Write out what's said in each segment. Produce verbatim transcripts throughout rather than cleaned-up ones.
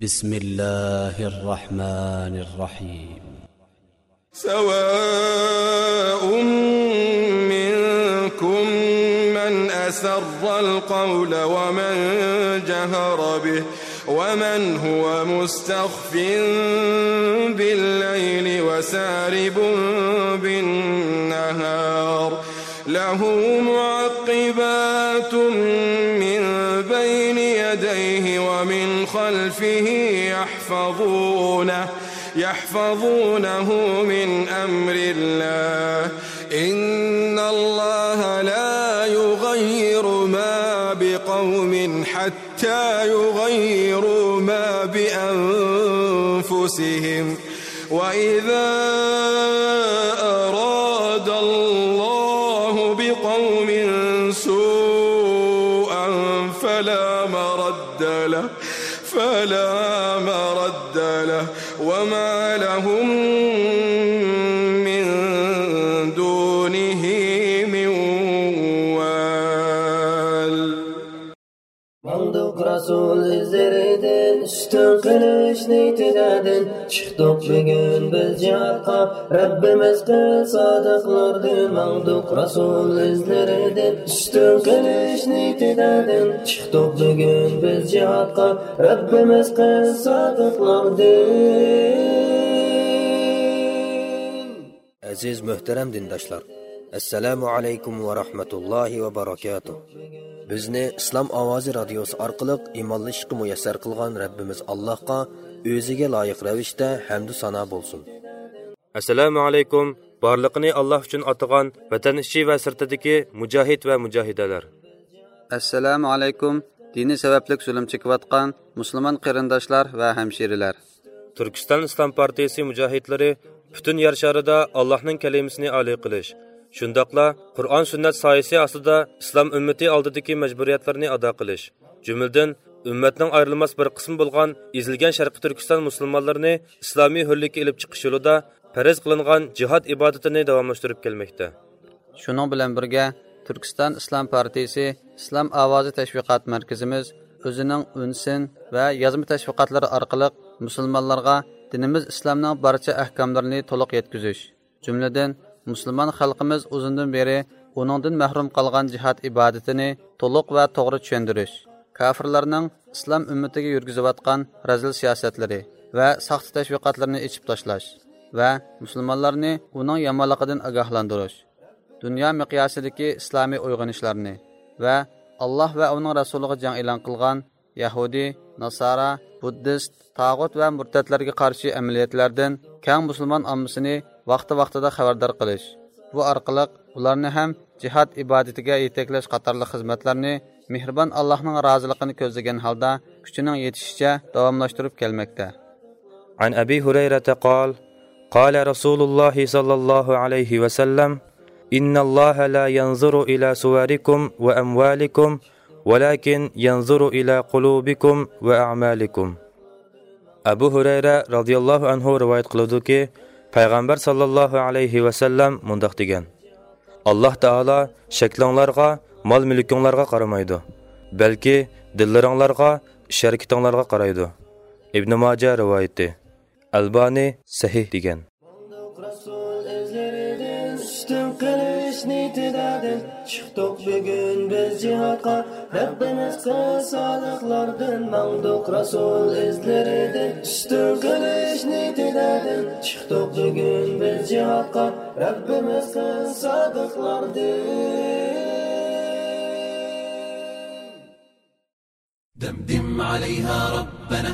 بسم الله الرحمن الرحيم. سواء منكم من أسر القول ومن جهر به ومن هو مستخف بالليل وسارب بالنهار. له معقبات من بين يديه ومن خلفه يحفظونه، يحفظونه من أمر الله. إن الله لا يغير ما بقوم حتى يغيروا ما بأنفسهم. وإذا أراد الله بقوم سوءا فلا مرد له، فلا مرد له، وما لهم من دونه من وال. ماڭدۇق رەسۇل ئىزلىرىدىن، ئۈستۈن قىلىش نىيىتىدىن، چىقتۇق بۈگۈن بىز جىھادقا، رەببىمىز قىل سادىقلاردىن. ماڭدۇق رەسۇل ئىزلىرىدىن، ئۈستۈن قىلىش نىيىتىدىن، چىقتۇق بۈگۈن بىز جىھادقا، رەببىمىز قىل سادىقلاردىن. ئەزىز مۆھتەرەم دىنداشلار، ئەسسالامۇ ئەلەيكۇم ۋە رەھمەتۇللاھى ۋە بارىكاتۇھ. بىزنى ئىسلام ئاۋازى رادىيوسى ئارقىلىق ئىمانلىشىشقا مۇيەسسەر قىلغان رەببىمىز ئاللاھقا ئۆزىگە لايىق رەۋىشتە ھەمدۇ سانا بولسۇن. ئەسسالامۇ ئەلەيكۇم، بارلىقىنى ئاللاھ ئۈچۈن ئاتىغان ۋەتەن ئىچى ۋە سىرتىدىكى مۇجاھىد ۋە مۇجاھىدەلەر. ئەسسالامۇ ئەلەيكۇم، دىنى سەۋەبلىك زۇلۇم چېكىۋاتقان مۇسۇلمان قېرىنداشلار ۋە ھەمشىرىلەر. تۈركىستان ئىسلام پارتىيىسى مۇجاھىدلىرى پۈتۈن يەر شارىدا ئاللاھنىڭ كەلىمىسىنى ئالىي قىلىش، شۇنداقلا قۇرئان سۈننەت سايىسى ئاستىدا ئىسلام ئۈممىتى ئالدىدىكى مەجبۇرىيەتلىرىنى ئادا قىلىش، جۈملىدىن ئۈممەتنىڭ ئايرىلماس بىر قىسمى بولغان ئېزىلگەن شەرقىي تۈركىستان مۇسۇلمانلىرىنى ئىسلامىي ھۆرلۈككە ئېلىپ چىقىش يولىدا پەرز قىلىنغان جىھاد ئىبادىتىنى داۋاملاشتۇرۇپ كەلمەكتە. شۇنىڭ بىلەن بىرگە، تۈركىستان ئىسلام پارتىيىسى ئىسلام ئاۋازى تەشۋىقات مەركىزىمىز ئۆزىنىڭ ئۈن سىن ۋە يازما تەشۋىقاتلىرى ئارقىلىق مۇسۇلمانلارغا دىنىمىز ئىسلامنىڭ بارچە ئەھكاملىرىنى تولۇق يەتكۈزۈش، جۈملىدىن مۇسۇلمان خەلقىمىز ئۇزۇندىن بېرى ئۇنىڭدىن مەھرۇم قالغان جىھاد ئىبادىتىنى تولۇق ۋە توغرا چۈشەندۈرۈش، كاپىرلارنىڭ ئىسلام ئۈممىتىگە يۈرگۈزۈۋاتقان رەزىل سىياسەتلىرى ۋە ساختا تەشۋىقاتلىرىنى ئېچىپ تاشلاش ۋە مۇسۇلمانلارنى ئۇنىڭ يامانلىقىدىن ئاگاھلاندۇرۇش، دۇنيا مىقياسىدىكى ئىسلامىي ئويغىنىشلارنى ۋە ئاللاھ ۋە ئۇنىڭ رەسۇلىغا جەڭ ئېلان قىلغان يەھۇدىي، ناسارا، بۇددىست، تاغۇت ۋە مۇرتەتلەرگە قارشى ئەمەلىيەتلەردىن كەڭ مۇسۇلمان ئاممىسىنى ۋاقتى-ۋاقتىدا خەۋەردار قىلىش، بۇ ئارقىلىق ئۇلارنى ھەم جىھاد ئىبادىتىگە يېتەكلەش قاتارلىق خىزمەتلەرنى مېھرىبان ئاللاھنىڭ رازىلىقىنى كۆزلىگەن ھالدا كۈچىنىڭ يېتىشىچە داۋاملاشتۇرۇپ كەلمەكتە. عن أبي هريرة قال: قال رسول الله صلى الله عليه وسلم: إن الله لا ينظر إلى صوركم وأموالكم ولكن ينظر إلى قلوبكم وأعمالكم. ئەبۇ ھۇرەيرە رازىياللاھۇ ئەنھۇ رىۋايەت قىلىدۇكى، پەيغەمبەر ساللاللاھۇ ئەلەيھى ۋەسەللەم مۇنداق دېگەن: ئاللاھ تائالا شەكلىڭلارغا، مال-مۈلكۈڭلارغا قارىمايدۇ، بەلكى دىللىرىڭلارغا، ئىش-ھەرىكىتىڭلارغا قارايدۇ. ئىبنى ماجە رىۋايىتى. ئەلبانى سەھىھ دېگەن. ماڭدۇق رەسۇل ئىزلىرىدىن، ئۈستۈن قىلىش نىيىتىدىن، چىقتۇق بۈگۈن بىز جىھادقا، رەببىمىز قىل سادىقلاردىن. ماڭدۇق رەسۇل ئىزلىرىدىن، ئۈستۈن قىلىش نىيىتىدىن، چىقتۇق بۈگۈن بىز جىھادقا، رەببىمىز قىل سادىقلاردىن. دمدم عليها ربنا،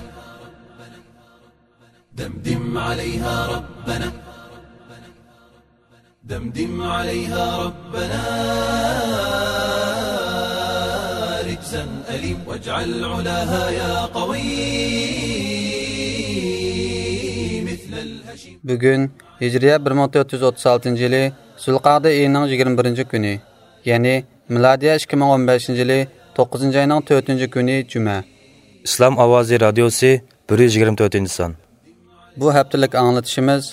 دمدم عليها ربنا، دمدم عليها ربنا رجزا أليم، واجعل علاها يا قوي مثل الهشيم. بۈگۈن ھىجرىيە بىر مىڭ تۆت يۈز ئوتتۇز ئالتىنچى يىلى زۇلقەئدە ئېيىنىڭ يىگىرمە بىرىنچى كۈنى، يەنى مىلادىيە ئىككى مىڭ ئون بەشىنچى يىلى توققۇزىنچى ئاينىڭ تۆتىنچى كۈنى جۈمە. ئىسلام ئاۋازى رادىيوسى، بىر يۈز يىگىرمە تۆتىنچى سان. بۇ ھەپتىلىك ئاڭلىتىشىمىز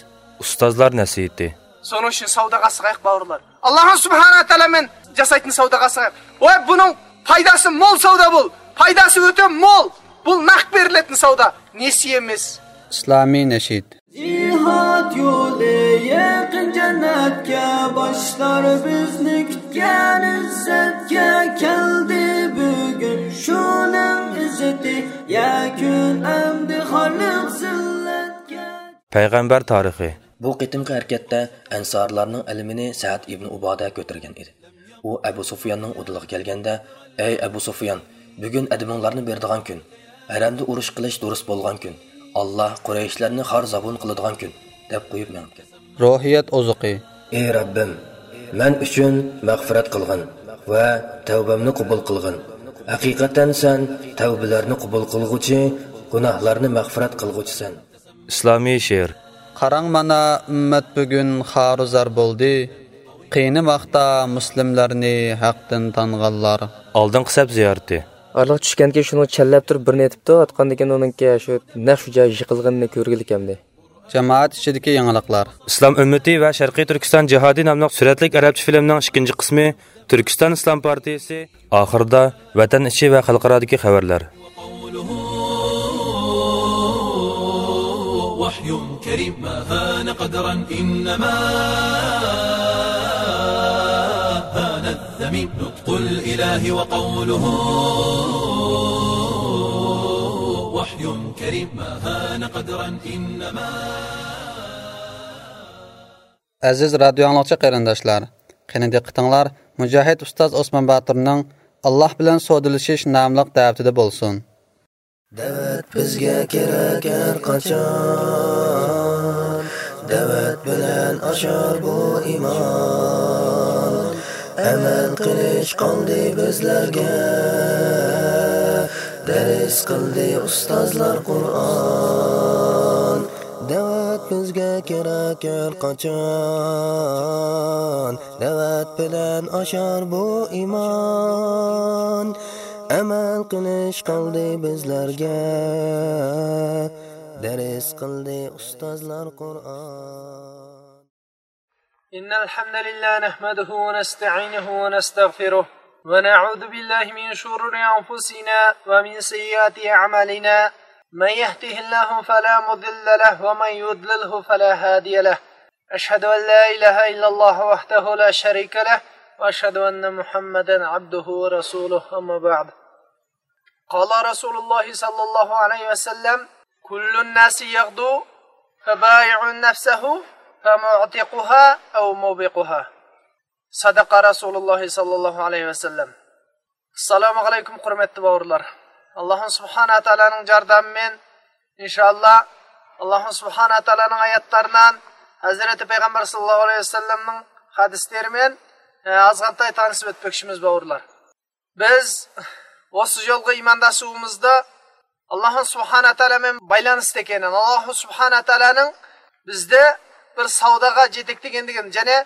ئۇستازلار نەسىھىتى. Sonun için savdağa sığayıq bavurlar. Allah'ın Subhanahu Teala men jasaytın savdağa sığayıq. Ve bunun faydası mol savda bul. Faydası öte mol. بۇ نەق بېرىلىدىغان سودا، نېسىيە ئەمەس. ئىسلامىي نەشىد. جىھاد يولى يېقىن جەننەتكە، باشلار بىزنى كۈتكەن ئىززەتكە. كەلدى بۈگۈن شۇنىڭ ئىززىتى، يەكۈن ئەمدى خارلىق زىللەتكە. پەيغەمبەر تارىخى. بۇ قېتىمقى ھەرىكەتتە ئەنسارلارنىڭ ئەلىمىنى سەئد ئىبنى ئۇبادە كۆتۈرگەن ئىدى. ئۇ ئەبۇ سۇفياننىڭ ئۇدۇلىغا كەلگەندە، ئەي ئەبۇ سۇفيان، بۈگۈن ئەدىمىڭلارنى بېرىدىغان كۈن، ھەرەمدە ئۇرۇش قىلىش دۇرۇس بولغان كۈن، ئاللا قۇرەيشلەرنى خار زابۇن قىلىدىغان كۈن، دەپ قويۇپ مېڭىپ كەتتى. روھىيەت ئوزۇقى. ئى رەببىم، مەن ئۈچۈن مەغپىرەت قىلغىن ۋە تەۋبەمنى قوبۇل قىلغىن. ھەقىقەتەن سەن تەۋبىلەرنى قوبۇل قىلغۇچى، گۇناھلارنى مەغپىرەت قىلغۇچىسەن. ئىسلامىي شېئىر. قاراڭ مانا، ئۈممەت بۈگۈن خارۇزار بولدى. قىينىماقتا مۇسلىملارنى ھەقتىن تانغانلار. ئالدىنقى سەپ زىيارىتى. ئارىلىق چۈشكەنكى شۇنىڭ چەنلەپ تۇرۇپ بىرنى ئېتىپتۇ، ئاتقاندىن كېيىن ئۇنىڭكى شۇ نەق شۇ جايى يىقىلغىنىنى كۆرگىلى كەمدى. جامائەت ئىچىدىكى يېڭىلىقلار. ئىسلام ئۈممىتى ۋە شەرقىي تۈركىستان جىھادى ناملىق سۈرەتلىك ئەرەبچە فىلىمنىڭ ئىككىنچى قىسمى تۈركىستان ئىسلام پارتىيىسى. ئاخىرىدا ۋەتەن ئىچى ۋە خەلقئارادىكى خەۋەرلەر. وحي كريم ما هان قدرا إنما هان الذميم نطق الإله وقوله وحي كريم ما هان قدرا إنما. ئەزىز رادىيو ئاڭلىغۇچى قېرىنداشلار، قېنى دىققىتىڭلار مۇجاھىد ئۇستاز ئوسمان باتۇرنىڭ «ئاللاھ بىلەن سودىلىشىش» ناملىق دەۋىتىدە بولسۇن. دەۋەت بىزگە كېرەك ھەر قاچان، دەۋەت بىلەن ئاشار بۇ ئىمان. ئەمەل قىلىش قالدى بىزلەرگە، دەرس قىلدى ئۇستازلار قۇرئان. دەۋەت بىزگە كېرەك ھەر قاچان، دەۋەت بىلەن ئاشار بۇ ئىمان. ئەمەل قىلىش قالدى بىزلەرگە، دەرس قىلدى ئۇستازلار قۇرئان. إن الحمد لله نحمده ونستعينه ونستغفره ونعوذ بالله من شرور أنفسنا ومن سيئات أعمالنا. من يهده الله فلا مضل له ومن يضلله فلا هادي له. أشهد أن لا إله إلا الله وحده لا شريك له وأشهد أن محمدا عبده ورسوله. أما بعد. قال رسول الله صلى الله عليه وسلم: كل الناس يغدو فبائع نفسه فمعتقها أو موبقها. صدق رسول الله صلى الله عليه وسلم. ئەسسالامۇ ئەلەيكۇم، ھۆرمەتلىك باۋۇرلار. ئاللاھ سۇبھانەھۇ ۋە تائالانىڭ جاردامى بىلەن، ئىنشائاللاھ، ئاللاھ سۇبھانەھۇ ۋە تائالانىڭ ئايەتلىرى بىلەن، ھەزرىتى پەيغەمبەر ساللاللاھۇ ئەلەيھى ۋەسەللەمنىڭ ھەدىسلىرى بىلەن، ئە، ئازغانتاي تانىشىپ ئۆتمەكچىمىز باۋۇرلار. بىز ئوسۇ يولغا ئىمانداشلىقىمىزدا ئاللاھ سۇبھانەھۇ ۋە تائالا بىلەن بايلانىشتا ئىكەن. ئاللاھ سۇبھانەھۇ ۋە تائالانىڭ بىزدە بىر سوداغا جېتەكلىگەن دېگەن، يەنى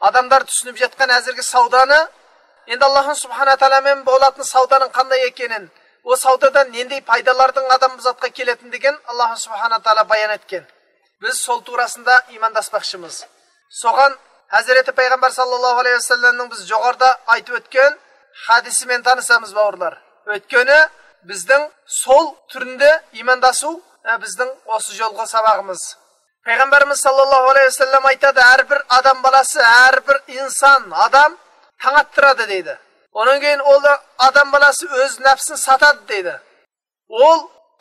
ئادەملەر چۈشىنىپ ياتقان ھازىرقى سودانى، ئەمدى ئاللاھ سۇبھانەھۇ ۋە تائالا بىلەن بولاتىن سودانىڭ قانداق ئىكەنلىكىنى، ئۇ سودادا نەندەي پايدىلاردىن ئادەم بۇ زاتقا كېلەتتى دېگەن ئاللاھ سۇبھانەھۇ ۋە تائالا بايان ئەتكەن. بىز سول توغراسىدا ئىمانداشماقچىمىز. سوغان ھەزرىتى پەيغەمبەر ساللاللاھۇ ئەلەيھى ۋەسەللەمنىڭ بىز جوغاردا ئېيتىپ ئۆتكەن ھەدىسى مەن تانىسامىز باۋۇرلار. ئۆتكىنى بىزنىڭ سول تۈرىدە ئىمانداشۇ، ئە، بىزنىڭ ئوسۇ يولغا ساۋاغىمىز. پەيغەمبىرىمىز ساللاللاھۇ ئەلەيھى ۋەسەللەم ئېيتىدۇ، ھەر بىر ئادەم بالاسى، ھەر بىر ئىنسان، ئادەم تاڭ ئاتتۇرىدۇ دەيدۇ. ئۇنىڭ كېيىن ئۇ ئادەم بالاسى ئۆز نەپسىنى ساتىدۇ دەيدۇ. ئۇ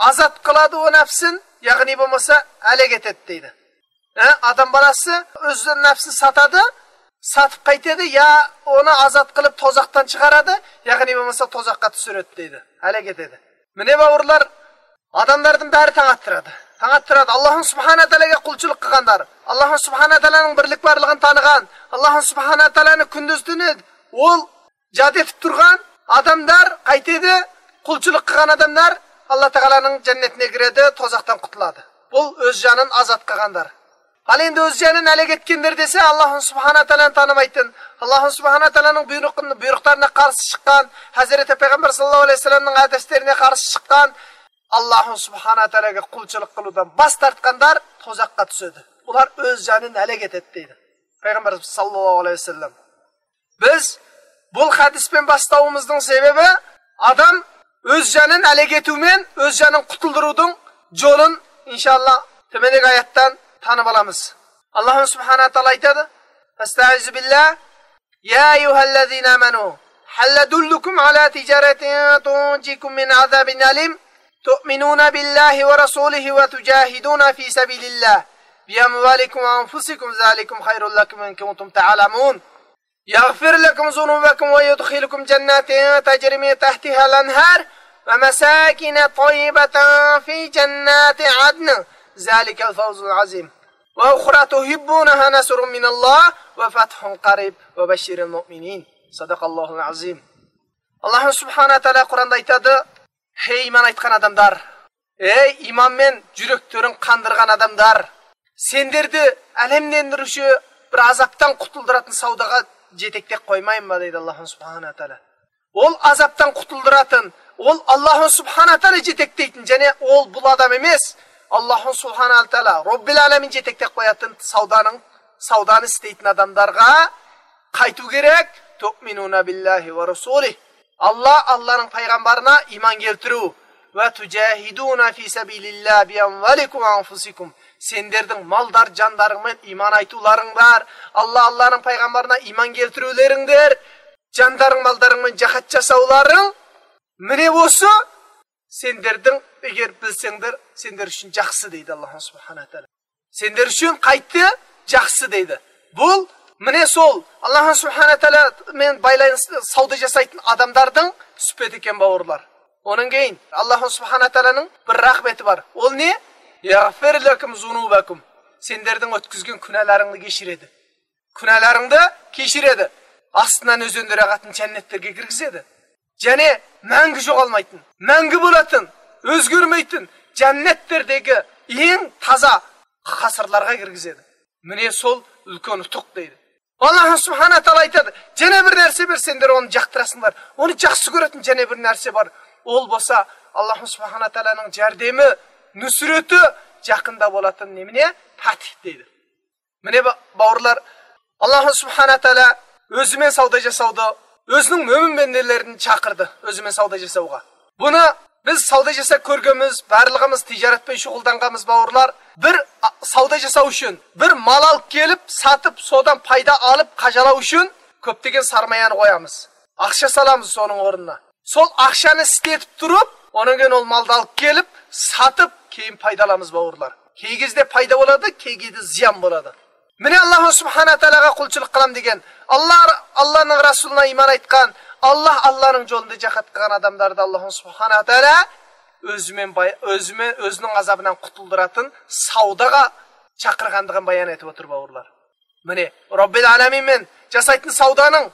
ئازاد قىلىدۇ ئۇ نەپسىنى، يەنى بولمىسا ھالاك ئېتىدۇ دەيدۇ. ھە، ئادەم بالاسى ئۆز نەپسىنى ساتىدۇ، ساتىپ قايتىدۇ، يا ئۇنى ئازاد قىلىپ توزاقتىن چىقىرىدۇ، يەنى بولمىسا توزاققا چۈشۈرىدۇ دەيدۇ، ھالاك ئېتىدۇ. مانا باۋۇرلار، ئادەملەردىن بەرى تاڭ ئاتتۇرىدۇ. تاڭ ئاتتۇرىدۇ. ئاللاھ سۇبھانەھۇ ۋە تائالاغا قۇلچىلىق قىلغانلار، ئاللاھ سۇبھانەھۇ ۋە تائالانىڭ بىرلىك بارلىقىنى تانىغان، ئاللاھ سۇبھانەھۇ ۋە تائالانى كۈندۈز تۈنى ئۇل جاھاد ئېتىپ تۇرغان ئادەملەر قايتىدۇ، قۇلچىلىق قىلغان ئادەملەر ئاللاھ تائالانىڭ جەننىتىگە كىرىدۇ، توزاقتىن قۇتۇلىدۇ. بۇ ئۆز جانىنى ئازاد قىلغانلار. ھال ئەمدى ئۆز جانىنى ھالاك ئەتكەنلەر دېسە، ئاللاھ سۇبھانەھۇ ۋە تائالانى تانىمايتتىن. ئاللاھ سۇبھانەھۇ ۋە تائالانىڭ بۇيرۇق-، بۇيرۇقلىرىغا قارشى چىققان، ھەزرىتى پەيغەمبەر ساللاللاھۇ ئەلەيھى ۋەسەللەمنىڭ ھەدىسلىرىگە قارشى چىققان، ئاللاھ سۇبھانەھۇ ۋە تائالاغا قۇلچىلىق قىلىدىغان باش تارتقانلار توزاققا چۈشىدۇ. ئۇلار ئۆز جانىنى ھالاك ئېتىدۇ دەيدۇ پەيغەمبەر ساللاللاھۇ ئەلەيھى ۋەسەللەم. بىز بۇ ھەدىس بىلەن باشلاۋىمىزنىڭ سەۋەبى، ئادەم ئۆز جانىنى ھالاك ئېتىۋمەن، ئۆز جانىنى قۇتۇلدۇرۇۋدۇڭ، جولۇن، ئىنشاللا، تۆمەندىكى ئايەتتىن تانىپ ئالىمىز. ئاللاھ سۇبھانەھۇ ۋە تائالا ئېيتىدۇ، فەستەئىزۇ بىللاھ، يا أيها الذين آمنوا هل أدلكم على تجارة تنجيكم من عذاب أليم تؤمنون بالله ورسوله وتجاهدون في سبيل الله بأموالكم وأنفسكم ذلكم خير لكم إن كنتم تعلمون يغفر لكم ذنوبكم ويدخلكم جنات تجري من تحتها الأنهار ومساكن طيبة في جنات عدن ذلك الفوز العظيم وأخرى تحبونها نصر من الله وفتح قريب وبشر المؤمنين صدق الله العظيم. ئاللاھ سۇبھانەھۇ ۋە تائالا قۇرئاندا ئېيتىدۇ، ھەي ئىمان ئېيتقان ئادەملەر، ھەي ئىمان بىلەن يۈرەكلىرىنى قاندۇرغان ئادەملەر، سىلەرنى ئەلەملەندۈرۈشى بىر ئازابتىن قۇتۇلدۇراتتىن سوداغا يېتەكلەپ قويمايمۇ دەيدۇ ئاللاھ سۇبھانەھۇ ۋە تائالا. ئول ئازابتىن قۇتۇلدۇراتتىن، ئول ئاللاھ سۇبھانەھۇ ۋە تائالا يېتەكلەيتتىن، يەنى ئول بۇ ئادەم ئەمەس، ئاللاھ سۇبھانەھۇ ۋە تائالا رەببىل ئالەمىن يېتەكلەپ قوياتتىن سودانىڭ، سودانى ئىستەيتتىن ئادەملەرگە قايتىۋ كېرەك، تؤمنون بالله ورسوله. ئاللاھ، ئاللاھنىڭ پەيغەمبىرىنى ئىمان كەلتۈرۈۋ. وتجاهدون في سبيل الله بأموالكم وأنفسكم. سىلەرنىڭ مالدار، جاندارىڭ بىلەن ئىمان ئېيتىۋلارىڭ بار. ئاللاھ، ئاللاھنىڭ پەيغەمبىرىنى ئىمان كەلتۈرۈۋلىرىڭدۇر. جاندارىڭ، مالدارىڭ بىلەن جىھاد جاساۋلارىڭ. مانا بۇسى سىلەرنىڭ، ئەگەر بىلسەڭدۇر، سىلەر ئۈچۈن جاخشى دەيدۇ ئاللاھ سۇبھانەھۇ ۋە تائالا. سىلەر ئۈچۈن قايتتى جاخشى دەيدۇ. بۇ، مانا سول، ئاللاھ سۇبھانەھۇ ۋە تائالا بىلەن بايلانغان سودا جاسايدىغان ئادەملەرنىڭ سۈپىتى ئىكەن، باۋۇرلار. ئۇنىڭ كېيىن ئاللاھ سۇبھانەھۇ ۋە تائالانىڭ بىر رەھمىتى بار. ئۇ نېمە؟ يغفر لكم ذنوبكم. سىلەرنىڭ ئۆتكۈزگەن گۇناھلىرىڭنى كەچۈرىدۇ. گۇناھلىرىڭنى كەچۈرىدۇ. ئاستىڭدىن ئۆزۈڭنى رەھمەتنىڭ جەننەتلىرىگە كىرگۈزىدۇ. يەنى مەڭگۈ يوقالمايتتىن، مەڭگۈ بولاتتىن، ئۆزگەرمەيتتىن، جەننەتلەردىكى ئەڭ تازا قەسىرلەرگە كىرگۈزىدۇ. مانا سول ئۈلكەن ئۇتۇق دەيدۇ. ئاللاھ سۇبھانەھۇ ۋە تائالا ئېيتىدۇ، يەنە بىر نەرسە بار، سىلەر ئۇنى ياقتۇراسىڭلار، ئۇنى جاخشى كۆرەتتىن يەنە بىر نەرسە بار. ئۇ بولسا ئاللاھ سۇبھانەھۇ ۋە تائالانىڭ ياردىمى، نۇسرىتى يېقىندا بولاتتىن نېمىنى؟ پەتھ دەيدۇ. مانا با-، باۋۇرلار، ئاللاھ سۇبھانەھۇ ۋە تائالا ئۆزى بىلەن سودا جاساۋدۇ، ئۆزىنىڭ مۆمىن بەندىلىرىنى چاقىردى ئۆزى بىلەن سودا جاساۋغا. بۇنى بىز سودا جاساپ كۆرگەنمىز، بارلىقىمىز تىجارەت بىلەن شۇغۇللانغانمىز، باۋۇرلار. بىر ئا-، سودا جاساپ ئۈچۈن، بىر مال ئېلىپ كېلىپ، ساتىپ، سودان پايدا ئېلىپ قازانماق ئۈچۈن كۆپلىگەن سارمايانى قويىمىز. ئاقچا سالىمىز سونىڭ ئورنىنا. سول ئاقچانى ئىشلىتىپ تۇرۇپ، ئۇنىڭ كېيىن ئۇ مالنى ئېلىپ كېلىپ، ساتىپ، كېيىن پايدا ئالىمىز، باۋۇرلار. كەلگۈسىدە پايدا بولىدۇ، كەلگۈسىدە زىيان بولىدۇ. مانا ئاللاھ سۇبھانەھۇ ۋە تائالاغا قۇلچىلىق قىلىمەن دېگەن، ئاللاھ، ئاللاھنىڭ رەسۇلىغا ئىمان ئېيتقان، ئاللاھ، ئاللاھنىڭ يولىدا جىھاد قىلغان ئادەملەرنى ئاللاھ سۇبھانەھۇ ۋە تائالا ئۆزى بىلەن باي-، ئۆزى بىلەن، ئۆزىنىڭ ئازابىدىن قۇتۇلدۇراتتىن سوداغا چاقىرغانلىقىنى بايان ئېتىپ ئوتۇر، باۋۇرلار. مانا، رەببىل ئالەمىن بىلەن جاسايدىغان سودانىڭ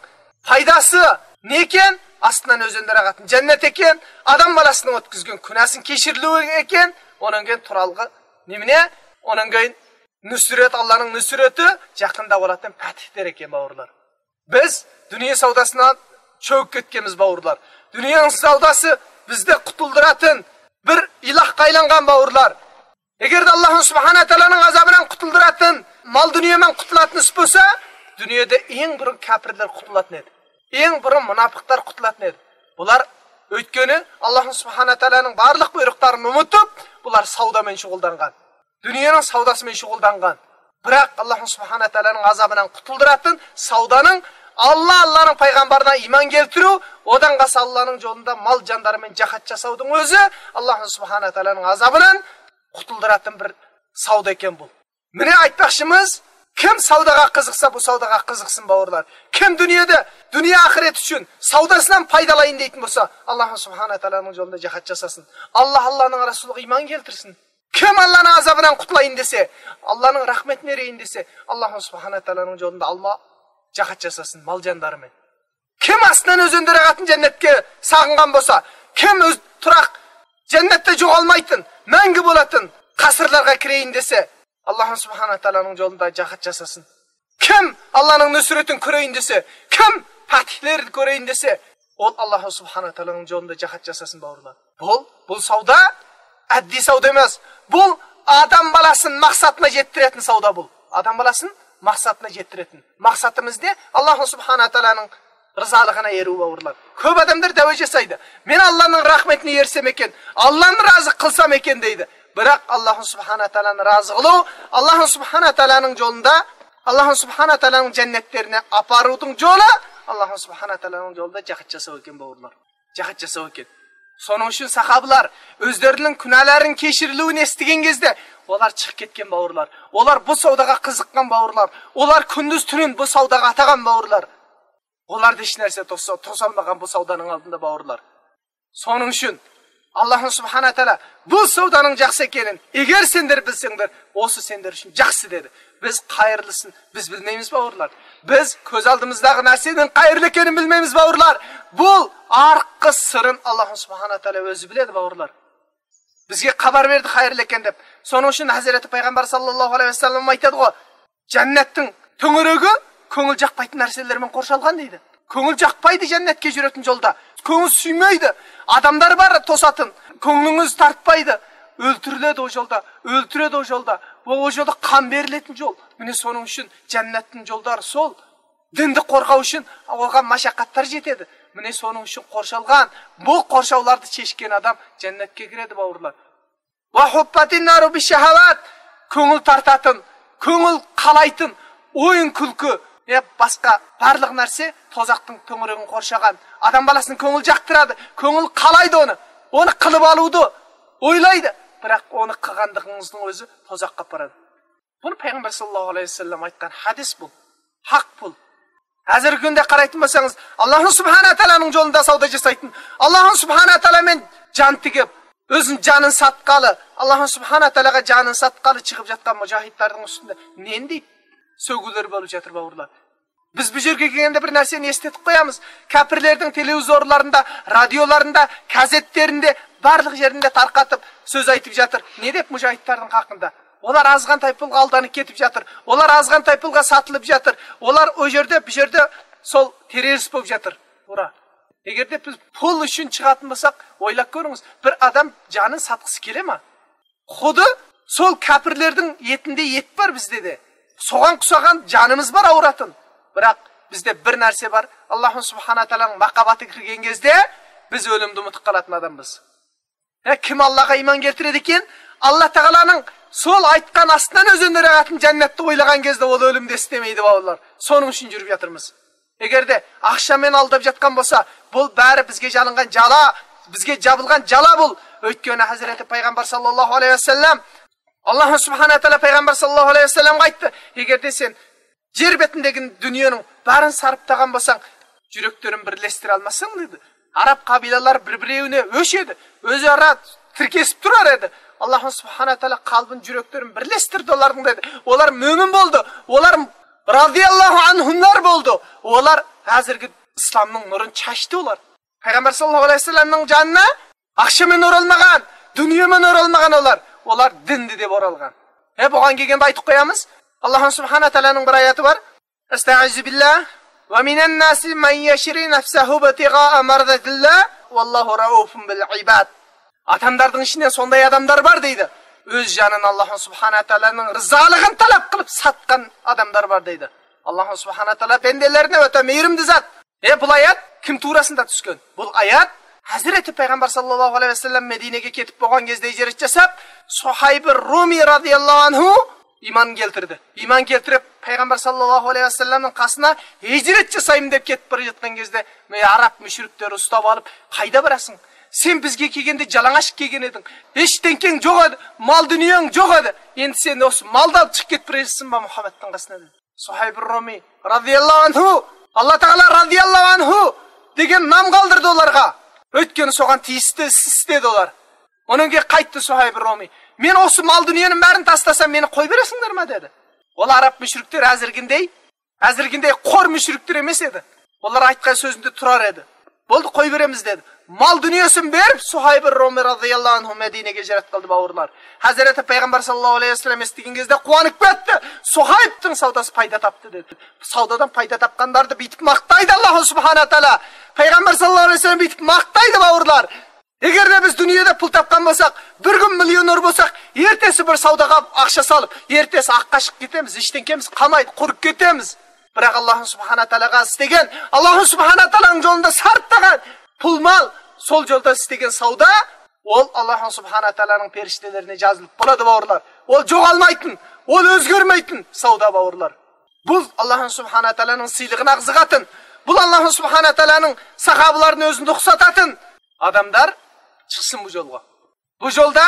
پايدىسى نېمە ئىكەن؟ ئاستىڭدىن ئۆزۈڭنى رەھمەتنىڭ جەننەت ئىكەن، ئادەم بالىسىنىڭ ئۆتكۈزگەن گۇناھىنىڭ كەچۈرۈلۈشى ئىكەن، ئۇنىڭ كېيىن تۇرالغۇ نېمىنى؟ ئۇنىڭ كېيىن نۇسرەت، ئاللاھنىڭ نۇسرىتى يېقىندا بولاتتىن پەتھدۇر ئىكەن، باۋۇرلار. بىز دۇنيا سوداسىنى چۆكۈپ كەتكەنمىز، باۋۇرلار. دۇنيانىڭ سوداسى بىزنى قۇتۇلدۇراتتىن بىر ئىلاھقا ئايلانغان، باۋۇرلار. ئەگەردە ئاللاھ سۇبھانەھۇ ۋە تائالانىڭ ئازابىدىن قۇتۇلدۇراتتىن مال دۇنيا بىلەن قۇتۇلاتتىن بولسا، دۇنيادا ئەڭ بۇرۇن كاپىرلار قۇتۇلاتتىن ئىدى. ئەڭ بۇرۇن مۇناپىقلار قۇتۇلاتتىن ئىدى. بۇلار ئۆتكىنى ئاللاھ سۇبھانەھۇ ۋە تائالانىڭ بارلىق بۇيرۇقلىرىنى ئۇنتۇپ، بۇلار سودا بىلەن شۇغۇللانغان. دۇنيانىڭ سوداسى بىلەن شۇغۇللانغان. بىراق ئاللاھ سۇبھانەھۇ ۋە تائالانىڭ ئازابىدىن قۇتۇلدۇراتتىن سودانىڭ، ئاللاھ، ئاللاھنىڭ پەيغەمبىرىگە ئىمان كەلتۈرۈپ، ئۇنىڭ قاسا ئاللاھنىڭ يولىدا مال جانلىرى بىلەن جىھاد جاساۋدىن ئۆزى ئاللاھ سۇبھانەھۇ ۋە تائالانىڭ ئازابىدىن قۇتۇلدۇراتتىن بىر سودا ئىكەن بۇ. مانا ئېيتماقچىمىز، كىم سوداغا قىزىقسا، بۇ سوداغا قىزىقسۇن، باۋۇرلار. كىم دۇنيادا، دۇنيا ئاخىرەت ئۈچۈن سوداسىدىن پايدىلايىن دەيدىغان بولسا، ئاللاھ سۇبھانەھۇ ۋە تائالانىڭ يولىدا جىھاد جاساسۇن. ئاللاھ، ئاللاھنىڭ رەسۇلىغا ئىمان كەلتۈرسۇن. كىم ئاللاھنىڭ ئازابىدىن قۇتۇلايىن دېسە، ئاللاھنىڭ رەھمىتىنى ئېرىشەيىن دېسە، ئاللاھ سۇبھانەھۇ ۋە تائالانىڭ يولىدا ئالما جىھاد جاساسۇن، مال جانلىرى بىلەن. كىم ئاستىدىن ئۆزىنى رەھمەتنىڭ جەننەتكە ساغىنغان بولسا، كىم ئۆز تۇراق جەننەتتە جوغالمايتتىن، مەڭگۈ بولاتتىن قەسىرلەرگە كىرەيىن دېسە، ئاللاھ سۇبھانەھۇ ۋە تائالانىڭ يولىدا جىھاد جاساسۇن. كىم ئاللاھنىڭ نۇسرىتىنى كۆرەيىن دېسە، كىم پەتھلەرنى كۆرەيىن دېسە، ئۇ ئاللاھ سۇبھانەھۇ ۋە تائالانىڭ يولىدا جىھاد جاساسۇن، باۋۇرلار. بۇ، بۇ سودا ئاددىي سودا ئەمەس. بۇ ئادەم بالىسىنى مەقسەتىگە يەتتۈرەتتىن سودا بۇ. ئادەم بالىسىنى مەقسەتىگە يەتتۈرەتتىن. مەقسىتىمىز نېمە؟ ئاللاھ سۇبھانەھۇ ۋە تائالانىڭ رىزالىقىنى ئېرىۋ باۋۇرلار. كۆپ ئادەملەر دەۋە جاسايدى. مەن ئاللانىڭ رەھمىتىنى ئېرىسەم ئىكەن، ئاللانى رازى قىلسام ئىكەن دەيدۇ. بىراق، ئاللاھۇ سۇبھانە تائالانى رازى قىلىۋ، ئاللاھۇ سۇبھانە تائالانىڭ جولىدا، ئاللاھۇ سۇبھانە تائالانىڭ جەننەتلىرىنى ئاپارۇۋدۇڭ جولى، ئاللاھۇ سۇبھانە تائالانىڭ جولىدا جاھات جاساۋ ئىكەن باۋۇرلار. جاھات جاساۋ ئىكەن. سونىڭ ئۈچۈن ساھابىلار ئۆزلىرىنىڭ كۈنەلەرنىڭ كەچۈرۈلۈۋىنى ئېسىتكەنگىزدە، ئۇلار چىقىپ كەتكەن باۋۇرلار. ئۇلار بۇ سوداغا قىزىققان باۋۇرلار. ئۇلار كۈندۈز تۈنۈن بۇ سوداغا ئاتىغان باۋۇرلار. ئۇلاردا ھېچ نەرسە توسا-، توسالمىغان بۇ سودانىڭ ئالدىدا باۋۇرلار. سونىڭ ئۈچۈن ئاللاھۇ سۇبھانە تائالا بۇ سودانىڭ جاخسى ئىكەنلىكىنى ئەگەر سەندىر بىلسەڭدىر، ئوسۇ سەندىر ئۈچۈن جاخسى دېدى. بىز قايىرلىسىنى بىز بىلمەيمىز باۋۇرلار. بىز كۆز ئالدىمىزداغى نەرسىنىڭ قايىرلىكىنى بىلمەيمىز باۋۇرلار. بۇ ئارقا سىرىنى ئاللاھۇ سۇبھانە تائالا ئۆزى بىلىدۇ باۋۇرلار. بىزگە خەۋەر بەردى قايىرلىكىنى دەپ. سونىڭ ئۈچۈن ھەزرىتى پەيغەمبەر ساللاللاھۇ ئەلەيھى ۋەسەللەم ئايتىدىغۇ، جەننەتنىڭ تۆڭىرىگى كۆڭۈل جاقمايدىغان نەرسىلەر بىلەن قورشالغان دەيدۇ. كۆڭۈل جاقمايدۇ جەننەتكە جۈرەتتىن جولدا. كۆڭۈل سۆيمەيدۇ. ئادەملەر بار توساتتىن. كۆڭلىڭىز تارتمايدۇ. ئۆلتۈرۈلىدۇ ئۇ جولدا. ئۆلتۈرىدۇ ئۇ جولدا. ۋە ئۇ جولدا قان بېرىلىدىغان جول. مانا سونىڭ ئۈچۈن جەننەتتىن جولدا رەسۇل دىننى قورغاش ئۈچۈن بولغان مەشەققەتلەر يېتىدۇ. مانا سونىڭ ئۈچۈن قورشالغان، بۇ قورشاۋلاردا چېكىنگەن ئادەم جەننەتكە كىرىدۇ باۋۇرلار. ۋە ھۇففەتىن نارۇ بىششەھەۋات. كۆڭۈل تارتاتتىن، كۆڭۈل قالايتتىن، ئويۇن كۈلكە ۋە باشقا بارلىق نەرسە توزاقنىڭ تۆڭرىگىنى قورشىغان. ئادەم بالىسىنىڭ كۆڭلى جاقتۇرىدۇ، كۆڭلى قالايدۇ ئۇنى. ئۇنى قىلىپ ئالىدۇ، ئويلايدۇ. بىراق ئۇنى قىلغانلىقىڭىزنىڭ ئۆزى توزاققا ئاپىرىدۇ. بۇنى پەيغەمبەر ساللاللاھۇ ئەلەيھى ۋەسەللەم ئېيتقان ھەدىس بۇ. ھەق پۇل. ھازىرقى كۈندە قارايتتىن بولساڭىز، ئاللاھۇ سۇبھانە تائالانىڭ جولىدا سودا جاسايتتىن. ئاللاھۇ سۇبھانە تائالا مەن جان تېگىپ، ئۆزىنىڭ جانىنى ساتقىلى، ئاللاھۇ سۇبھانە تائالاغا جانىنى ساتقىلى چىقىپ ياتقان مۇجاھىدلارنىڭ ئۈستىدە نېمە دەپ سۆيگۈلىرى بولۇپ ياتىدۇ باۋۇرلار. بىز بۇ يەرگە كەلگەندە بىر نەرسىنى ئېسىتىپ قويىمىز. كاپىرلارنىڭ تېلېۋىزورلارىدا، رادىيولاردا، گازېتلىرىدە، بارلىق يېرىدە تارقىتىپ سۆز ئېيتىپ ياتىدۇ. نېمە دەپ مۇجاھىدلارنىڭ ھەققىدە؟ ئۇلار ئازغىنە پۇلغا ئالدىنىپ كېتىپ ياتىدۇ. ئۇلار ئازغىنە پۇلغا ساتىلىپ ياتىدۇ. ئۇلار ئۇ يەردە، بۇ يەردە سول تېررورىست بولۇپ ياتىدۇ. ئۇرا. ئەگەردە بىز پۇل ئۈچۈن چىقىۋاتمىساق، ئويلاپ كۆرۈڭىز، بىر ئادەم جانىنى ساتقۇسى كېلەمدۇ؟ خۇددى سول كاپىرلارنىڭ يېتىندە يېتى بار بىزدە دە. سوغان قۇساغان جانىمىز بار ئاۋراتتىن. بىراق بىزدە بىر نەرسە بار. ئاللاھۇ سۇبھانە تائالانىڭ ماقامىغا كىرگەن گېزىدە بىز ئۆلۈمدىن ئۈمىد قىلىدىغان ئادەم بىز. ھە، كىم ئاللاغا ئىمان كەلتۈرىدىكەن، ئاللا تائالانىڭ سول ئېيتقان ئاستىدىن ئۆزىنى رەغەتىن جەننەتتە ئويلىغان گېزىدە ئۇ ئۆلۈمدە ئىستىمەيدۇ باۋۇرلار. سونىڭ ئۈچۈن يۈرۈپ ياتىمىز. ئەگەردە ئاخشام مېنى ئالداپ ياتقان بولسا، بۇ بارى بىزگە جالىنغان جالا، بىزگە جابىلغان جالا بۇ. ئۆيتكىنى ھەزرىتى پەيغەمبەر ساللاللاھۇ ئەلەيھى ۋەسەللەم، ئاللاھۇ سۇبھانە تائالا پەيغەمبەر ساللاللاھۇ ئەلەيھى ۋەسەللەمگە ئېيتتى، ئەگەردە سەن يەر بېتىندىكى دۇنيانىڭ بارىنى سارپ تاغان بولساڭ، يۈرەكلىرىنى بىرلەشتۈرەلمەسسەن دېدى. ئەرەب قەبىلىلەر بىر-بىرىنى ئۆچ ئىدى. ئۆزئارا تىركىشىپ تۇرار ئىدى. ئاللاھۇ سۇبھانە تائالا قەلبىنى، يۈرەكلىرىنى بىرلەشتۈردى ئۇلارنىڭ دېدى. ئۇلار مۆمىن بولدى. ئۇلار رازىياللاھۇ ئەنھۇملار بولدى. ئۇلار ھازىرقى ئىسلامنىڭ نۇرىنى چاچتى ئۇلار. پەيغەمبەر ساللاللاھۇ ئەلەيھى ۋەسەللەمنىڭ جانىنى ئاخشىمى نۇر ئالمىغان، دۇنيامۇ نۇر ئالمىغان ئۇلار. ئۇلار دىن دېدى ئورالغان. ھە، بولغان كەلگەندە ئېيتىپ قويىمىز. ئاللاھۇ سۇبھانە تائالانىڭ بىر ئايىتى بار. ئەستەئىزۇ بىللا. ۋە مىنەن ناسى مەن يەشرى نەفسەھۇ بىتىغاء مەرزەتىللا. ۋەللاھۇ رەئۇفۇن بىل ئىباد. ئادەملەرنىڭ ئىچىدە شۇنداق ئادەملەر بار دەيدۇ. ئۆز جانىنى ئاللاھۇ سۇبھانە تائالانىڭ رىزالىقىنى تەلەپ قىلىپ ساتقان ئادەملەر بار دەيدۇ. ئاللاھۇ سۇبھانە تائالا بەندىلىرىنى ئۆتە مېھرىمدىن زات. ئە، بۇ ئايەت كىم توغرىسىدا چۈشكەن؟ بۇ ئايەت ھەزرىتى پەيغەمبەر ساللاللاھۇ ئەلەيھى ۋەسەللەم مەدىنىگە كېتىپ بولغان گېزىدە ھىجرەت جاساپ، سۇھەيبى رۇمى رازىياللاھۇ ئەنھۇ ئىمان كەلتۈردى. ئىمان كەلتۈرۈپ، پەيغەمبەر ساللاللاھۇ ئەلەيھى ۋەسەللەمنىڭ قاسىنا ھىجرەت جاسايمەن دەپ كېتىپ بېرىۋاتقان گېزىدە، ئەرەب مۇشرىكلىرى ئۇستاپ ئالىپ، قايدا باراسەن؟ سەن بىزگە كەلگەندە جالاڭاچ كەلگەن ئىدىڭ. ھېچ تەڭكەڭ يوق ئىدى، مال دۇنياڭ يوق ئىدى. ئەمدى سەن ئوسۇ مالنى ئېلىپ چىقىپ كېتىپ بېرىسەنمۇ مۇھەممەدنىڭ قاسىنا دېدى. سۇھەيبى رۇمى رازىياللاھۇ ئەنھۇ، ئاللا تائالا رازىياللاھۇ ئەنھۇ دېگەن نام قالدۇردى ئۇلارغا. ئۆيتكىنى سوغان تېگىشتى، سىستى ئۇلار. ئۇنىڭغا قايتتى سۇھەيبى رۇمى. مەن ئوسۇ مال دۇنيانىڭ بارىنى تاشلىسام، مېنى قويۇپ بېرەسەڭلارمۇ دېدى. ئۇلار ئەرەب مۇشرىكلىرى ھازىرقىدەك، ھازىرقىدەك قۇر مۇشرىكلىرى ئەمەس ئىدى. ئۇلار ئېيتقان سۆزىدە تۇرار ئىدى. بولدى، قويۇپ بېرىمىز دېدى. مال دۇنياسىنى بېرىپ، سۇھەيبى رۇمى رازىياللاھۇ ئەنھۇ مەدىنىگە ھىجرەت قىلدى باۋۇرلار. ھەزرىتى پەيغەمبەر ساللاللاھۇ ئەلەيھى ۋەسەللەم ئېسىتكەن گېزىدە قۇۋانىپ كەتتى. سۇھەيبنىڭ سوداسى پايدا تاپتى دېدى. سودادىن پايدا تاپقانلارنى بېيىتىپ ماختايدۇ ئاللاھۇ سۇبھانە تائالا. پەيغەمبەر ساللاللاھۇ ئەلەيھى ۋەسەللەم بېيىتىپ ماختايدۇ باۋۇرلار. ئەگەردە بىز دۇنيادا پۇل تاپقان بولساق، بىر كۈن مىليونېر بولساق، ئەتىسى بىر سوداغا ئاقچا سالىپ، ئەتىسى ئاق قاشقا كېتىمىز، ھېچ تەڭكىمىز قالمايدۇ، قۇرۇپ كېتىمىز. بىراق ئاللاھ سۇبھانەھۇ ۋە تائالاغا ئىستىگەن، ئاللاھ سۇبھانەھۇ ۋە تائالانىڭ يولىدا سەرپ قىلغان پۇل-مال، سول يولدا ئىستىگەن ساۋدا، ئول ئاللاھ سۇبھانەھۇ ۋە تائالانىڭ پەرىشتىلىرىنىڭ ئىجازىتى بولىدۇ، باۋۇرلار. ئول جوغالمايتىن، ئول ئۆزگەرمەيتىن ساۋدا، باۋۇرلار. بۇ ئاللاھ سۇبھانەھۇ ۋە تائالانىڭ سىيلىقىنى ئاغزىغا ئاتىن. بۇ ئاللاھ سۇبھانەھۇ ۋە تائالانىڭ ساھابىلارنى ئۆزىنى رۇخسەت ئاتىن. ئادەملەر چىقسۇن بۇ يولغا. بۇ يولدا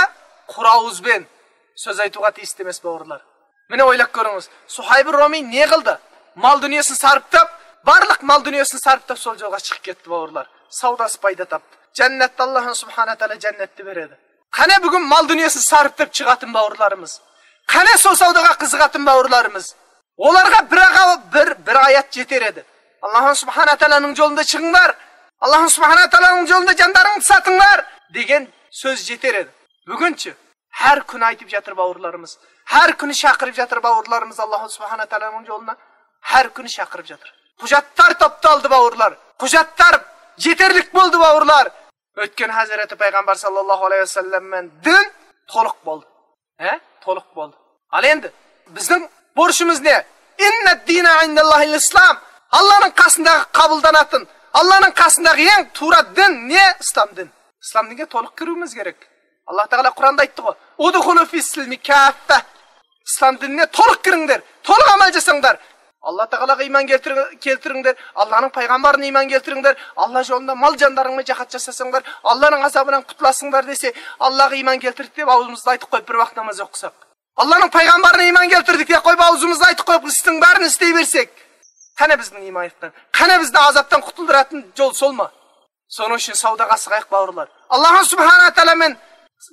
قۇرا ئاۋۇز بىلەن سۆز ئېيتىۋاتقان ئىستىمەس، باۋۇرلار. مانا ئويلاپ كۆرۈڭىز، سۇھەيب رۇمىي نېمە قىلدى؟ مال دۇنياسىنى سارپلاپ، بارلىق مال دۇنياسىنى سارپلاپ، سول يولغا چىقىپ كەتتى، باۋۇرلار. ساۋداسى پايدا تاپتى. جەننەتتە ئاللاھ سۇبھانەھۇ ۋە تائالا جەننەتنى بېرىدۇ. قېنى بۈگۈن مال دۇنياسىنى سارپلاپ چىقاتتىم، باۋۇرلىرىمىز؟ قېنى سول ساۋدىغا قىزىقاتتىم، باۋۇرلىرىمىز؟ ئۇلارغا بىر، بىر، بىر ئايەت يېتەر ئىدى. ئاللاھ سۇبھانەھۇ ۋە تائالانىڭ يولىدا چىقىڭلار. ئاللاھ سۇبھانەھۇ ۋە تائالانىڭ يولىدا جانلىرىڭلارنى ساتىڭلار دېگەن سۆز يېتەر ئىدى. بۈگۈنچە ھەر كۈنى ئېيتىپ ياتىدۇ، باۋۇرلىرىمىز. ھەر كۈنى چاقىرىپ ياتىدۇ، باۋۇرلىرىمىز. ئاللاھ سۇبھانەھۇ ۋە تائالانىڭ يولىدا ھەر كۈنى چاقىرىپ ياتىدۇ. ھۆججەتلەر توپلىدى، باۋۇرلار. ھۆججەتلەر يېتەرلىك بولدى، باۋۇرلار. ئۆتكەن ھەزرىتى پەيغەمبەر ساللاللاھۇ ئەلەيھى ۋەسەللەم بىلەن دىن تولۇق بولدى. ھە؟ تولۇق بولدى. ھال ئەمدى بىزنىڭ بۇرچىمىز نېمە؟ ئىننەد دىنە ئىندەللاھىل ئىسلام. ئاللانىڭ قاسىدىكى قابۇلدىن ئاتىن. ئاللانىڭ قاسىدىكى ئەڭ تۇرا دىن نېمە؟ ئىسلام دىن. ئىسلام دىنگە تولۇق كىرىۋېلىشىمىز كېرەك. ئاللاھ تائالا قۇرئاندا ئېيتتىغۇ، ئۇدخۇلۇ فىسسىلمى كاففە. ئىسلام دىنىنى تولۇق كىرىڭلار، تولۇق ئەمەل قىلىڭلار. ئاللاھ تائالاغا ئىمان كەلتۈرۈڭ-، كەلتۈرۈڭلار، ئاللانىڭ پەيغەمبىرىنى ئىمان كەلتۈرۈڭلار، ئاللاھ يولىدا مال جانلىرىڭلارنى جىھاد قىلساڭلار، ئاللانىڭ ئازابىدىن قۇتۇلىسىڭلار دېسە، ئاللاغا ئىمان كەلتۈردى دەپ ئاغزىمىزدا ئېيتىپ قويۇپ بىر ۋاقىت ناماز ئوقۇساق، ئاللانىڭ پەيغەمبىرىنى ئىمان كەلتۈردى دەپ قويۇپ ئاغزىمىزدا ئېيتىپ قويۇپ ئىستىڭ بارىنى ئىستەيۋەرسەك، قېنى بىزنىڭ ئىمان ئېيتقان، قېنى بىزنى ئازابتىن قۇتۇلدۇراتىن يول سولما؟ شۇنىڭ ئۈچۈن ساۋداغا سىغايلى، باۋۇرلار. ئاللاھ سۇبھانەھۇ ۋە تائالا بىلەن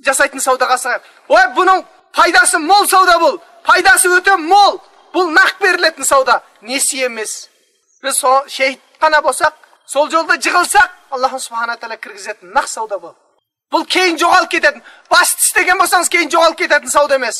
جاسايتىن ساۋداغا سىغايلى. ۋاي، بۇنىڭ پايداسى مول ساۋدا بول. پايداسى ئۆتە مول. بۇ نەق بېرىلەتتىن ساۋدا. نېسىيە ئەمەس. بىز سو-، شېھىتخانا بولساق، سول يولدا جىغىلساق، ئاللاھ سۇبھانەھۇ ۋە تائالا كىرگۈزەتتىن نەق ساۋدا بول. بۇ كېيىن جوغاپ كېتەتتىن. باستىش دېگەن بولسىڭىز، كېيىن جوغاپ كېتەتتىن ساۋدا ئەمەس.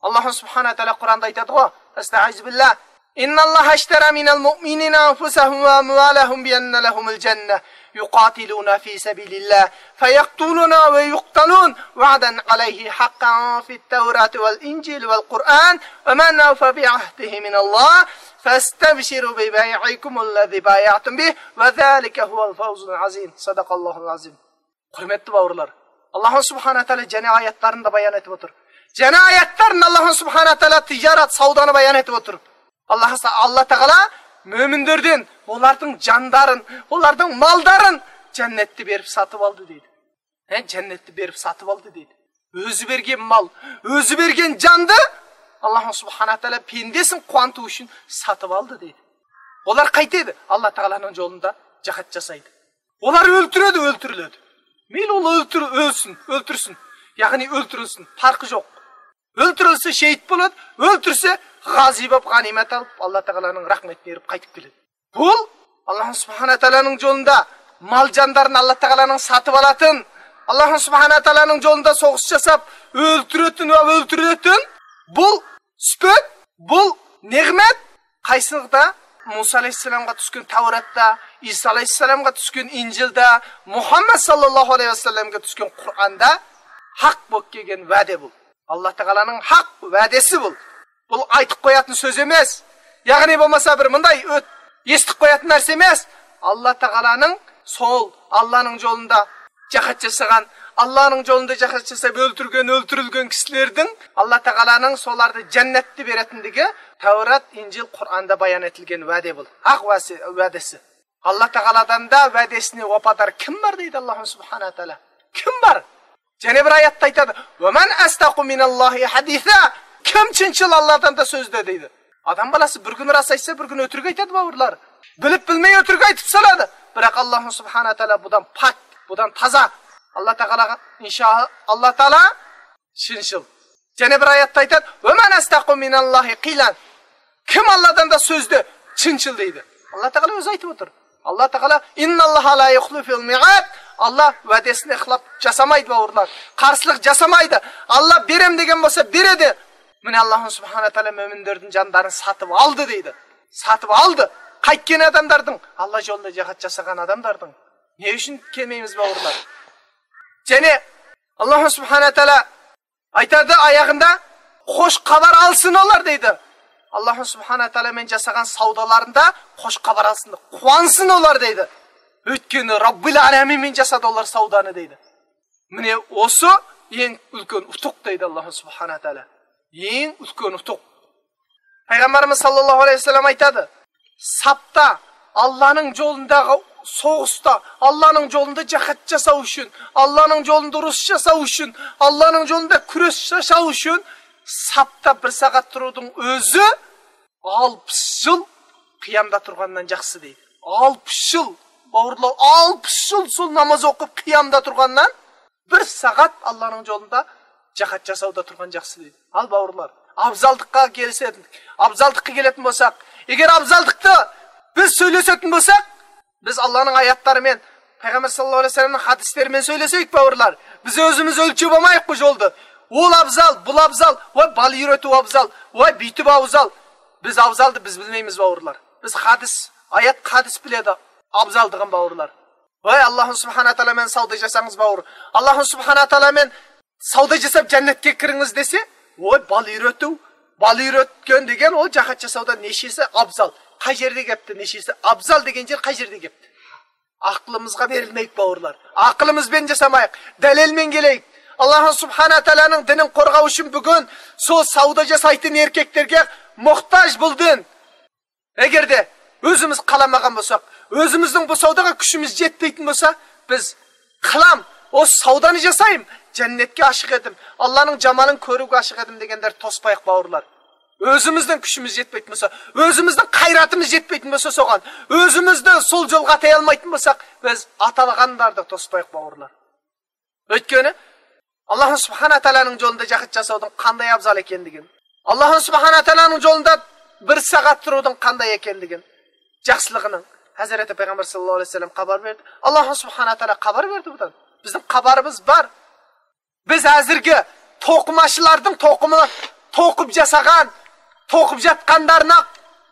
ئاللاھ سۇبھانەھۇ ۋە تائالا قۇرئاندا ئېيتىدىغۇ، ئەستەئىزۇ بىللاھ، إن الله اشترى من المؤمنين أنفسهم وأموالهم بأن لهم الجنة يقاتلون في سبيل الله فيقتلون ويقتلون وعدا عليه حقا في التوراة والإنجيل والقرآن ومن أوفى بعهده من الله فاستبشروا ببيعكم الذي بايعتم به وذلك هو الفوز العظيم. صدق الله العظيم. ھۆرمەتلىك باۋۇرلار، ئاللاھ سۇبھانەھۇ ۋە تائالا جەننەت ئايەتلىرىنى بايان ئېتىپ ئولتۇر. جەننەت ئايەتلىرىنى ئاللاھ سۇبھانەھۇ ۋە تائالا تىجارەت، ساۋدانى بايان ئېتىپ ئولتۇر. ئاللاھ، ئاللاھ تائالا مۆمىنلەردىن ئۇلارنىڭ جانلىرىنى، ئۇلارنىڭ ماللىرىنى جەننەتتە بېرىپ ساتىۋالدى دەيدۇ. ھە، جەننەتتە بېرىپ ساتىۋالدى دەيدۇ. ئۆزى بەرگەن مال، ئۆزى بەرگەن جاننى ئاللاھ سۇبھانەھۇ ۋە تائالا بەندىسىنى قۇۋانتۇش ئۈچۈن ساتىۋالدى دەيدۇ. ئۇلار قايتىدۇ، ئاللاھ تائالانىڭ يولىدا جىھاد جاسايدۇ. ئۇلار ئۆلتۈرىدۇ، ئۆلتۈرۈلىدۇ. مەيلى ئۇلار ئۆلتۈر-، ئۆلسۇن، ئۆلتۈرسۇن. يەنى ئۆلتۈرۈلسۇن، پەرقى يوق. ئۆلتۈرۈلسە شېھىت بولىدۇ، ئۆلتۈرسە غازى بولۇپ غەنىيمەت ئېلىپ، ئاللاھ تائالانىڭ رەھمىتىنى ئېلىپ قايتىپ كېلىدۇ. بۇ ئاللاھ سۇبھانەھۇ ۋە تائالانىڭ يولىدا مال جانلىرىنى ئاللاھ تائالانىڭ ساتىۋالاتىن، ئاللاھ سۇبھانەھۇ ۋە تائالانىڭ يولىدا سوغۇش جاساپ، ئۆلتۈرۈۋېتىن ۋە ئۆلتۈرۈۋېتىن. بۇ سۈپەت، بۇ نېمەت قايسىلىقتا؟ مۇسا ئەلەيھىسسالامغا چۈشكەن تەۋراتتا، ئىسا ئەلەيھىسسالامغا چۈشكەن ئىنجىلدا، مۇھەممەد ساللاللاھۇ ئەلەيھى ۋەسەللەمگە چۈشكەن قۇرئاندا ھەق بولۇپ كەلگەن ۋەدە بۇ. ئاللاھ تائالانىڭ ھەق ۋەدىسى بۇ. بۇ ئېيتىپ قوياتىن سۆز ئەمەس. يەنى بولمىسا بىر مۇنداق ئۆت-، ئېسىتىپ قوياتىن نەرسە ئەمەس. ئاللاھ تائالانىڭ سول، ئاللانىڭ يولىدا جىھاد جاسىغان، ئاللانىڭ يولىدا جىھاد جاساپ ئۆلتۈرگەن، ئۆلتۈرۈلگەن كىشىلەردىن ئاللاھ تائالانىڭ سولارنى جەننەتتە بېرەتىندىكى تەۋرات، ئىنجىل، قۇرئاندا بايان ئېتىلگەن ۋەدە بۇ. ھەق ۋەسى-، ۋەدىسى. ئاللاھ تائالادىن دا ۋەدىسىنى ۋاپادار كىم بار دەيدۇ ئاللاھ سۇبھانەھۇ ۋە تائالا. كىم بار؟ يەنە بىر ئايەتتە ئېيتىدۇ، ۋەمەن ئەسدەقۇ مىنەللاھى ھەدىسا. كىم چىنچىل ئاللادىن دا سۆزدە دەيدۇ. ئادەم بالىسى بىر كۈنى راست ئېيتسا، بىر كۈنى ئۆتۈرۈك ئېيتىدۇ، باۋۇرلار. بىلىپ بىلمەي ئۆتۈرۈك ئېيتىپ سالىدۇ. بىراق ئاللاھ سۇبھانەھۇ ۋە تائالا بۇدان پاك، بۇدان تازا. ئاللاھ تائالاغا ئىنشائاللاھ، ئاللاھ تائالا چىنچىل. يەنە بىر ئايەتتە ئېيتىدۇ، ۋەمەن ئەسدەقۇ مىنەللاھى قىيلەن. كىم ئاللادىن دا سۆزدە چىنچىل دەيدۇ. ئاللاھ تائالا ئۆزى ئېيتىپ ئولتۇر. ئاللاھ تائالا، ئىننەللاھە لا يۇخلىفۇل مىئاد. ئاللاھ ۋەدىسىنى خىلاپ جاسامايدۇ، باۋۇرلار. قارشىلىق جاسامايدۇ. ئاللاھ بېرەم دېگەن بولسا بېرىدۇ. مانا ئاللاھ سۇبھانەھۇ ۋە تائالا مۆمىنلەردىن جانلارنى ساتىپ ئالدى دەيدۇ. ساتىپ ئالدى. قايتقان ئادەملەردىن، ئاللاھ يولىدا جىھاد جاسىغان ئادەملەردىن. نېمە ئۈچۈن كەلمەيمىز، باۋۇرلار؟ يەنى ئاللاھ سۇبھانەھۇ ۋە تائالا ئېيتىدۇ ئايىغىندا، خوش خەۋەر ئالسۇن ئۇلار دەيدۇ. Аллаху субхана тағала мен жасаған саудаларында қош хабар алсын, қуансын олар, дейді. Өйткені Раббил Аламин мен жасады олар сауданы, дейді. Міне, осы ең үлкен ұтық, дейді Аллаху субхана тағала. Ең үлкен ұтық. Пайғамбарымыз саллаллаху алейхи ва саллам айтады, сапта Алланың жолындағы соғыста, Алланың жолында жахад жасау үшін, Алланың жолында ұрыс жасау үшін, Алланың жолында күрес жасау үшін сапта бір сағат тұрудың өзі алпыс жыл қиямда тұрғаннан жақсы, дейді. Алпыс жыл, бауырлар, алпыс жыл сол намаз оқып қиямда тұрғаннан, бір сағат Алланың жолында жахад жасауда тұрған жақсы, дейді. Ал, бауырлар, абзалдыққа келісетін, абзалдыққа келетін болсақ, егер абзалдықты біз сөйлесетін болсақ, біз Алланың аяттарымен, пайғамбар саллаллаху алейхи ва салламның хадистерімен сөйлесейік, бауырлар. Біз өзіміз өлшеп алмайық бұл жолды. Ол абзал, бұл абзал, ой, бала үйрету абзал, ой, бүйтіп абзал. Біз абзалды біз білмейміз, бауырлар. Біз хадис, аят, хадис біледі абзалдығын, бауырлар. Ой, Аллаху субхана тағала мен сауда жасаңыз, бауыр. Аллаху субхана тағала мен сауда жасап жәннетке кіріңіз десе, ой, бала үйрету, бала үйреткен деген ол жахад жасаудан нешесі абзал? Қай жерде кепті, нешесі абзал деген жер қай жерде кепті? Ақылымызға берілмейік, бауырлар. Ақылымызбен жасамайық, дәлелмен келейік. Аллаху субхана тағаланың дінін қорғау үшін бүгін сол сауда жасайтын еркектерге мұқтаж бұл дін. Егер де өзіміз қаламаған болсақ, өзіміздің бұл саудаға күшіміз жетпейтін болса, біз, қылам, осы сауданы жасайым, жәннетке ашық едім, Алланың жамалын көруге ашық едім дегендер тоспайық, бауырлар. Өзіміздің күшіміз жетпейтін болса, өзіміздің қайратымыз жетпейтін болса соған, өзімізді сол жолға атай алмайтын болсақ, біз аталғандарды тоспайық, бауырлар. Өйткені Аллаху субхана тағаланың жолында жахад жасаудың қандай абзал екендігін, Аллаху субхана тағаланың жолында бір сағат тұрудың қандай екендігін, жақсылығының, Хазіреті пайғамбар саллаллаху алейхи ва саллам хабар берді. Аллаху субхана тағала хабар берді бұдан. Біздің хабарымыз бар. Біз әзірге тоқымашылардың тоқымы, тоқып жасаған, тоқып жатқандарына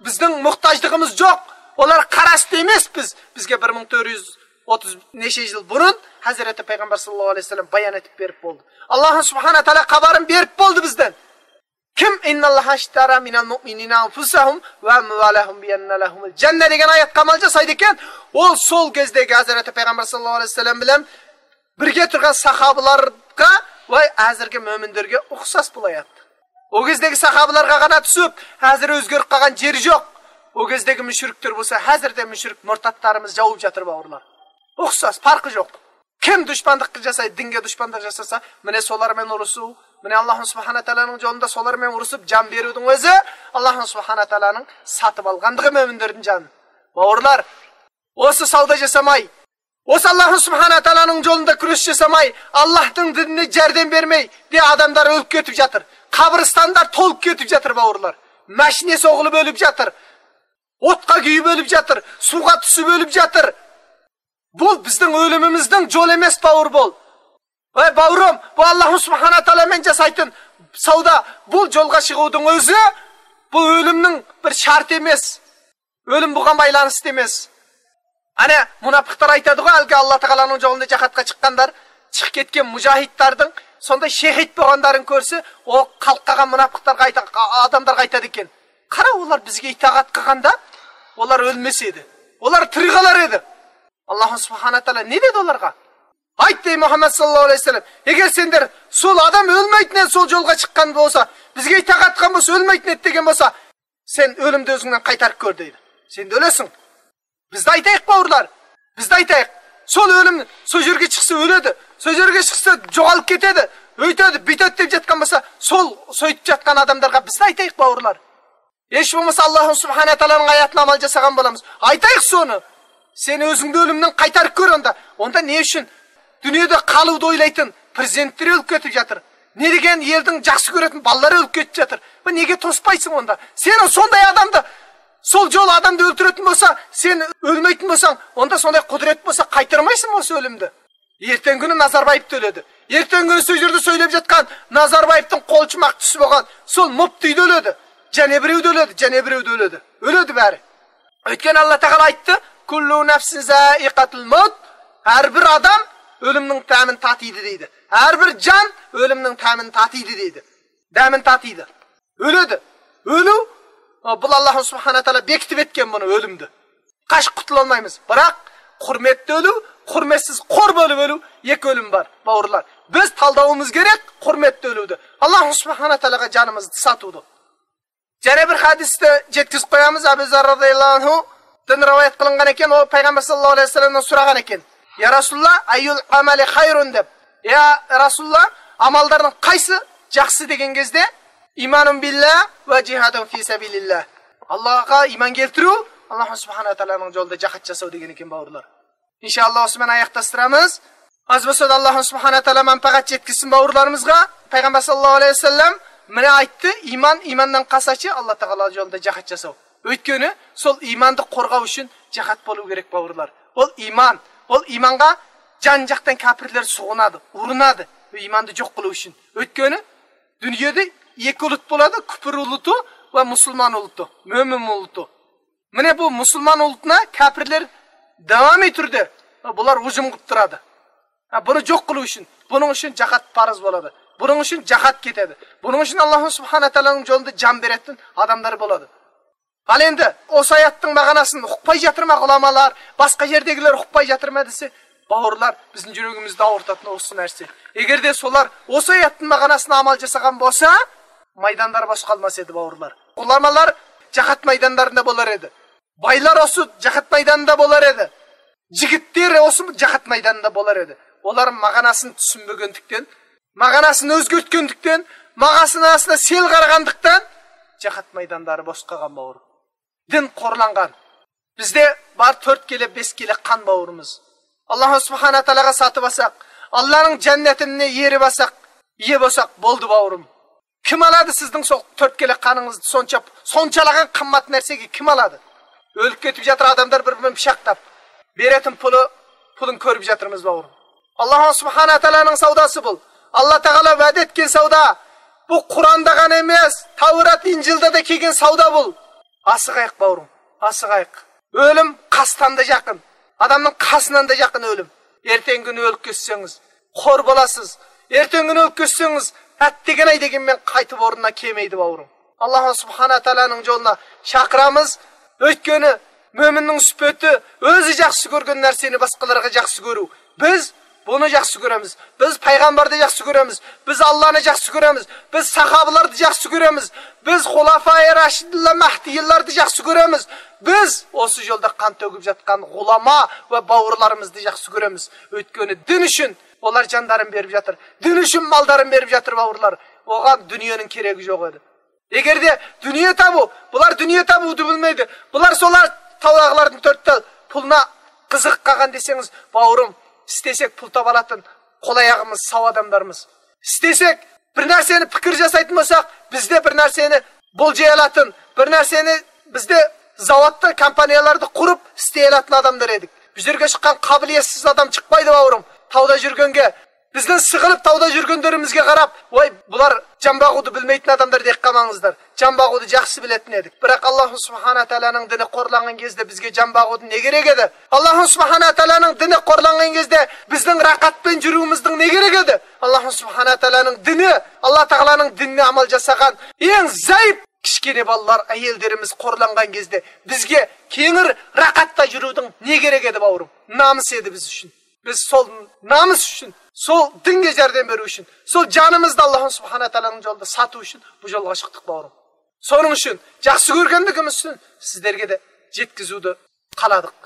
біздің мұқтаждығымыз жоқ. Олар қарасты емеспіз. Бізге бір мың төрт жүз отыз неше жыл бұрын Хазіреті пайғамбар саллаллаху алейхи ва саллам баян етіп беріп болды. Аллаху субхана тағала хабарын беріп болды бізден. Кім? Инналлаха аштара минал муъминина анфусахум ва амвалахум бианна лахумул жанна деген аятқа амал жасайды екен. Ол сол кездегі Хазіреті пайғамбар саллаллаху алейхи ва саллам білен бірге тұрған сахабаларға, ой, әзіргі мөміндерге ұқсас бұл аят. Ол кездегі сахабаларға ғана түсіп, әзір өзгеріп қалған жері жоқ. Ол кездегі мүшіріктер болса, әзір де мүшірік мұртаттарымыз жауып жатыр, бауырлар. Ұқсас, парқы жоқ. Кім дұшпандық жасайды, дінге дұшпандық жасаса, міне солармен ұрысу, міне Аллаху субхана тағаланың жолында солармен ұрысып жан берудің өзі Аллаху субхана тағаланың сатып алғандығы мөміндердің жанын. Бауырлар, осы сауда жасамай, осы Аллаху субхана тағаланың жолында күрес жасамай, Аллахтың дініне жәрдем бермей де адамдар өліп кетіп жатыр. Қабірстандар толып кетіп жатыр, бауырлар. Машине соғылып өліп жатыр. Отқа күйіп өліп жатыр. Суға түсіп өліп жатыр. Бұл біздің өліміміздің жолы емес, бауыр, бұл. Ой, бауырым, бұл Аллаху субхана тағаламен жасайтын сауда. Бұл жолға шығудың өзі, бұл өлімнің бір шарты емес. Өлім бұған байланысты емес. Әне, мұнапықтар айтады ғой, әлгі Алла тағаланың жолында жахадқа шыққандар, шығып кеткен мұжахидтардың сондай шехид болғандарын көрсе, ол қалып қалған мұнапықтарға айта-, адамдарға айтады екен: «Қара, олар бізге итағат қылғанда, олар өлмес еді. Олар тірі қалар еді». Аллаху субхана тағала не деді оларға? «Айт, — дей Мұхаммад саллаллаху алейхи ва саллам, — егер сендер сол адам өлмейтін еді, сол жолға шыққан болса, бізге итағат қылған болса, өлмейтін еді деген болса, сен өлімді өзіңнен қайтарып көр», — дейді. Сен де өлесің. Бізді айтайық, бауырлар. Бізді айтайық. Сол өлім, сол жерге шықса өледі. Сол жерге шықса жоғалып кетеді. Өйтеді, бүйтеді деп жатқан болса, сол сөйтіп жатқан адамдарға бізді айтайық, бауырлар. Еш болмаса Аллаху субхана тағаланың аятына амал жасаған боламыз. Айтайық соны. Сен өзіңді өлімнен қайтарып көр онда. Онда не үшін дүниеде қалуды ойлайтын президенттер өліп кетіп жатыр? Не деген елдің жақсы көретін балалары өліп кетіп жатыр? Бұл неге тоспайсың онда? Сен сондай адамды, сол жол адамды өлтіретін болса, сен өлмейтін болсаң, онда сондай құдірет болса, қайтармайсың ба осы өлімді? Ертең күні Назарбаев та өледі. Ертең күні сол жерде сөйлеп жатқан Назарбаевтың қолшымақ түсі болған сол мүфти де өледі. Және біреу де өледі, және біреу де өледі. Өледі бәрі. Өйткені Алла тағала айтты: «Күллу нафсин заиқатул маут». Әрбір адам өлімнің дәмін татиды, дейді. Әрбір жан өлімнің дәмін татиды, дейді. Дәмін татиды. Өледі. Өлу بۇ ئاللاھ سۇبھانە تائالا بېكىتىپ ئەتكەن بۇنى ئۆلۈمدە. قاچىپ قۇتۇلالمايمىز. بىراق، ھۆرمەتلىك ئۆلۈم، ھۆرمەتسىز، قور بۆلۈپ ئۆلۈم، ئېكى ئۆلۈم بار، باۋۇرلار. بىز تاللاۋىمىز كېرەك ھۆرمەتلىك ئۆلۈمنى. ئاللاھ سۇبھانە تائالاغا جانىمىزنى ساتىۋىدۇق. يەنە بىر ھەدىستە يەتكۈزۈپ قويىمىز، ئەبۇ زەر رازىياللاھۇ ئەنھۇدىن رىۋايەت قىلىنغان ئىكەن، ئۇ پەيغەمبەر ساللاللاھۇ ئەلەيھى ۋەسەللەمدىن سورىغان ئىكەن، يا رەسۇلاللاھ، ئەييۇل ئەمەلى خەيرۇن دەپ. يا رەسۇلاللاھ، ئاماللارنىڭ قايسى ياخشى دېگەن گېزىدە، ئىمانۇن بىللاھ ۋە جىھادۇن فى سەبىلىللاھ. ئاللاھقا ئىمان كەلتۈرۈپ، ئاللاھ سۇبھانە تائالانىڭ يولىدا جىھاد جاساۋ دېگەن ئىكەن، باۋۇرلار. ئىنشائاللاھ، ئۇسمان ئاياغ تاستۇرىمىز. ئاز بولسا ئاللاھ سۇبھانە تائالا مەنپەئەت يەتكۈزسۇن باۋۇرلىرىمىزغا. پەيغەمبەر ساللاللاھۇ ئەلەيھى ۋەسەللەم مانا ئېيتتى، ئىمان، ئىماندىن قالساچى، ئاللاھ تائالا يولىدا جىھاد جاساۋ. ئۆيتكۈنى سول ئىماننى قورغاش ئۈچۈن جىھاد بولۇۋ كېرەك، باۋۇرلار. ئول ئىمان، ئول ئىمانغا جان جاقتىن كاپىرلار سوغۇنىدۇ، ئۇرۇنىدۇ، ئۆ ئىماننى جوق قىلىۋ ئۈچۈن. ئۆيتكۈنى دۇنيادا ئېكى ئۇلۇت بولىدۇ، كۇپۇر ئۇلۇتى ۋە مۇسۇلمان ئۇلۇتى، مۆمىن ئۇلۇتى. مانا بۇ مۇسۇلمان ئۇلۇتنى كاپىرلار داۋامىي تۈردە بۇلار ھۇجۇم قىلىپ تۇرىدۇ. ھە، بۇنى جوق قىلىش ئۈچۈن، بۇنىڭ ئۈچۈن جاھاد پەرز بولىدۇ. بۇنىڭ ئۈچۈن جاھاد كېتىدۇ. بۇنىڭ ئۈچۈن ئاللاھ سۇبھانە تائالانىڭ يولىدا جان بېرەتتىن ئادەملەر بولىدۇ. ھال ئەمدى ئۇ ئايەتنىڭ مەناسىنى ئۇقماي ياتىرما ئۇلامالار، باشقا يەردىكىلەر ئۇقماي ياتىرما دېسە، باۋۇرلار، بىزنىڭ يۈرىكىمىزدە ئاغرىتاتتىن ئوسۇن نەرسە. ئەگەردە سولار ئۇ ئايەتنىڭ مەناسىنى ئامال جاسىغان بولسا، مەيداندار بوش قالماس ئىدى، باۋۇرلار. ئۇلامالار جاھاد مەيدانلارىدا بولار ئىدى. بايلار ئوسۇ جاھاد مەيدانىدا بولار ئىدى. جىگىتلەر ئوسۇ جاھاد مەيدانىدا بولار ئىدى. ئۇلار مەناسىنى چۈشەنمىگەنلىكتىن، مەناسىنى ئۆزگەرتكەنلىكتىن، مەناسىنى سەل قارىغانلىقتىن، جاھاد مەيدانلىرى بوش قالغان، باۋۇر. دىن قورلانغان. بىزدە بار تۆت كىلو، بەش كىلو قان، باۋۇرىمىز. ئاللاھ سۇبھانە تائالاغا ساتىۋالساق، ئاللاھنىڭ جەننىتىنى يېرىۋالساق، يەپ بولساق بولدى، باۋۇرۇم. كىم ئالىدۇ سىزنىڭ سو-، تۆت كىلو قانىڭىزنى؟ سونچە، سونچىلىغان قىممەت نەرسىگە كىم ئالىدۇ؟ ئۆلۈپ كېتىپ ياتىدۇ ئادەملەر بىر-بىرىنى پىچاقلاپ. بېرەتتىن پۇلى، پۇلىنى كۆرۈپ ياتىمىز، باۋۇرۇم. ئاللاھ سۇبھانە تائالانىڭ سوداسى بۇ. ئاللاھ تائالا ۋەدە ئەتكەن سودا. بۇ قۇرئاندا غەنە ئەمەس، تەۋرات، ئىنجىلدا دا كەلگەن سودا بۇ. ئاسىغايىق، باۋۇرۇم، ئاسىغايىق. ئۆلۈم قاستاندا يېقىن. ئادەمنىڭ قاسىنىدا يېقىن ئۆلۈم. ئەتىگەن كۈنى ئۆلۈپ كەتسىڭىز، خور بولاسىز. ئەتىگەن كۈنى ئۆلۈپ كەتسىڭىز، ئەتىگەن ئاي دېگەن مەن قايتا ئورنىنا كەلمەيدۇ، باۋۇرۇم. ئاللاھ سۇبھانە تائالانىڭ يولىنا چاقىرىمىز. ئۆيتكىنى مۆمىننىڭ سۈپىتى، ئۆزى ياخشى كۆرگەن نەرسىنى باشقىلارغا ياخشى كۆرۈ. بىز بۇنى ياخشى كۆرىمىز. بىز پەيغەمبەرنى ياخشى كۆرىمىز. بىز ئاللانى ياخشى كۆرىمىز. بىز ساھابىلارنى ياخشى كۆرىمىز. بىز خۇلافائى راشىدىنلار، مەھدىيلارنى ياخشى كۆرىمىز. بىز ئوسۇ يولدا قان تۆكۈپ ياتقان ئۇلامالار ۋە باۋۇرلىرىمىزنى ياخشى كۆرىمىز. ئۆيتكىنى دىن ئۈچۈن ئۇلار جانلىرىنى بېرىپ ياتىدۇ. دىن ئۈچۈن ماللىرىنى بېرىپ ياتىدۇ، باۋۇرلار. ئۇلارغا دۇنيانىڭ كېرىكى يوق ئىدى. ئەگەردە دۇنيا تاپۇ، بۇلار دۇنيا تاپۇ دەپ بىلمەيدۇ. بۇلار سولار تاۋاقلاردىن تۆت تال پۇلنى قىزىقىپ قالغان دېسىڭىز، باۋۇرۇم، ئىستىسەك پۇل تاپالاتتىن قول ئاياغىمىز ساۋ ئادەملەرمىز. ئىستىسەك بىر نەرسىنى پىكىر جاسايتىن بولساق، بىزدە بىر نەرسىنى بولجايالاتتىن، بىر نەرسىنى بىزدە زاۋۇتتا، كومپانىيالاردا قۇرۇپ ئىستىيالاتتىن ئادەملەر ئىدۇق. بۇ يەرگە چىققان قابىلىيەتسىز ئادەم چىقمايدۇ، باۋۇرۇم. تاۋدا يۈرگەنگە بىزنىڭ سىغىلىپ تاۋدا يۈرگەنلىرىمىزگە قاراپ، ۋاي، بۇلار جان باغۇدى بىلمەيتىن ئادەملەر دەپ قالماڭلار. جان باغۇدى ياخشى بىلەتتىن ئىدۇق. بىراق، ئاللاھ سۇبھانە تائالانىڭ دىنى قورلانغان گېزىدە بىزگە جان باغۇدى نېگە كېرەك ئىدى؟ ئاللاھ سۇبھانە تائالانىڭ دىنى قورلانغان گېزىدە بىزنىڭ رەقەت بىلەن يۈرۈۋىمىزنىڭ نېگە كېرەك ئىدى؟ ئاللاھ سۇبھانە تائالانىڭ دىنى، ئاللاھ تائالانىڭ دىنىنى ئامال جاسىغان ئەڭ زەئىپ كىچىككىنە بالىلار، ئاياللىرىمىز قورلانغان گېزىدە بىزگە كېڭىر رەقەتتە يۈرۈۋىدىڭ نېگە كېرەك ئىدى، باۋۇرۇم؟ نامۇس ئىدى بىز ئۈچۈن. بىز سول نامۇس ئۈچۈن، سول دىنگە ياردەم بېرىش ئۈچۈن، سول جانىمىزنى ئاللاھ سۇبھانە تائالانىڭ يولىدا ساتىش ئۈچۈن بۇ يولغا چىقتۇق، باۋۇرۇم. شۇنىڭ ئۈچۈن ياخشى كۆرگەنلىكىمىز ئۈچۈن سىزلەرگە دە يەتكۈزۈۋدە قالدۇق.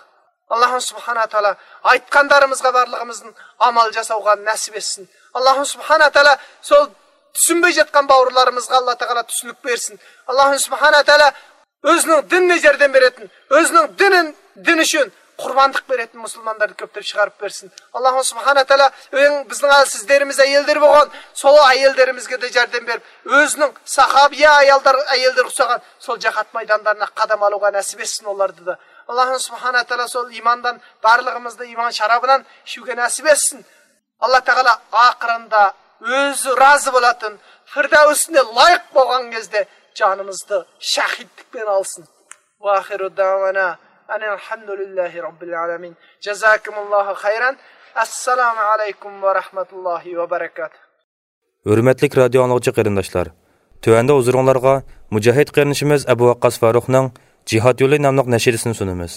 ئاللاھ سۇبھانە تائالا ئېيتقانلىرىمىزغا بارلىقىمىزدىن ئامال جاساۋغا نەسىپ ئەتسۇن. ئاللاھ سۇبھانە تائالا سول چۈشەنمەي ياتقان باۋۇرلىرىمىزغا ئاللاھ تائالا چۈشىنىك بەرسۇن. ئاللاھ سۇبھانە تائالا ئۆزىنىڭ دىنىنى ياردەم بېرەتتىن، ئۆزىنىڭ دىنىنى، دىنى ئۈچۈن قۇربانلىق بېرەتتىن، مۇسۇلمانلارنى كۆپلەپ چىقىرىپ بەرسۇن. ئاللاھ سۇبھانە تائالا ئۆيۈڭ بىزنىڭ سىزلىرىمىز ئاياللىرى بولغان، سول ئاياللىرىمىزگە دە ياردەم بېرىپ، ئۆزىنىڭ ساھابىيە ئاياللار، ئاياللىرى قۇساغان سول جاھاد مەيدانلىرىنا قەدەم ئالغا نەسىپ ئەتسۇن ئۇلارنى دە. ئاللاھ سۇبھانە تائالا سول ئىماندىن بارلىقىمىزنى ئىمان شارابىدىن شۇغا نەسىپ ئەتسۇن. ئاللاھ تائالا ئاخىرىندا ئۆزى رازى بولاتتىن، فىردەۋسنى لايىق بولغان گېزىدە جانىمىزنى شەھىدلىك بىلەن ئالسۇن. ۋە ئاخىرۇ دەۋانا ئەنىل ھەمدۇلىللاھى رەببىل ئالەمىن. جازاكۇمۇللاھۇ خەيرەن. ئەسسالامۇ ئەلەيكۇم ۋە رەھمەتۇللاھى ۋە بەرەكاتۇھ. ھۆرمەتلىك رادىيو ئاڭلىغۇچى قېرىنداشلار، تۆۋەندە ھۇزۇرۇڭلارغا مۇجاھىد قېرىندىشىمىز ئەبۇ ۋەققاس فاروقنىڭ جىھاد يولى ناملىق نەشىدىسىنى سۇنىمىز.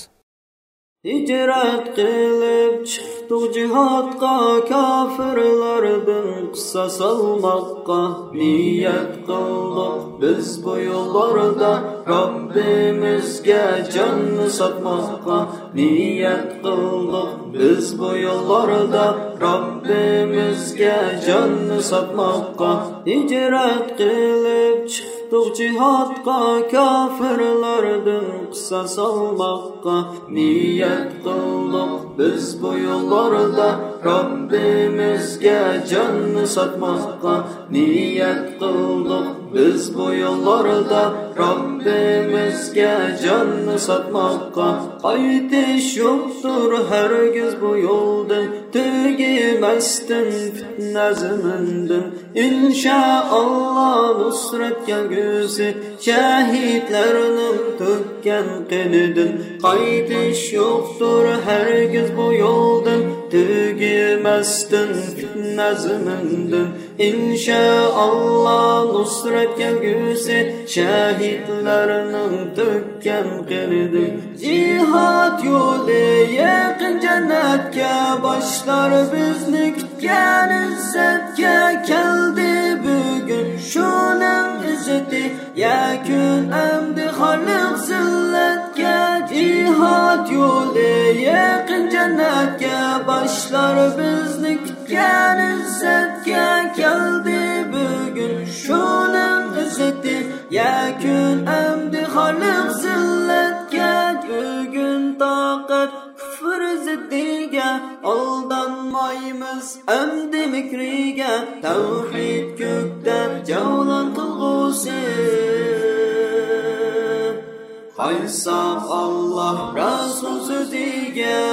ھىجرەت قىلىپ چىقتۇق جىھادقا، كاپىرلاردىن قىساس ئالماققا. نىيەت قىلدۇق بىز بۇ يوللاردا، رەببىمىزگە جاننى ساتماققا. نىيەت قىلدۇق بىز بۇ يوللاردا، رەببىمىزگە جاننى ساتماققا. ھىجرەت قىلىپ چىقتۇق جىھادقا، كاپىرلاردىن قىساس ئالماققا. نىيەت قىلدۇق بىز بۇ يوللاردا، رەببىمىزگە جاننى ساتماققا. نىيەت قىلدۇق بىز بۇ يوللاردا، رەببىمىزگە جاننى ساتماققا. قايتىش يوقتۇر ھەرگىز بۇ يولدىن، تۈگىمەستىن پىتنە زېمىندىن. ئىنشائاللا نۇسرەت كەلگۈسى، شەھىدلەرنىڭ تۆككەن قېنىدىن. قايتىش يوقتۇر ھەرگىز بۇ يولدىن، تۈگىمەستىن پىتنە زېمىندىن. ئىنشائاللا نۇسرەت كەلگۈسى، شەھىدلەرنىڭ تۆككەن قېنىدىن. جىھاد يولى يېقىن جەننەتكە، باشلار بىزنى كۈتكەن ئىززەتكە. كەلدى بۈگۈن شۇنىڭ ئىززىتى، يەكۈن ئەمدى خارلىق زىللەتكە. جىھاد يولى يېقىن جەننەتكە، باشلار بىزنى كۈتكەن ئىززەتكە. كەلدى بۈگۈن شۇنىڭ ئىززىتى، يەكۈن ئەمدى خارلىق زىللەتكە. بۈگۈن تاقەت كۇفر زىددىگە، ئالدانمايمىز ئەمدى مىكرىگە. تەۋھىد كۆكتە جەۋلان قىلغۇسى، قايتساق ئاللا رەسۇل سۆزىگە.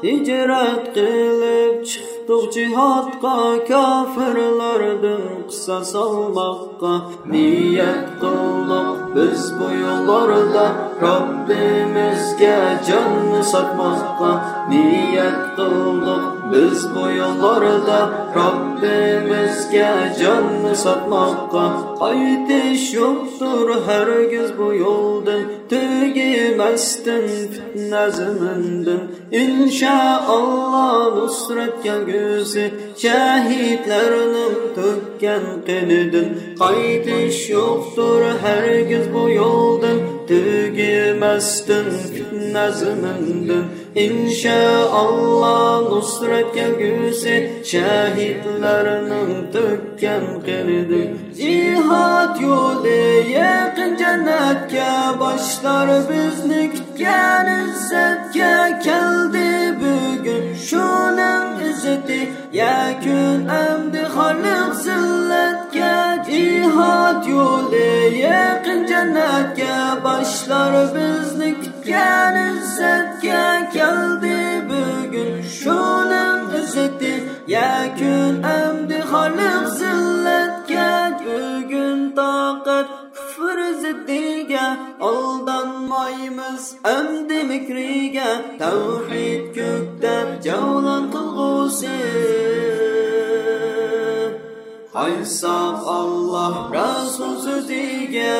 ھىجرەت قىلىپ چىقتۇق جىھادقا، كاپىرلاردىن قىساس ئالماققا. نىيەت قىلدۇق بىز بۇ يوللاردا، رەببىمىزگە جاننى ساتماققا. نىيەت قىلدۇق بىز بۇ يوللاردا، رەببىمىزگە جاننى ساتماققا. قايتىش يوقتۇر ھەرگىز بۇ يولدىن، تۈگىمەستىن پىتنە زېمىندىن. ئىنشائاللا نۇسرەت كەلگۈسى، شەھىدلەرنىڭ تۆككەن قېنىدىن. قايتىش يوقتۇر ھەرگىز بۇ يولدىن، تۈگىمەستىن پىتنە زېمىندىن. ئىنشائاللا نۇسرەت كەلگۈسى، شەھىدلەرنىڭ تۆككەن قېنىدىن. جىھاد يولى يېقىن جەننەتكە، باشلار بىزنى كۈتكەن ئىززەتكە. كەلدى بۈگۈن شۇنىڭ ئىززىتى، يەكۈن ئەمدى خارلىق زىللەتكە. جىھاد يولى يېقىن جەننەتكە، باشلار بىزنى كۈتكەن ئىززەتكە. كەلدى بۈگۈن شۇنىڭ ئىززىتى، يەكۈن ئەمدى خارلىق زىللەتكە. بۈگۈن تاقەت كۇفر زىددىگە، ئالدانمايمىز ئەمدى مىكرىگە. تەۋھىد كۆكتە جەۋلان قىلغۇسى، قايتساق ئاللا رەسۇل سۆزىگە.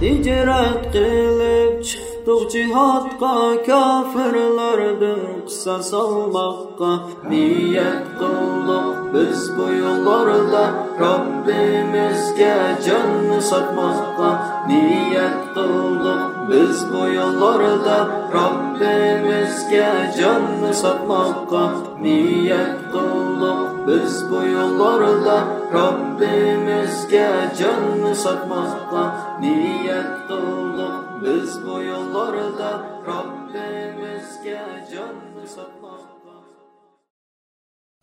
ھىجرەت قىلىپ چىقتۇق جىھادقا، كاپىرلاردىن قىساس ئالماققا. نىيەت قىلدۇق بىز بۇ يوللاردا، رەببىمىزگە جاننى ساتماققا. نىيەت قىلدۇق بىز بۇ يوللاردا، رەببىمىزگە جاننى ساتماققا. نىيەت قىلدۇق بىز بۇ يوللاردا، رەببىمىزگە جاننى ساتماققا. نىيەت قىلدۇق بىز بۇ يوللاردا، رەببىمىزگە جاننى ساتماققا.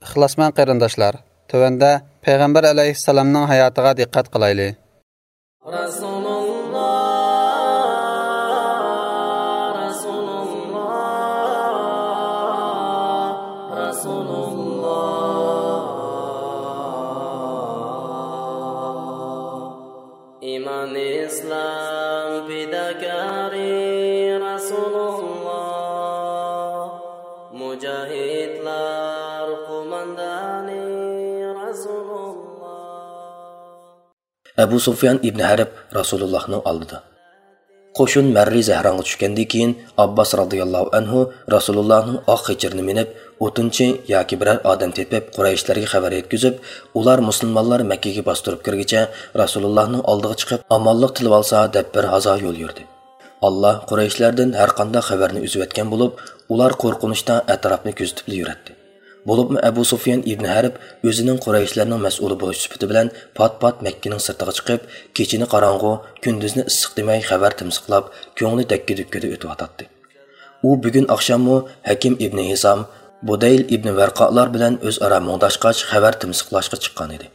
ئىخلاسمەن قېرىنداشلار، تۆۋەندە پەيغەمبەر ئەلەيھىسسالامنىڭ ھاياتىغا دىققەت قىلايلى. رەسۇلۇللا، رەسۇلۇللا، رەسۇلۇللا. ئىمان ئىسلام پىداكارى رەسۇلۇللا، مۇجاھىدلار قوماندانى رەسۇلۇللا. ئەبۇ سۇفيان ئىبن ھەرب رەسۇلۇللاھنىڭ ئالدىدا. قوشۇن مەررى زەھرانغا چۈشكەندىن كېيىن، ئابباس رازىياللاھۇ ئەنھۇ رەسۇلۇللاھنىڭ ئاق خېچىرىنى مىنىپ، ئوتۇنچى ياكى بىرەر ئادەم تېپىپ، قۇرەيشلەرگە خەۋەر يەتكۈزۈپ، ئۇلار مۇسۇلمانلار مەككىگە باستۇرۇپ كىرگىچە رەسۇلۇللاھنىڭ ئالدىغا چىقىپ، ئامانلىق تىلىۋالسا دەپ بىر ھازا يول يۈردى. ئاللا قۇرەيشلەردىن ھەرقانداق خەۋەرنى ئۈزۈۋەتكەن بولۇپ، ئۇلار قورقۇنچتا ئەتراپنى كۆزىتىپلا يۈرەتتى. بولۇپمۇ ئەبۇ سۇفيان ئىبن ھەرب ئۆزىنىڭ قۇرەيشلەرنىڭ مەسئۇلى بولۇش سۈپىتى بىلەن پات-پات مەككىنىڭ سىرتىغا چىقىپ، كېچىنى قاراڭغۇ، كۈندۈزنى ئىسسىق دېمەي خەۋەر تىمسىقلاپ، كۆڭلى دەككە-دۈككىدە ئۆتۈۋاتاتتى. ئۇ بۈگۈن ئاخشاممۇ ھەكىم ئىبن ھىسام، بۇدەيل ئىبن ۋەرقالار بىلەن ئۆزئارا مۇڭداشقاچ، خەۋەر تىمسىقلاشقا چىققان ئىدى.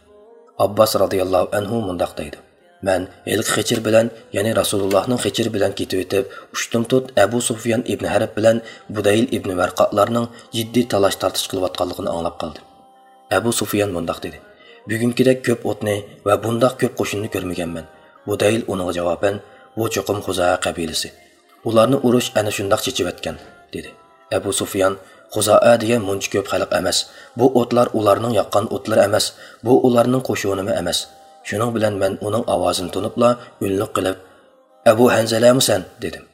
ئابباس رازىياللاھۇ ئەنھۇ مۇنداق دەيدۇ: مەن ھېلىقى خېچىر بىلەن، يەنى رەسۇلۇللاھنىڭ خېچىرى بىلەن كېتىۋېتىپ، ئۇشتۇمتۇت ئەبۇ سۇفيان ئىبن ھەرب بىلەن بۇدەيل ئىبن ۋەرقالارنىڭ جىددىي تالاش-تارتىش قىلىۋاتقانلىقىنى ئاڭلاپ قالدىم. ئەبۇ سۇفيان مۇنداق دېدى: بۈگۈنكىدەك كۆپ ئوتنى ۋە بۇنداق كۆپ قوشۇننى كۆرمىگەنمەن. بۇدەيل ئۇنىڭغا جاۋابەن: بۇ چوقۇم خۇزائە قەبىلىسى. ئۇلارنى ئۇرۇش ئەنە شۇنداق چېچىۋەتكەن، دېدى. ئەبۇ سۇفيان: خۇزائە دېگەن مۇنچە كۆپ خەلق ئەمەس. بۇ ئوتلار ئۇلارنىڭ ياققان ئوتلىرى ئەمەس. بۇ ئۇلارنىڭ قوشۇنىمۇ ئەمەس. شۇنىڭ بىلەن مەن ئۇنىڭ ئاۋازىنى تونۇپلا ئۈنلۈك قىلىپ: ئەبۇ ھەنزەلەمۇ سەن؟ دېدىم.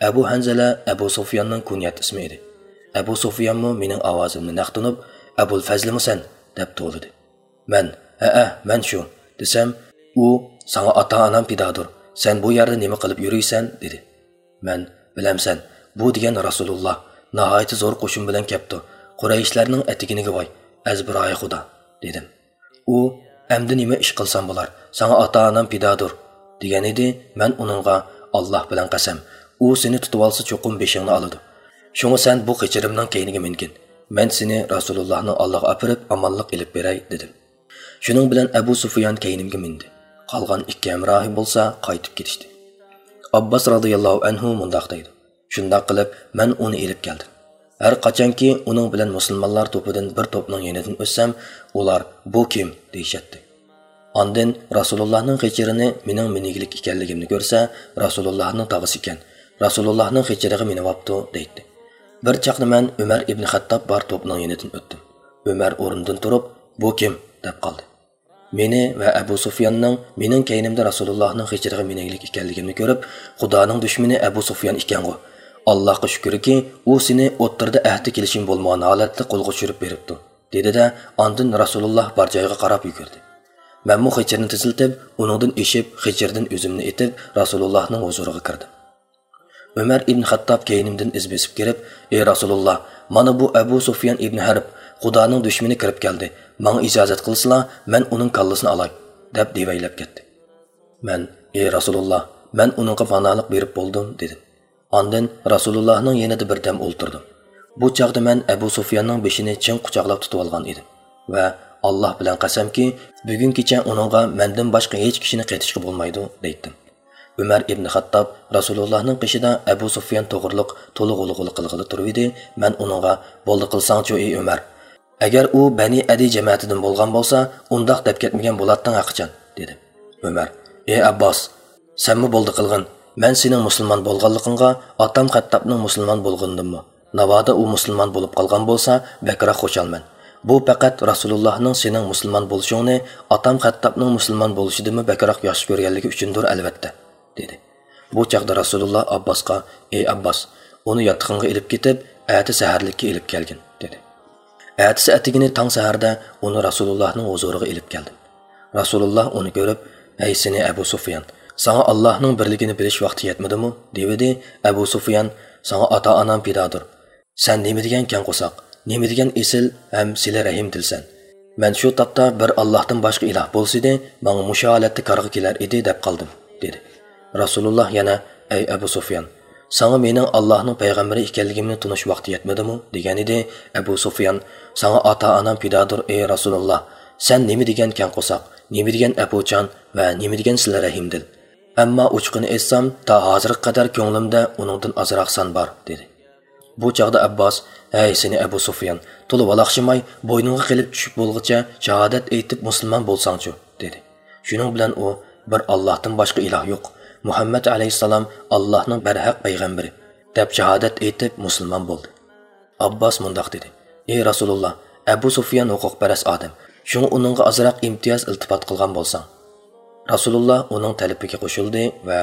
ئەبۇ ھەنزەلە ئەبۇ سۇفياننىڭ كۇنيەت ئىسمى ئىدى. ئەبۇ سۇفيانمۇ مېنىڭ ئاۋازىمنى نەق تونۇپ: ئەبۇل فەزلىمۇ سەن؟ دەپ توۋلىدى. مەن: ھەئە، مەن شۇ، دېسەم، ئۇ: ساڭا ئاتا-ئانام پىدادۇر، سەن بۇ يەردە نېمە قىلىپ يۈرۈيسەن؟ دېدى. مەن: بىلەمسەن، بۇ دېگەن رەسۇلۇللا ناھايىتى زور قوشۇن بىلەن كەپتۇ، قۇرەيشلەرنىڭ ئەتىگىنىگە ۋاي، ئەزبىرايى خۇدا، دېدىم. ئۇ: ئەمدى نېمە ئىش قىلسام بولار، ساڭا ئاتا-ئانام پىدادۇر، دېگەن ئىدى. مەن ئۇنىڭغا: ئاللا بىلەن قەسەم، ئۇ سېنى تۇتۇۋالسا چوقۇم بېشىڭنى ئالىدۇ. شۇڭا سەن بۇ قېچىرىمنىڭ كەينىگە مىنگىن. مەن سېنى رەسۇلۇللاھنىڭ ئاللىغا ئاپىرىپ ئامانلىق ئېلىپ بېرەي، دېدىم. شۇنىڭ بىلەن ئەبۇ سۇفيان كەينىمگە مىندى. قالغان ئىككى ھەمراھى بولسا قايتىپ كېتىشتى. ئابباس رازىياللاھۇ ئەنھۇ مۇنداق دەيدۇ: شۇنداق قىلىپ، مەن ئۇنى ئېلىپ كەلدىم. ھەر قاچانكى ئۇنىڭ بىلەن مۇسۇلمانلار توپىدىن بىر توپنىڭ يېنىدىن ئۆتسەم، ئۇلار: بۇ كىم؟ دېيىشەتتى. ئاندىن رەسۇلۇللاھنىڭ قېچىرىنى مېنىڭ مىنىگلىك ئىكەنلىكىمنى كۆرسە، رەسۇلۇللاھنىڭ تاغىسى ئىكەن، رەسۇلۇللاھنىڭ قېچىرىغا مىنىۋاپتۇ، دەيتتى. بىر چاغدا مەن ئۆمەر ئىبن خەتتاب بار توپنىڭ يېنىدىن ئۆتتۈم. ئۆمەر ئورنىدىن تۇرۇپ: بۇ كىم؟ دەپ قالدى. مېنى ۋە ئەبۇ سۇفياننىڭ مېنىڭ كەينىمدە رەسۇلۇللاھنىڭ قېچىرىغا مىنەيلىك ئىكەنلىكىمنى كۆرۈپ، خۇدانىڭ دۈشمىنى ئەبۇ سۇفيان ئىكەنغۇ. ئاللاھقا شۈكۈركى، ئۇ سېنى ئوتتۇرىدا ئەھدى كېلىشىم بولمىغان ھالەتتە قولغا چۈشۈرۈپ بېرىپتۇ، دېدى-دە، ئاندىن رەسۇلۇللاھ بار جايغا قاراپ يۈگۈردى. مەنمۇ قېچىرنى تېزلىتىپ، ئۇنىڭدىن ئېشىپ، قېچىردىن ئۆزۈمنى ئېتىپ، رەسۇلۇللاھنىڭ ھۇزۇرىغا كىردىم. ئۆمەر ئىبن خەتتاب كەينىمدىن ئىز بېسىپ كىرىپ: ئى رەسۇلۇللاھ، مانا بۇ ئەبۇ سۇفيان ئىبن ھەرب، خۇدانىڭ دۈشمىنى كىرىپ كەلدى، ماڭا ئىجازەت قىلسىلا، مەن ئۇنىڭ كاللىسىنى ئالاي، دەپ دېۋەيلەپ كەتتى. مەن: ئى رەسۇلۇللاھ، مەن ئۇنىڭغا پاناھلىق بېرىپ بولدۇم، دېدىم. ئاندىن رەسۇلۇللاھنىڭ يېنىدا بىردەم ئولتۇردۇم. بۇ چاغدا مەن ئەبۇ سۇفياننىڭ بېشىنى چىڭ قۇچاقلاپ تۇتۇۋالغان ئىدىم ۋە: ئاللاھ بىلەن قەسەمكى، بۈگۈن كېچە ئۇنىڭغا مەندىن باشقا ھېچ كىشىنى قېتىشقا بولمايدۇ، دەيتتىم. ئۆمەر ئىبن خەتتاب رەسۇلۇللاھنىڭ قېشىدا ئەبۇ سۇفيان توغرۇلۇق تولا غۇلغۇلا قىلغىلى تۇرۇۋىدى. مەن ئۇنىڭغا: بولدى قىلساڭچۇ، ئى ئۆمەر! ئەگەر ئۇ بەنى ئەدى جەمەتىدىن بولغان بولسا، ئۇنداق دەپ كەتمىگەن بولاتتىڭ ھەقىچان، دېدىم. ئۆمەر: ئى ئابباس، سەنمۇ بولدى قىلغىن. مەن سېنىڭ مۇسۇلمان بولغانلىقىڭغا، ئاتام خەتتابنىڭ مۇسۇلمان بولغىنىدىنمۇ، ناۋادا ئۇ مۇسۇلمان بولۇپ قالغان بولسا، بەكرەك خۇشالمەن. بۇ پەقەت رەسۇلۇللاھنىڭ سېنىڭ مۇسۇلمان بولۇشۇڭنى ئاتام خەتتابنىڭ مۇسۇلمان بولۇشىدىنمۇ بەكرەك ياخشى كۆرگەنلىكى ئۈچۈندۇر، ئەلۋەتتە، دېدى. بۇ چاغدا رەسۇلۇللاھ ئابباسقا: ئى ئابباس، ئۇنى ياتىقىڭغا ئېلىپ كېتىپ، ئەتە سەھەرلىككە ئېلىپ كەلگىن، دېدى. ئەتىسى ئەتىگىنى تاڭ سەھەردە ئۇنى رەسۇلۇللاھنىڭ ھۇزۇرىغا ئېلىپ كەلدىم. رەسۇلۇللاھ ئۇنى كۆرۈپ: ھەي سېنى ئەبۇ سۇفيان، ساڭا ئاللاھنىڭ بىرلىكىنى بىلىش ۋاقتى يەتمىدىمۇ؟ دېۋىدى. ئەبۇ سۇفيان: ساڭا ئاتا-ئانام پىدادۇر. سەن نېمە دېگەن كەڭ قورساق، نېمە دېگەن ئېسىل ھەم سىلە رەھىم دىلسەن. مەن شۇ تاپتا بىر ئاللاھتىن باشقا ئىلاھ بولسىدى، ماڭا مۇشۇ ھالەتتە كارغا كېلەر ئىدى، دەپ قالدىم، دېدى. رەسۇلۇللاھ يەنە: ئەي ئەبۇ سۇفيان، ساڭا مېنىڭ ئاللاھنىڭ پەيغەمبىرى ئىكەنلىكىمنى تونۇش ۋاقتى يەتمىدىمۇ؟ دېگەنىدى. ئەبۇ سۇفيان: ساڭا ئاتا-ئانام پىدادۇر، ئەي رەسۇلۇللاھ. سەن نېمە دېگەن كەڭ قورساق، نېمە دېگەن ئەپۇچان ۋە نېمە دېگەن سىلە رەھىم دىل. ئەمما ئوچۇقىنى ئېيتسام، تا ھازىرغا قەدەر كۆڭلۈمدە ئۇنىڭدىن ئازراق سان بار، دېدى. بۇ چاغدا ئەبباس: ھەي سېنى ئەبۇ سۇفيان، تولا ۋالاقشىماي، بوينۇڭغا قېلىپ چۈشۈپ بولغۇچە شاھادەت ئېيتىپ مۇسۇلمان بولساڭچۇ، دېدى. شۇنىڭ بىلەن ئۇ: بىر ئاللاھتىن باشقا ئىلاھ يوق، مۇھەممەد ئەلەيھىسسالام ئاللاھنىڭ بەرھەق پەيغەمبىرى، دەپ شاھادەت ئېيتىپ مۇسۇلمان بولدى. ئابباس مۇنداق دېدى: ئى رەسۇلۇللاھ، ئەبۇ سۇفيان ھوقۇقپەرەس ئادەم، شۇڭا ئۇنىڭغا ئازراق ئىمتىياز ئىلتىپات قىلغان بولساڭ. رەسۇلۇللا ئۇنىڭ تەلىپىگە قوشۇلدى ۋە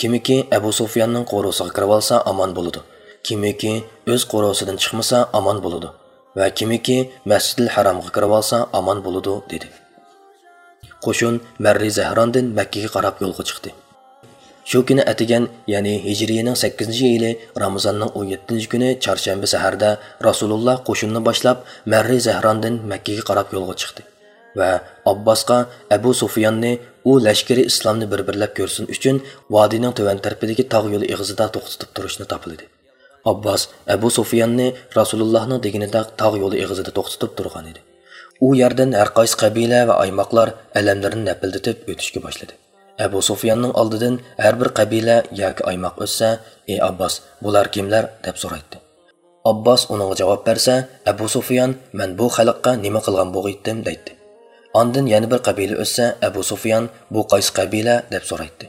كىمكى ئەبۇ سۇفياننىڭ قورۇسىغا كىرىۋالسا ئامان بولىدۇ، كىمكى ئۆز قورۇسىدىن چىقمىسا ئامان بولىدۇ ۋە كىمكى مەسجىدىل ھەرامغا كىرىۋالسا ئامان بولىدۇ، دېدى. قوشۇن مەررى زەھراندىن مەككىگە قاراپ يولغا چىقتى. شۇ كۈنى ئەتىگەن، يەنى ھىجرىينىڭ سەككىزىنچى يىلى رامىزاننىڭ ئون يەتتىنچى كۈنى چارشەنبە سەھەردە رەسۇلۇللا قوشۇننى باشلاپ مەررى زەھراندىن مەككىگە قاراپ يولغا چىقتى ۋە ئابباسقا ئەبۇ سۇفياننى ئۇ لەشكىرى ئىسلامنى بىر-بىرلەپ كۆرسۇن ئۈچۈن ۋادىنىڭ تۆۋەن تەرىپىدىكى تاغ يولى ئېغىزىدا توختىتىپ تۇرۇشنى تاپىلىدى. ئابباس ئەبۇ سۇفياننى رەسۇلۇللاھنىڭ دېگىنىدەك تاغ يولى ئېغىزىدا توختىتىپ تۇرغان ئىدى. ئۇ يەردىن ھەر قايسى قەبىلە ۋە ئايماقلار ئەلەملىرىنى نەپىلدىتىپ ئۆتۈشكە باشلىدى. ئەبۇ سۇفياننىڭ ئالدىدىن ھەر بىر قەبىلە ياكى ئايماق ئۆتسە، ئى ئابباس، بۇلار كىملەر؟ دەپ سورايتتى. ئابباس ئۇنىڭغا جاۋاب بەرسە، ئەبۇ سۇفيان، مەن بۇ خەلققە نېمە قىلغان بوغىيتتىم؟ دەيتتى. ئاندىن يەنە بىر قەبىلە ئۆتسە، ئەبۇ سۇفيان، بۇ قايسى قەبىلە؟ دەپ سورايتتى.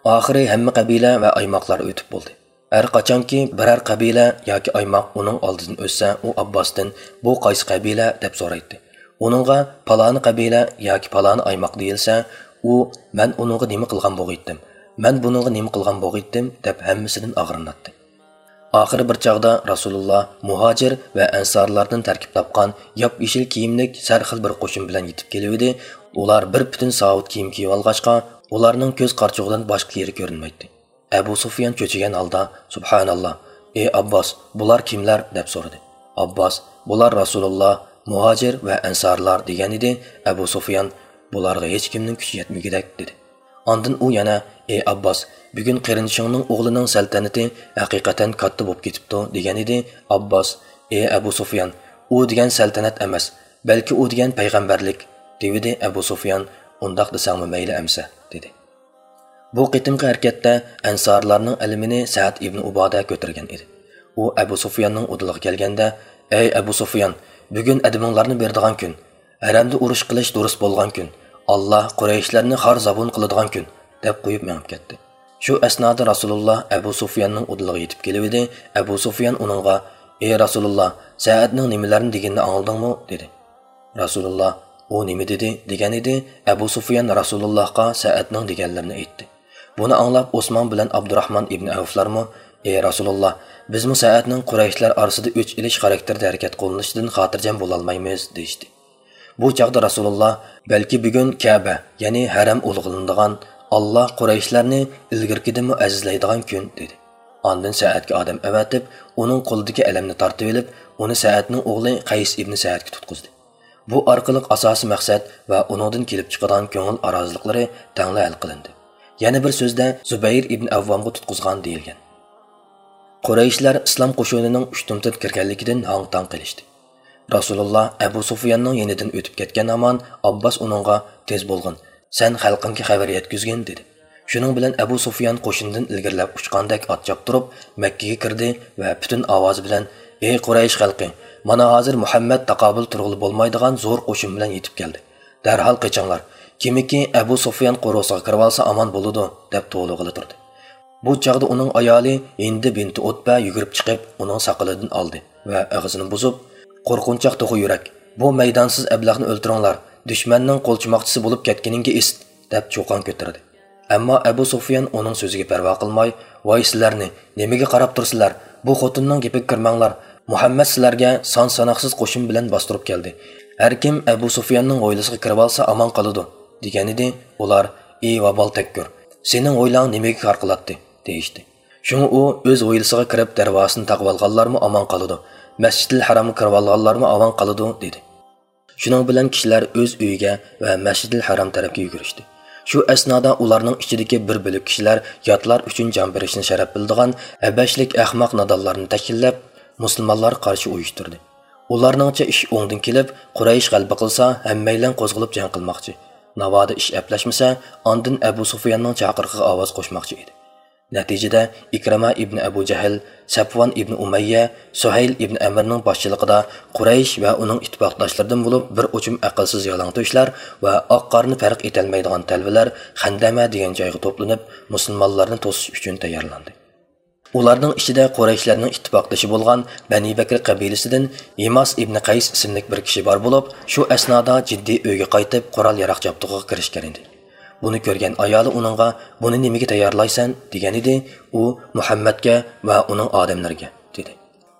ئاخىرى ھەممە قەبىلە ۋە ئايماقلار ئۆتۈپ بولدى. ھەر قاچانكى بىرەر قەبىلە ياكى ئايماق ئۇنىڭ ئالدىدىن ئۆتسە، ئۇ ئابباستىن، بۇ قايسى قەبىلە؟ دەپ سورايتتى. ئۇنىڭغا پالانى قەبىلە ياكى پالانى ئايماق دېيىلسە، ئۇ، مەن ئۇنىڭغا نېمە قىلغان بوغىيتتىم؟ مەن بۇنىڭغا نېمە قىلغان بوغىيتتىم؟ دەپ ھەممىسىدىن ئاغرىناتتى. ئاخىرى بىر چاغدا رەسۇلۇللا مۇھاجىر ۋە ئەنسارلاردىن تەركىب تاپقان ياپيېشىل كىيىملىك سەرخىل بىر قوشۇن بىلەن يېتىپ كېلىۋىدى. ئۇلار بىر پۈتۈن ساۋۇت كىيىم كىيىۋالغاچقا، ئۇلارنىڭ كۆز قارىچۇقىدىن باشقا يېرى كۆرۈنمەيتتى. ئەبۇ سۇفيان چۆچۈگەن ھالدا، سۇبھاناللا، ئى ئابباس، بۇلار كىملەر؟ دەپ سورىدى. ئابباس، بۇلار رەسۇلۇللا، مۇھاجىر ۋە ئەنسارلار، دېگەنىدى. ئەبۇ سۇفيان، بۇلارغا ھېچكىمنىڭ كۈچى يەتمىگۈدەك، دېدى. ئاندىن ئۇ يەنە، ئى ئابباس، بۈگۈن قېرىندىشىڭنىڭ ئوغلىنىڭ سەلتەنىتى ھەقىقەتەن كاتتا بولۇپ كېتىپتۇ، دېگەنىدى. ئابباس، ئى ئەبۇ سۇفيان، ئۇ دېگەن سەلتەنەت ئەمەس، بەلكى ئۇ دېگەن پەيغەمبەرلىك، دېۋىدى. ئەبۇ سۇفيان، ئۇنداق دېسەڭمۇ مەيلى ئەمىسە، دېدى. بۇ قېتىمقى ھەرىكەتتە ئەنسارلارنىڭ ئەلىمىنى سەئەد ئىبنى ئۇبادە كۆتۈرگەن ئىدى. ئۇ ئەبۇ سۇفياننىڭ ئۇدۇلىغا كەلگەندە، ئەي ئەبۇ سۇفيان، بۈگۈن ئەدىمىڭلارنى بېرىدىغان كۈن، ھەرەمدە ئۇرۇش قىلىش دۇرۇس بولغان كۈن، ئاللا قۇرەيشلەرنى خار زابۇن قىلىدىغان كۈن، دەپ قويۇپ مېڭىپ كەتتى. شۇ ئەسنادا رەسۇلۇللا ئەبۇ سۇفياننىڭ ئۇدۇلىغا يېتىپ كېلىۋىدى. ئەبۇ سۇفيان ئۇنىڭغا، ئى رەسۇلۇللا، سەئەدنىڭ نېمىلەرنى دېگىنىنى ئاڭلىدىڭمۇ؟ دېدى. رەسۇلۇللا، ئۇ نېمە دېدى؟ دېگەن ئىدى. ئەبۇ سۇفيان رەسۇلۇللاھقا سەئەدنىڭ دېگەنلىرىنى ئېيتتى. بۇنى ئاڭلاپ ئوسمان بىلەن ئابدۇراھمان ئىبنى ئەۋفلارمۇ، ئى رەسۇلۇللا، بىزمۇ سەئەدنىڭ قۇرەيشلەر ئارىسىدا ئۆچ ئېلىش خاراكتېرىدە ھەرىكەت قوللىنىشىدىن خاتىرجەم بولالمايمىز، دېيىشتى. بۇ چاغدا رەسۇلۇللا، بەلكى بۈگۈن كەبە، يەنى ھەرەم ئۇلۇغلىنىدىغان، ئاللا قۇرەيشلەرنى ئىلگىرىكىدىنمۇ ئەزىزلەيدىغان كۈن، دېدى. ئاندىن سەئەدكە ئادەم ئەۋەتىپ، ئۇنىڭ قولىدىكى ئەلەمنى تارتىۋېلىپ، ئۇنى سەئەدنىڭ ئوغلى قەيس ئىبنى سەئەدكە تۇتقۇزدى. بۇ ئارقىلىق ئاساسىي مەقسەت ۋە ئۇنىڭدىن كېلىپ چىقىدىغان كۆڭۈل ئارازىلىقلىرى تەڭلا ھەل قىلىندى. يەنە بىر سۆزدە، زۇبەير ئىبن ئەۋۋامغا تۇتقۇزغان دېيىلگەن. قۇرەيشلەر ئىسلام قوشۇنىنىڭ ئۇشتۇمتۇت كىرگەنلىكىدىن ھاڭ-تاڭ قېلىشتى. رەسۇلۇللا ئەبۇ سۇفياننىڭ يېنىدىن ئۆتۈپ كەتكەن ھامان ئابباس ئۇنىڭغا، تېز بولغىن، سەن خەلقىڭگە خەۋەر يەتكۈزگىن، دېدى. شۇنىڭ بىلەن ئەبۇ سۇفيان قوشۇندىن ئىلگىرىلەپ ئۇچقاندەك ئات چاپتۇرۇپ مەككىگە كىردى ۋە پۈتۈن ئاۋازى بىلەن، ئى قۇرەيش خەلقى، مانا ھازىر مۇھەممەد تاقابىل تۇرغىلى بولمايدىغان زور قوشۇن بىلەن يېتىپ كەلدى. دەرھال قېچىڭلار. كىمكى ئەبۇ سۇفيان قورۇسىغا كىرىۋالسا ئامان بولىدۇ، دەپ توۋلىغىلى تۇردى. بۇ چاغدا ئۇنىڭ ئايالى ھىندى بىنتى ئۇتبە يۈگۈرۈپ چىقىپ، ئۇنىڭ ساقىلىدىن ئالدى ۋە ئېغىزىنى بۇزۇپ، قورقۇنچاق توخۇ يۈرەك، بۇ مەيدانسىز ئەبلەخنى ئۆلتۈرۈڭلار، دۈشمەننىڭ قولچىماقچىسى بولۇپ كەتكىنىڭگە ئىسىت، دەپ چۇقان كۆتۈردى. ئەمما ئەبۇ سۇفيان ئۇنىڭ سۆزىگە پەرۋا قىلماي، ۋاي سىلەرنى، نېمىگە قاراپ تۇرىسىلەر؟ بۇ خوتۇننىڭ گېپىگە كىرمەڭلار. مۇھەممەد سىلەرگە سان-ساناقسىز قوشۇن بىلەن باستۇرۇپ كەلدى. ھەر كىم ئەبۇ سۇفياننىڭ ھويلىسىغا كىرىۋالسا ئامان قالىدۇ، دېگەنىدى. ئۇلار، ئى ۋابال تەككۈر، سېنىڭ ھويلاڭ نېمىگە كار قىلاتتى؟ دېيىشتى. شۇڭا ئۇ ئۆز ھويلىسىغا كىرىپ دەرۋازىسىنى تاقىۋالغانلارمۇ ئامان قالىدۇ، مەسجىدىل ھەرامغا كىرىۋالغانلارمۇ ئامان قالىدۇ، دېدى. شۇنىڭ بىلەن كىشىلەر ئۆز ئۆيىگە ۋە مەسجىدىل ھەرام تەرەپكە يۈگۈرۈشتى. شۇ ئەسنادا ئۇلارنىڭ ئىچىدىكى بىر بۆلەك كىشىلەر ياتلار ئۈچۈن جان بېرىشنى شەرەپ بىلىدىغان ھەبەشلىك ئەخمەق نادانلارنى تەشكىللەپ، مۇسۇلمانلارغا قارشى ئۇيۇشتۇردى. ئۇلارنىڭچە ئىش ئوڭدىن كېلىپ، قۇرەيش غەلىبە قىلسا، ھەممەيلەن قوزغىلىپ جەڭ قىلماقچى. ناۋادا ئىش ئەپلەشمىسە، ئاندىن ئەبۇ سۇفياننىڭ چاقىرىقىغا ئاۋاز قوشماقچى ئىدى. نەتىجىدە، ئىكرىمە ئىبنى ئەبۇ جەھىل، سەپۋان ئىبنى ئۇمەييە، سۇھەيل ئىبنى ئەمىرنىڭ باشچىلىقىدا قۇرەيش ۋە ئۇنىڭ ئىتتىپاقداشلىرىدىن بولۇپ بىر ئوچۇم ئەقىلسىز يالاڭتۆشلەر ۋە ئاق-قارىنى پەرق ئېتەلمەيدىغان تەلۋىلەر خەندەمە دېگەن جايغا توپلىنىپ، مۇسۇلمانلارنى توسۇش ئۈچۈن تەييارلاندى. ئۇلارنىڭ ئىچىدە قۇرەيشلەرنىڭ ئىتتىپاقدىشى بولغان بەنى بەكرى قەبىلىسىدىن يىماس ئىبنى قەيس ئىسىملىك بىر كىشى بار بولۇپ، شۇ ئەسنادا جىددىي ئۆيگە قايتىپ، قورال-ياراغ جابدۇقىغا كىرىشكەن ئىدى. بۇنى كۆرگەن ئايالى ئۇنىڭغا: «بۇنى نېمىگە تەييارلايسەن؟» دېگەنىدى. ئۇ: «مۇھەممەدكە ۋە ئۇنىڭ ئادەملىرىگە» دېدى.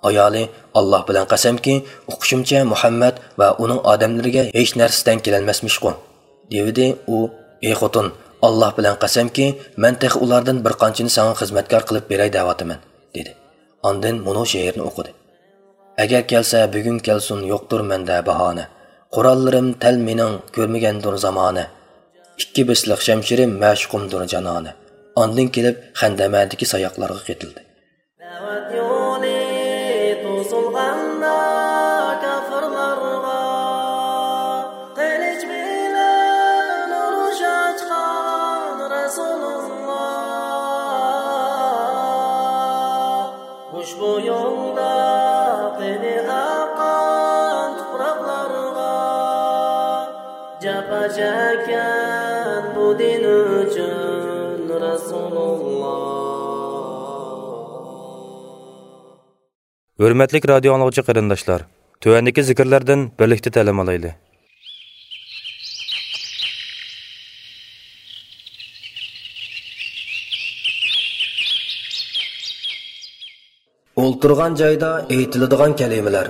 ئايالى: «ئاللاھ بىلەن قەسەمكى، ئوقۇشۇمچە مۇھەممەد ۋە ئۇنىڭ ئادەملىرىگە ھېچ نەرسە تەڭ كېلەلمەسمىشقۇ؟» دېۋىدى. ئۇ: «ئى خوتۇن، ئاللاھ بىلەن قەسەمكى، مەن تېخى ئۇلاردىن بىر قانچىنى ساڭا خىزمەتكار قىلىپ بېرەي دەۋاتىمەن» دېدى. ئاندىن مۇنۇ شېئىرنى ئوقۇدى: «ئەگەر كەلسە بۈگۈن كەلسۇن، يوقتۇر مەندە باھانە. قوراللىرىم تەل مېنىڭ، كۆرمىگەندۇر زامانە. ئىككى بېسىلىق شەمشىرىم، مەشۇقۇمدۇر جانانە.» ئاندىن كېلىپ خەندەمەدىكى ساياقلارغا قېتىلدى. دەۋەت يولى توسۇلغاندا كاپىرلارغا، قىلىچ بىلەن ئۇرۇش ئاچقان رەسۇلۇللا. ئۇشبۇ يولدا قېنى ئاققان تۇپراقلارغا، جاپا چەككەن بۇ دىن ئۈچۈن رەسۇلۇللا. ھۆرمەتلىك رادىيو ئاڭلىغۇچى قېرىنداشلار، تۆۋەندىكى زىكىرلەردىن بىرلىكتە تەلىم ئالايلى. ئولتۇرغان جايدا ئېيتىلىدىغان كەلىمىلەر.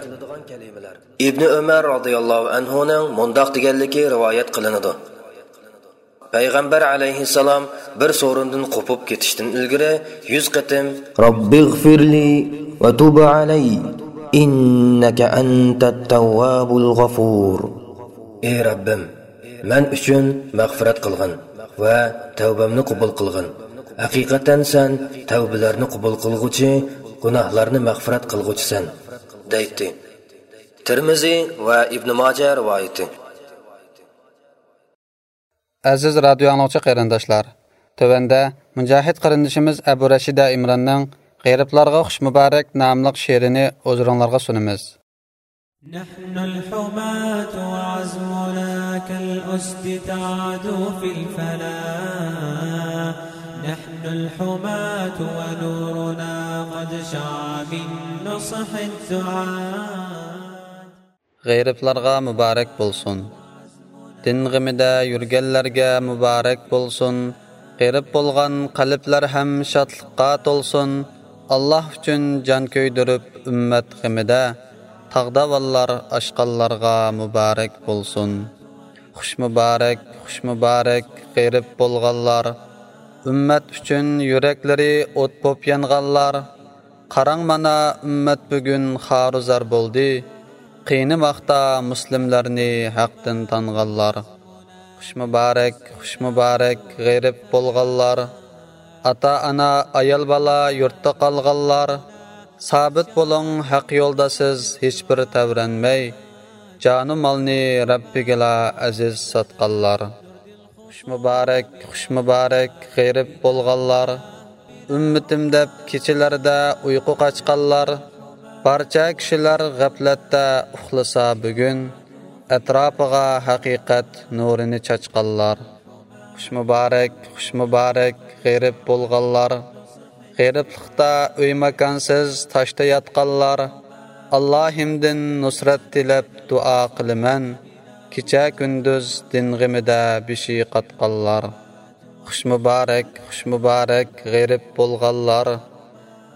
ئىبنى ئۆمەر رازىياللاھۇ ئەنھۇنىڭ مۇنداق دېگەنلىكى رىۋايەت قىلىنىدۇ: پەيغەمبەر ئەلەيھىسسالام بىر سورۇندىن قوپۇپ كېتىشتىن ئىلگىرى يۈز قېتىم: رەببىغفىرلى ۋە تۇب ئەلەي، ئىننەكە ئەنتەت تەۋۋابۇل غەفۇر. «ئى رەببىم، مەن ئۈچۈن مەغپىرەت قىلغىن ۋە تەۋبەمنى قوبۇل قىلغىن. ھەقىقەتەن سەن تەۋبىلەرنى قوبۇل قىلغۇچى، گۇناھلارنى مەغپىرەت قىلغۇچىسەن» دەيتتى. تىرمىزى ۋە ئىبنى ماجە رىۋايىتى. ئەزىز رادىيو ئاڭلىغۇچى قېرىنداشلار، تۆۋەندە مۇجاھىد قېرىندىشىمىز ئەبۇ رەشىدە ئىمراننىڭ غېرىبلارغا خۇش مۇبارەك ناملىق شېئىرىنى ھۇزۇرۇڭلارغا سۇنىمىز. نحن الحماة وعزمنا كالأسد تعدو في الفلاح. نحن الحماة ونورنا قد شع من نصح الدعاة. غېرىبلارغا مۇبارەك بولسۇن. دىن غېمىدە يۈرگەنلەرگە مۇبارەك بولسۇن. غېرىب بولغان قەلبلەر ھەم شادلىققا تولسۇن. ئاللاھ ئۈچۈن جان كۆيدۈرۈپ ئۈممەت غېمىدە، تاغداۋانلار ئاشقانلارغا مۇبارەك بولسۇن. خۇش مۇبارەك، خۇش مۇبارەك غېرىب بولغانلار، ئۈممەت ئۈچۈن يۈرەكلىرى ئوت بوپ يانغانلار. قاراڭ مانا ئۈممەت بۈگۈن خارۇزار بولدى، قىينىماقتا مۇسلىملارنى ھەقتىن تانغانلار. خۇش مۇبارەك، خۇش مۇبارەك غېرىب بولغانلار، ئاتا-ئانا، ئايال-بالا يۇرتتا قالغانلار. سابىت بولۇڭ ھەق يولدا سىز ھېچبىر تەۋرەنمەي، جانۇ مالنى رەببىگىلا ئەزىز ساتقانلار. خۇش مۇبارەك، خۇش مۇبارەك غېرىب بولغانلار، ئۈممىتىم دەپ كېچىلەردە ئۇيقۇ قاچقانلار. بارچە كىشىلەر غەپلەتتە ئۇخلىسا بۈگۈن، ئەتراپىغا ھەقىقەت نۇرىنى چاچقانلار. خۇش مۇبارەك، خۇش مۇبارەك غېرىب بولغانلار، غېرىبلىقتا ئۆي ماكانسىز تاشتا ياتقانلار. ئاللاھىمدىن نۇسرەت تىلەپ دۇئا قىلىمەن، كېچە كۈندۈز دىن غېمىدە بېشى قاتقانلار. خۇش مۇبارەك، خۇش مۇبارەك غېرىب بولغانلار،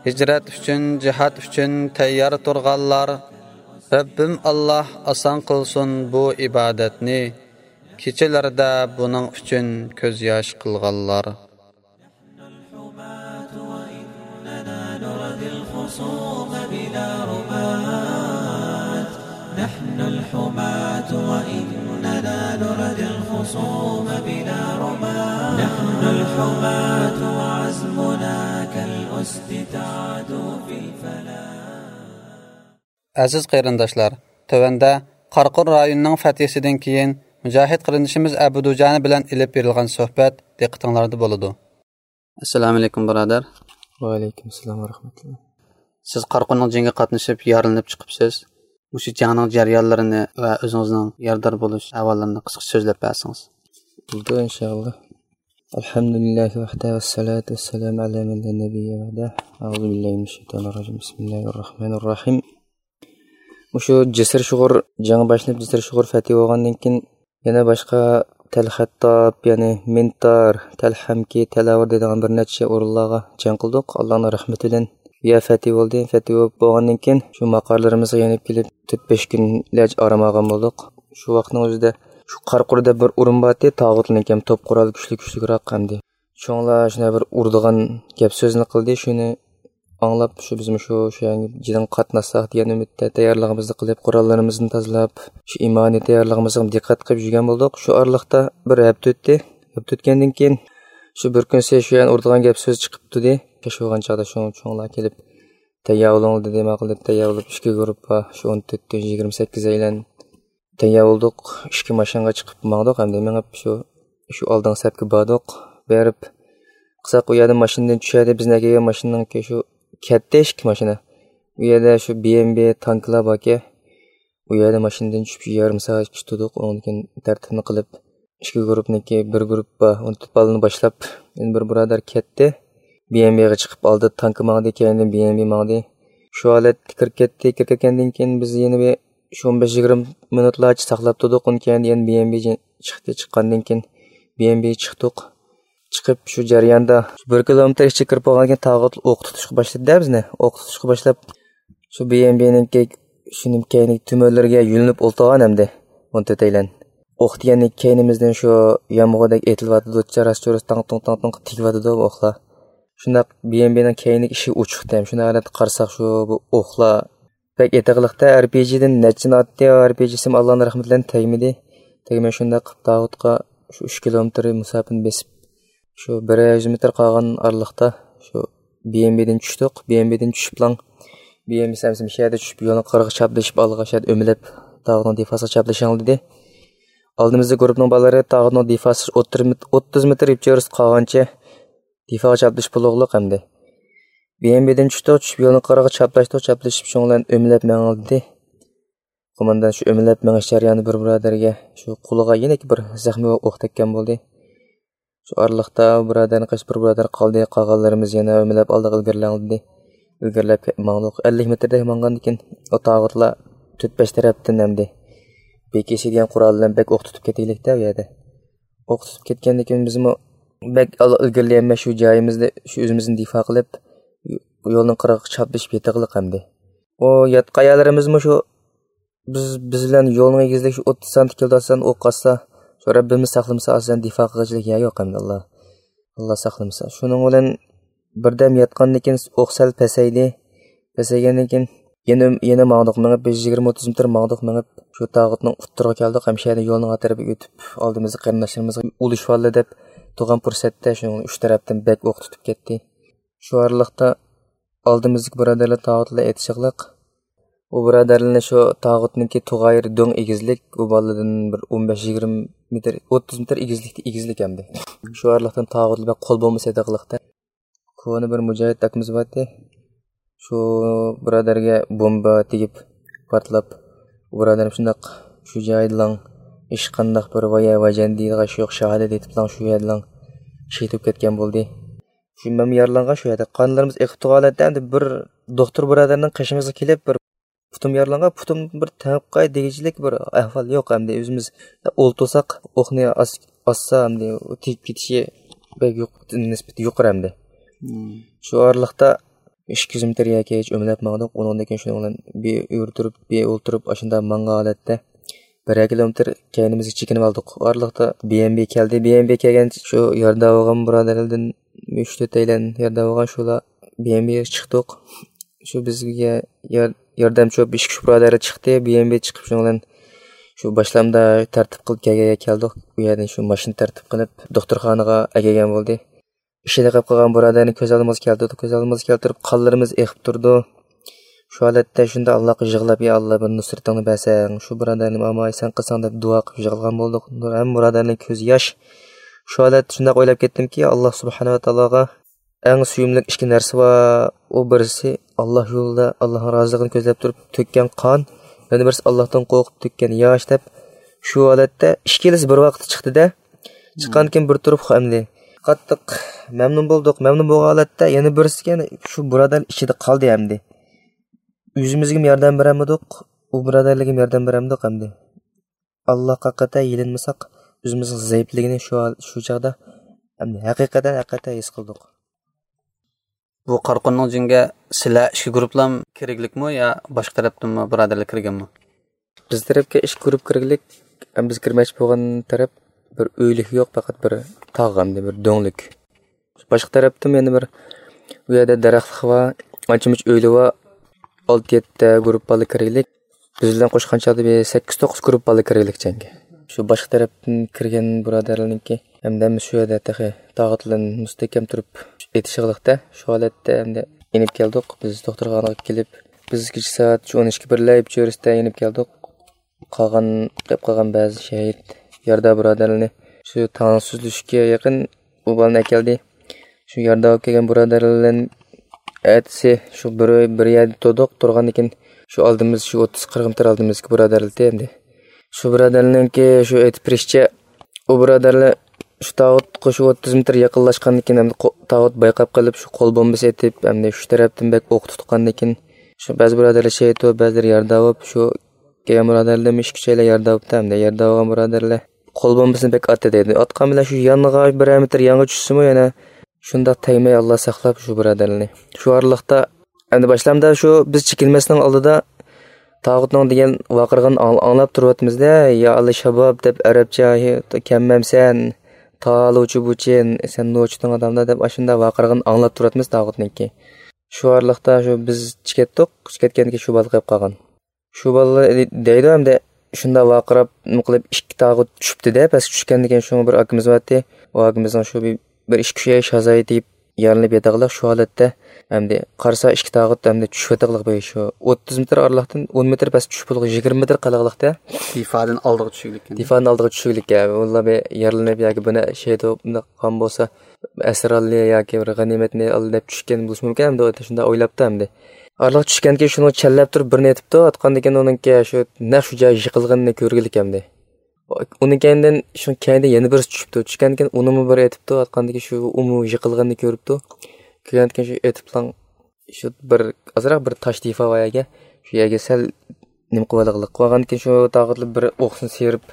ھىجرەت ئۈچۈن، جىھاد ئۈچۈن تەييار تۇرغانلار. رەببىم ئاللاھ ئاسان قىلسۇن بۇ ئىبادەتنى، كېچىلەردە بۇنىڭ ئۈچۈن كۆز ياش قىلغانلار. نحن الحماة وإننا نردي الخصوم بلا رماة. نحن الحماة وإننا نردي الخصوم بلا رماة. نحن الحماة وعزمنا كالأسد تعدو في الفلاح. ئەزىز قېرىنداشلار، تۆۋەندە قاراقور رايونىنىڭ فەتھىسىدىن كېيىن مۇجاھىد قېرىندىشىمىز ئەبۇدۇجانى بىلەن ئېلىپ بېرىلغان سۆھبەت دىققىتىڭلاردا بولىدۇ. ئەسسالامۇئەلەيكۇم، بۇرادەر. ۋەئەلەيكۇمئەسسالام ۋەرەھمەتۇللا. سىز قاراقورنىڭ جېڭىگە قاتنىشىپ، يارىلىنىپ چىقىپسىز. مۇشۇ جەڭنىڭ جەريانلىرىنى ۋە ئۆزىڭىزنىڭ يارىدار بولۇش ئەھۋاللىرىنى قىسقىچە سۆزلەپ بەرسىڭىز. بولىدۇ، ئىنشائاللا. الحمد لله وحده والصلاة والسلام على من لا نبي بعده. أعوذ بالله من الشيطان الرجيم. بسم الله الرحمن الرحيم. مۇشۇ جىسىر شۇغۇر جەڭ باشلىنىپ، جىسىر شۇغۇر فەتھى بولغاندىن كېيىن، يەنە باشقا تەلخەتتاب، يەنى مىنتار، تەلھەمكى، تەلەۋۇر دەيدىغان بىر نەچچە ئورۇنلارغا جەڭ قىلدۇق. ئاللانىڭ رەھمىتى بىلەن يا فەتھى بولدى. فەتھى بولۇپ بولغاندىن كېيىن شۇ ماقارلىرىمىزغا يېنىپ كېلىپ تۆت-بەش كۈنلەرچە ئارام ئالغان بولدۇق. شۇ ۋاقىتنىڭ ئۆزىدە شۇ قارقۇردا بىر ئورۇن بارتى، تاغۇتلىنىڭكى توپ قورالى كۈچلۈك، كۈچلۈكرەك ئەمدى. شۇڭلار شۇنداق بىر ئۇرىدىغان گەپ سۆزنى قىلدى. شۇنى ئاڭلاپ، شۇ بىزمۇ شۇ، شۇ يەرگە جىدىڭ قاتناشساق دېگەن ئۈمىدتە تەييارلىقىمىزنى قىلىپ، قوراللىرىمىزنى تازىلاپ، شۇ ئىمانىي تەييارلىقىمىزغا دىققەت قىلىپ يۈرگەن بولدۇق. شۇ ئارىلىقتا بىر ھەپتە ئۆتتى. ھەپتە ئۆتكەندىن كېيىن، شۇ بىر كۈنسى شۇ يەرنى ئۇرىدىغان گەپ سۆز چىقىپتۇ دېدى. شۇ بولغان چاغدا شۇ چوڭلار كېلىپ، تەييار بولۇڭ دېدى. ماقۇل دەپ تەييار بولۇپ، ئىككى گۇرۇپپا، شۇ ئون تۆتتىن يىگىرمە سەككىز ئەيلەن تەييار بولدۇق. ئىككى ماشىنىغا چىقىپ ماڭدۇق. ئەمدى مېڭىپ شۇ، شۇ ئالدىنقى سەپكە باردۇق. بېرىپ قىساق ئۇ يەردىن ماشىنىدىن چۈشەردى. بىزنى ئەكەلگەن ماشىنىنىڭكى شۇ كەتتى ئىككى ماشىنا. ئۇ يەردە شۇ بى ئېم بى تانكىلار باركەن. ئۇ يەردە ماشىنىدىن چۈشۈپ يېرىم سائەتكىچە تۇردۇق. ئۇنىڭدىن كېيىن تەرتىپنى قىلىپ، ئىككى گۇرۇپپىنىڭكى بىر گۇرۇپپا ئون تۆت بالىنى باشلاپ، يەنە بىر بۇرادەر كەتتى. بى ئېم بىغا چىقىپ ئالدى تانكا ماڭدى، كەينىدىن بى ئېم بى ماڭدى. شۇ ھالەتتە كىرىپ كەتتى. كىرىپ كەتكەندىن كېيىن بىز يەنە بىر شۇ ئون بەش يىگىرمە مىنۇتلارچە ساقلاپ تۇردۇق. ئۇنىڭ كەينىدىن يەنە بى ئېم بى چىقتى. چىققاندىن كېيىن بى ئېم بى چىقتۇق. چىقىپ شۇ جەرياندا شۇ بىر كىلومېتىر ئىچىگە كىرىپ بولغاندىن كېيىن تاغۇت ئوق تۇتۇشقا باشلىدى-دە بىزنى. ئوق تۇتۇشقا باشلاپ، شۇ بى ئېم بىنىڭكى شۇنىڭ كەينىدىكى تۈمەنلىرىگە يۆلىنىپ ئولتۇرغان ئەمدى. ئون تۆت ئەيلەن. ئوق دېگەندىن كەينىمىزدىن شۇ يامغۇردەك ئېتىلىۋاتىدۇ، چاراس-چۇرۇس تاڭ-تۇڭ، تاڭ-تۇڭ تېگىۋاتىدۇ بۇ ئوقلار. شۇنداق بى ئېم بىنىڭ كەينىدىكى ئىشىك ئوچۇقتى ھەم. شۇنداق ھالەتتە قارىساق، شۇ بۇ ئوقلار بەك ئېتىقلىقتا. ئەر پى جىدىن نەچچىنى ئاتتى، ئەر پى جىسىمۇ ئاللانىڭ رەھمىتى بىلەن تەگمىدى. تەگمەي شۇنداق قىلىپ تاغۇتقا شۇ ئۈچ كىلومېتىر مۇساپىنى بېسىپ، شۇ بىر يۈز مېتىر قالغان ئارىلىقتا شۇ بى ئېم بىدىن چۈشتۇق. بى ئېم بىدىن چۈشۈپلا، بى ئېم بى سەمسىم شەھەردە چۈشۈپ، يولنىڭ قىرىغا چاپلىشىپ، ئالغا شەھەردە ئۆمىلەپ، تاغۇتنىڭ دىفاسىغا چاپلىشىڭ دېدى. ئالدىمىزدا گۇرۇپپىنىڭ بالىلىرى تاغۇتنىڭ دىفاسىغا ئوتتۇز مېتىر، ئوتتۇز مېتىر يىپ چېۋىرىسى قالغانچە دىفاغا چاپلىشىپ بولۇقلۇق ئەمدى. بى ئېم بىدىن چۈشتۇق، چۈشۈپ يولنىڭ قىرىغا چاپلاشتۇق، چاپلىشىپ شۇنىڭ بىلەن ئۆمىلەپ مېڭىڭ دېدى. قوماندان شۇ ئۆمىلەپ مېڭىش جەريانىدا بىر بۇرادەرگە شۇ قولىغا يەنە بىر زەخمىي ئوق تەگكەن بولدى. شۇ ئارىلىقتا بۇرادەرنى قېچىپ بىر بۇرادەر قالدى، قالغانلىرىمىز يەنە ئۆمىلەپ ئالدىغا ئىلگىرىلەڭ دېدى. ئىلگىرىلەپ كەپ ماڭدۇق. ئەللىك مېتىردەك ماڭغاندىن كېيىن ئۇ تاغۇتلار تۆت-بەش تەرەپتىن ئەمدى بى كېي سى دېگەن قورال بىلەن بەك ئوق تۇتۇپ كېتەيلىكتە ئۇ يەردە. ئوق تۇتۇپ كەتكەندىن كېيىن بىزمۇ بەك ئال-، ئىلگىرىلىيەلمەي شۇ جايىمىزدا شۇ ئۆزىمىزنى دىفا قىلىپ، يولنىڭ قىرىغا چاپلىشىپ يېتىقلىق ئەمدى. ئۇ ياتقان يەرلىرىمىزمۇ شۇ بىز، بىز بىلەن يولنىڭ ئېگىزلىكى شۇ ئوتتۇز سانتى كېلىدۇ ئاسان ئوق ئاتسا، شۇ رەببىمىز ساقلىمىسا ئاسان دىفا قىلغۇچىلىك يەر يوق ئەمدى، ئاللا، ئاللا ساقلىمىسا. شۇنىڭ بىلەن بىردەم ياتقاندىن كېيىن ئوق سەل پەسەيدى. پەسەيگەندىن كېيىن يەنە، يەنە ماڭدۇق، مېڭىپ بىر يىگىرمە ئوتتۇز مېتىر ماڭدۇق، مېڭىپ شۇ تاغۇتنىڭ ئۇتتۇرىغا كەلدۇق. ھەم شۇ يەردە يولنىڭ ھەر تەرىپىگە ئۆتۈپ، ئالدىمىزدا قېرىنداشلىرىمىزغا ئۇلىشىۋالدى دەپ تۇرغان پۇرسەتتە شۇنىڭ ئۈچ تەرەپتىن بەك ئوق تۇتۇپ كەتتى. شۇ ئارىلىقتا ئالدىمىزدىكى بۇرادەرلەر تاغۇت بىلەن ئېتىشىقلىق. ئۇ بۇرادەرلەرنى شۇ تاغۇتنىڭكى تۇغايىرى دۆڭ ئېگىزلىك، ئۇ بالىدىن بىر ئون بەش يىگىرمە مېتىر، ئوتتۇز مېتىر ئېگىزلىكتە، ئېگىزلىك ئەمدى. شۇ ئارىلىقتىن تاغۇت بىلەن قول بومبىسى ئېتىقلىقتا. كونا بىر مۇجاھىد ئاكىمىز بارتى. شۇ بۇرادەرگە بومبا تېگىپ، پارتلاپ، ئۇ بۇرادەرنى شۇنداق شۇ جايىدىلا ھېچقانداق بىر ۋايە ۋاجان دېيدىغان ئىش يوق، شاھادەت ئېيتىپلا شۇ يەردىلا شېھىت بولۇپ كەتكەن بولدى. شۇ مەنمۇ يارىلانغان شۇ يەردە. قانلىرىمىز ئېقىپ تۇرغان ھالەتتە ئەمدى بىر دوختۇر بۇرادەرنىڭ قېشىمىزغا كېلىپ، بىر پۇتۇم يارىلانغان، پۇتۇم بىر تېڭىپ قاي دېگۈچىلىك بىر ئەھۋال يوق ئەمدى. ئۆزىمىز ئولتۇرساق، ئوقنى ئاس-، ئاسسا ئەمدى تېگىپ كېتىشى بەك يۇق-، نىسبىتى يۇقىرى ئەمدى. شۇ ئارىلىقتا ئىككى يۈز مېتىر يەرگە ئۆمىلەپ ماڭدۇق. ئۇنىڭدىن كېيىن شۇنىڭ بىلەن بىر ئۆرە تۇرۇپ، بىر ئولتۇرۇپ، ئاشۇنداق ماڭغان ھالەتتە بىرەر كىلومېتىر كەينىمىزگە چېكىنىپ ئالدۇق. ئۇ ئارىلىقتا بى ئېم بى كەلدى. بى ئېم بى كەلگەن شۇ ياردەم بولغان بۇرادەرلەردىن ئۈچ تۆت ئەيلەن ياردەم بولغان شۇلار بى ئېم بى چىقتۇق. شۇ بىزگە يار-، ياردەمچى بولۇپ ئىككى ئۈچ بۇرادەر چىقتى. بى ئېم بى چىقىپ شۇنىڭ بىلەن شۇ باشلامدا تەرتىپ قىلىپ كەلگەنگە كەلدۇق. ئۇ يەردىن شۇ ماشىنا تەرتىپ قىلىپ دوختۇرخانىغا ئەكەلگەن بولدى. ئىشىدا قېلىپ قالغان بۇرادەرنى كۆز ئالدىمىزغا كەلتۈردۇق، كۆز ئالدىمىزغا كەلتۈرۈپ قانلىرىمىز ئېقىپ تۇرىدۇ. شۇ ھالەتتە شۇنداق ئاللاغا يىغلاپ، يا ئاللا، بىر نۇسرىتىڭنى بەرسەڭ، شۇ بۇرادەرنى ئاماي سەن قىلساڭ دەپ دۇئا قىلىپ يىغلىغان بولدۇق. ھەممە بۇرادەرنىڭ كۆزى ياش. شۇ ھالەتتە شۇنداق ئويلاپ كەتتىمكى، ئاللا سۇبھانەھۇ ۋە تائالاغا ئەڭ سۆيۈملۈك ئىككى نەرسە بار. ئۇ بىرسى ئاللا يولىدا، ئاللانىڭ رازىلىقىنى كۆزلەپ تۇرۇپ تۆككەن قان، يەنە بىرسى ئاللاھتىن قورقۇپ تۆككەن ياش دەپ، شۇ ھالەتتە ئىككىلىسى بىر ۋاقىتتا چىقتى-دە. چىققاندىن كېيىن بىر تۇرۇپ ئەمدى قاتتىق مەمنۇن بولدۇق. مەمنۇن بولغان ھالەتتە يەنە بىرسىگە، يەنە شۇ بۇرادەر ئىچىدە قالدى ئەمدى. ئۆزىمىزگىمۇ ياردەم بېرەلمىدۇق، ئۇ بۇرادەرلەرگىمۇ ياردەم بېرەلمىدۇق ئەمدى. ئاللاھقا قەتئىي يېلىنمىساق، ئۆزىمىزنىڭ زەئىپلىكىنى شۇ، شۇ چاغدا ھەقىقەتەن، ھەقىقەتەن ھېس قىلدۇق. بۇ قارا قۇرنىڭ جېڭىگە سىلەر ئىككى گۇرۇپلام كىرگلىكمۇ يا باشقا تەرەپتىنمۇ بۇرادەرلەر كىرگەنمۇ؟ بىز تەرەپكە ئىككى گۇرۇپ كىرگلىك. بىز كىرمەكچى بولغان تەرەپ بىر ئۆيلۈك يوق، پەقەت بىر تاغ ئەمدى بىر دۆڭلۈك. باشقا تەرەپتىن يەنە بىر، ئۇ يەردە دەرەخلىك بار، ئانچە-مۇنچە ئۆيلە بار، ئالتە-يەتتە گۇرۇپ بالا كىرگلىك. بىز بىلەن قوشقان چاغدا بىر سەككىز-توققۇز گۇرۇپ بالا كىرگلىك جەڭگە. شۇ باشقا تەرەپتىن كىرگەن بۇرادەرلەرنىڭكى ھەمدە ھەممىسى شۇ يەردە تېخى تاغۇتلىرىنى مۇستەھكەم تۇرۇپ ئېتىشىغلىقتا، شۇ ھالەتتە ھەمدە يېنىپ كەلدۇق. بىز دوختۇرخانىغا كېلىپ، بىز كېچە سائەت شۇ ئون ئىككى بىرلەر چۆرىسىدە يېنىپ كەلدۇق. قالغان، قېلىپ قالغان بەزى شېھىت يارىدار بۇرادەرلىرىنى شۇ تاڭ سۈزۈلۈشكە يېقىن ئۇ بالىنى ئەكەلدى. شۇ يارىدار بولۇپ كەلگەن بۇرادەرلەر بىلەن ئەتىسى شۇ بىر، بىر يەردە تۇردۇق. تۇرغاندىن كېيىن شۇ ئالدىمىز، شۇ ئوتتۇز قىرىق مېتىر ئالدىمىزدىكى بۇرادەرلەر ئەمدى. شۇ بۇرادەرلەرنىڭكى شۇ ئېيتىپ بېرىشىچە، ئۇ بۇرادەرلەر شۇ تاغۇتقا شۇ ئوتتۇز مېتىر يېقىنلاشقاندىن كېيىن، ئەمدى قو-، تاغۇت بايقاپ قېلىپ، شۇ قول بومبىسى ئېتىپ، ئەمدى شۇ تەرەپتىن بەك ئوق تۇتقاندىن كېيىن، شۇ بەزى بۇرادەرلەر شېھىت بولۇپ، بەزىلىرى يارىدار بولۇپ، شۇ كەلگەن بۇرادەرلەرمۇ ئىككى ئۈچەيلەن يارىدار بوپتۇ. ئەمدى يارىدار بولغان بۇرادەرلەر قول بومبىسىنى بەك ئاتتى دەيدۇ. ئاتقان بىلەن شۇ يانغا بىرەر مېتىر يانغا چۈشسىمۇ، يەنە شۇنداق تەگمەي، ئاللا ساقلاپ شۇ بۇرادەرلەرنى. شۇ ئارىلىقتا ئەمدى باشلامدا شۇ بىز چېكىنمەسنىڭ ئالدىدا تاغۇتنىڭ دېگەن ۋارقىرىغىنىنى ئاڭ-، ئاڭلاپ تۇرۇۋاتىمىز-دە، يا ئاللى شاباب دەپ ئەرەبچە، ھېي، كەممەمسەن، تالۇچى بۇچىن، سەن نوچىتىڭ ئادامدا دەپ ئاشۇنداق ۋارقىرىغىنىنى ئاڭلاپ تۇرۇۋاتىمىز تاغۇتنىڭكى. شۇ ئارىلىقتا شۇ بىز چىكەتتۇق، چىكەتكەندىكىن شۇ بالا قېلىپ قالغان. شۇ بالىلار دەيدۇ ئەمدى شۇنداق ۋارقىراپ نېمە قىلىپ ئىككى تاغۇت چۈشۈپتۇ-دە، پەسكە چۈشكەندىن كېيىن شۇڭا بىر ئاكىمىز بارتى. ئۇ ئاكىمىزنىڭ شۇ بىر، بىر ئىككى ئۈچ ئاي شازايى تېگىپ يارىلىنىپ ياتاقلىق شۇ ھالەتتە. ئەمدى قارىسا ئىككى تاغۇت ئەمدى چۈشۈۋاتاقلىق بىر شۇ ئوتتۇز مېتىر ئارىلىقتىن ئون مېتىر پەس چۈشۈپ بولغان يىگىرمە مېتىر قالغانلىقتا. دىفادىن ئالدىغا چۈشۈگلىككەن. دىفادىن ئالدىغا چۈشۈگلىك، ھە. ئۇلار بىر يارىلىنىپ ياكى بۇنى شېھىت بولۇپ بۇنداق قىلغان بولسا، ئەسىر ئالدى ياكى بىر غەنىيمەتنى ئالدى دەپ چۈشكەن بولۇشى مۇمكىن ئەمدى، شۇنداق ئويلاپتۇ ئەمدى. ئارىلىق چۈشكەندىكىن شۇنىڭ چەنلەپ تۇرۇپ بىرنى ئېتىپتۇ، ئاتقاندىكىن ئۇنىڭكى شۇ نەق شۇ جاي يىقىلغىنىنى كۆرگىلىك ئەمدى. ئۇنىڭ كەينىدىن شۇ كەينىدىن يەنە بىرسى چۈشۈپتۇ. چۈشكەندىكىن ئۇنىمۇ بىر ئېتىپتۇ، ئاتقاندىكىن شۇ ئۇمۇ يىقىلغىنىنى كۆرۈپتۇ. كۆرگەندىكىن شۇ ئېتىپلا شۇ بىر ئازراق بىر تاش دىفا بار يەرگە، شۇ يەرگە سەل نېمە قىلىۋالغىلىق قىلغاندىكىن شۇ تاغۇتلار بىر ئوقسىنى سىيرىپ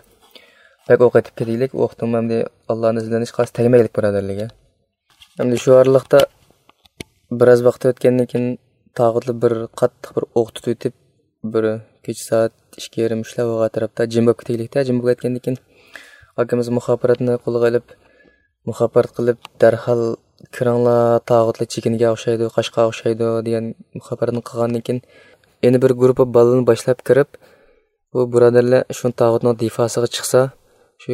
بەك ئوق ئېتىپ كېتىگلىك، ئوقتىن ئەمدى ئاللانىڭ ئىززىتىدىن ھېچقايسى تەگمەيلىك بۇرادەرلەرگە. ئەمدى شۇ ئارىلىقتا بىراز ۋاقىت ئۆتكەندىن كېيىن تاغۇتلار بىر قاتتىق بىر ئوق تۇتۇۋېتىپ، بىر كېچە سائەت ئىككى يېرىم، ئۈچلەر بولغان ئەتراپتا جىم بولۇپ كېتىگلىكتە، جىم بولۇپ كەتكەندىن كېيىن ئاكىمىز مۇخابىراتنى قولىغا ئېلىپ، مۇخابىرات قىلىپ، دەرھال كىرىڭلار، تاغۇتلار چېكىنگەن ئوخشايدۇ، قاچقان ئوخشايدۇ دېگەن مۇخابىراتنى قىلغاندىن كېيىن، يەنە بىر گۇرۇپپا بالىنى باشلاپ كىرىپ، بۇ بۇرادەرلەر شۇ تاغۇتنىڭ دىفاسىغا چىقسا، شۇ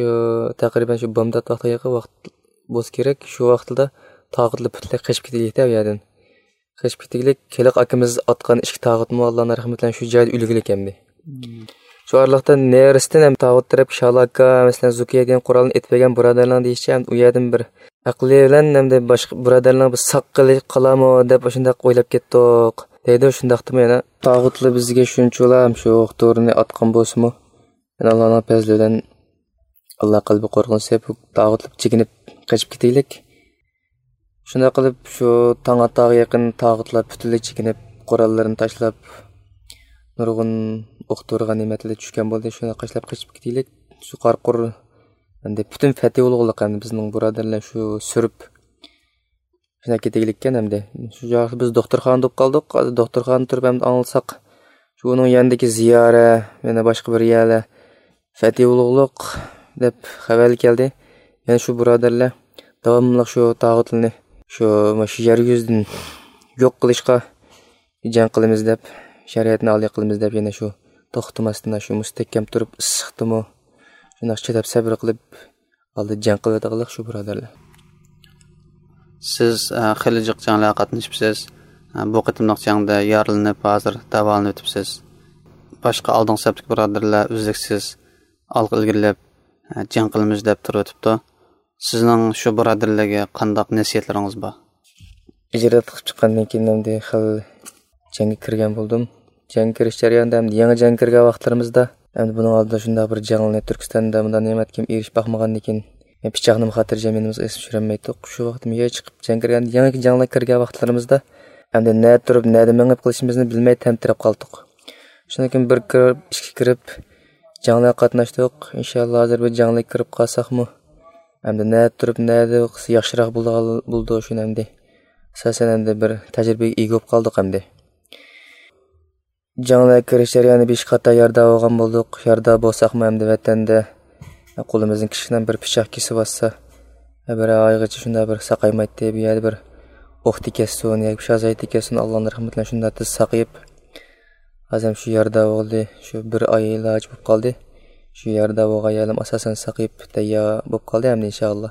تەقرىبەن شۇ بامدات ۋاقتىغا يېقىن ۋاقىت بولسا كېرەك، شۇ ۋاقىتتا تاغۇتلار پۈتۈنلەي قېچىپ كېتىگلىكتە ئۇ يەردىن. قېچىپ كېتىگلىك، ھېلىقى ئاكىمىز ئاتقان ئىككى تاغۇتمۇ ئاللانىڭ رەھمىتى بىلەن شۇ جايدا ئۆلگىلىك ئەمدى. شۇ ئارىلىقتا نېرىسىدىن ھەم تاغۇت تەرەپكە شالاكا، مەسىلەن، زۇكىيە دېگەن قورالنى ئېتىپ بەرگەن بۇرادەرلەرنىڭ دېيىشىچە، ھەم ئۇ يەردىن بىر ئەقلى بىلەن ھەمدە باشقا بۇرادەرلەرنىڭ بىر ساق قېلىش قالامۇ دەپ ئاشۇنداق ئويلاپ كەتتۇق، دەيدۇ. شۇنداقتىمۇ يەنە تاغۇتلار بىزگە شۇنچىلا ھەم شۇ ئوق دورىنى ئاتقان بولسىمۇ، يەنە ئاللانىڭ پەزلى بىلەن ئاللا قەلبى قورقۇنچ سېلىپ، تاغۇتلار چېكىنىپ قېچىپ كېتىگلىك. شۇنداق قىلىپ، شۇ تاڭ ئاتارغا يېقىن تاغۇتلار پۈتۈنلەي چېكىنىپ، قوراللىرىنى تاشلاپ، نۇرغۇن ئوق دورا غەنىيمەتلەر چۈشكەن بولدى. شۇنداق قاشلاپ قېچىپ كېتىگلىك، شۇ قارا قۇر ئەمدى پۈتۈن فەتھى ئۇلۇغلۇق ئەمدى بىزنىڭ بۇرادەرلەر شۇ سۈرۈپ، شۇنداق كېتىگلىككەن ئەمدى. شۇ چاغدا بىز دوختۇرخانىدا بولۇپ قالدۇق. ھازىر دوختۇرخانىدا تۇرۇپ ئەمدى ئاڭلىساق، شۇ ئۇنىڭ يېنىدىكى زىيارە، يەنە باشقا بىر يەرلەر فەتھى ئۇلۇغلۇق دەپ خەۋەرلەر كەلدى. يەنە شۇ بۇرادەرلەر داۋاملىق شۇ تاغۇتلىرىنى شۇ، مۇشۇ يەر يۈزىدىن يوق قىلىشقا جەڭ قىلىمىز دەپ، شەرىئەتنى ئالىي قىلىمىز دەپ، يەنە شۇ توختىماستىن شۇ مۇستەھكەم تۇرۇپ، ئىسسىقتىمۇ شۇنداق چىداپ سەبرى قىلىپ، ئالدى جەڭ قىلىۋاتقانلىق شۇ بۇرادەرلەر. سىز، ئە، خېلى جىق جەڭلەرگە قاتنىشىپسىز. ئە، بۇ قېتىملىق جەڭدە يارىلىنىپ، ھازىر داۋالىنىۋېتىپسىز. باشقا ئالدىنقى سەپتىكى بۇرادەرلەر ئۈزلۈكسىز ئالغا ئىلگىرىلەپ، ئە، جەڭ قىلىمىز دەپ تۇرۇۋېتىپتۇ. سىزنىڭ شۇ بۇرادەرلەرگە قانداق نەسىھەتلىرىڭىز بار؟ ھىجرەت قىلىپ چىققاندىن كېيىن ئەمدى خېلى جەڭگە كىرگەن بولدۇم. جەڭگە كىرىش جەريانىدا ئەمدى يېڭى جەڭگە كىرگەن ۋاقىتلىرىمىزدا، ئەمدى بۇنىڭ ئالدىدا شۇنداق بىر جەڭلەرنى تۈركىستاندا مۇنداق نېمەتكىن ئېرىشىپ باقمىغاندىكىن، پىچاقنىمۇ خاتىرجەم يېنىمىزغا ئېسىپ چۈشۈرەلمەيتتۇق. شۇ ۋاقىتتا يېڭى چىقىپ جەڭگە كىرگەن، يېڭى جەڭلەرگە كىرگەن ۋاقىتلىرىمىزدا ئەمدى نەدە تۇرۇپ، نەدە مېڭىپ قىلىشىمىزنى بىلمەي تەمتىرەپ قالدۇق. شۇنىڭ كېيىن بىر كىرىپ، ئىككى كىرىپ، جەڭلەرگە قاتناشتۇق. ئىنشاللا ھازىر بىر جەڭلەرگە كىرىپ قالساقمۇ، ئەمدى نەدە تۇرۇپ نەدە قىلسا ياخشىراق بولىدىغان، بولىدۇ شۇنى ئەمدى. ئاساسەن ئەمدى بىر تەجرىبىگە ئىگە بولۇپ قالدۇق ئەمدى. جەڭلەرگە كىرىش جەريانىدا بىر ئىككى قېتىم يارىدار بولغان بولدۇق. يارىدار بولساقمۇ ئەمدى ۋەتەندە قولىمىزدىن كىچىككىنە بىر پىچاق كېسىۋاتسا، بىر ئايغىچە شۇنداق بىر ساقايمايتتى. بۇ يەردە بىر ئوق تېگىپ كەتسۇن ياكى بىر شازايت تېگىپ كەتسۇن، ئاللانىڭ رەھمىتى بىلەن شۇنداق تېز ساقىيىپ، ھازىر شۇ يارىدار بولدى. شۇ بىر ئاي ئىلاجى بولۇپ قالدى. شۇ يارىدار بولغان يەرلىرىمۇ ئاساسەن ساقىيىپ تەييار بولۇپ قالدى ئەمدى ئىنشاللا.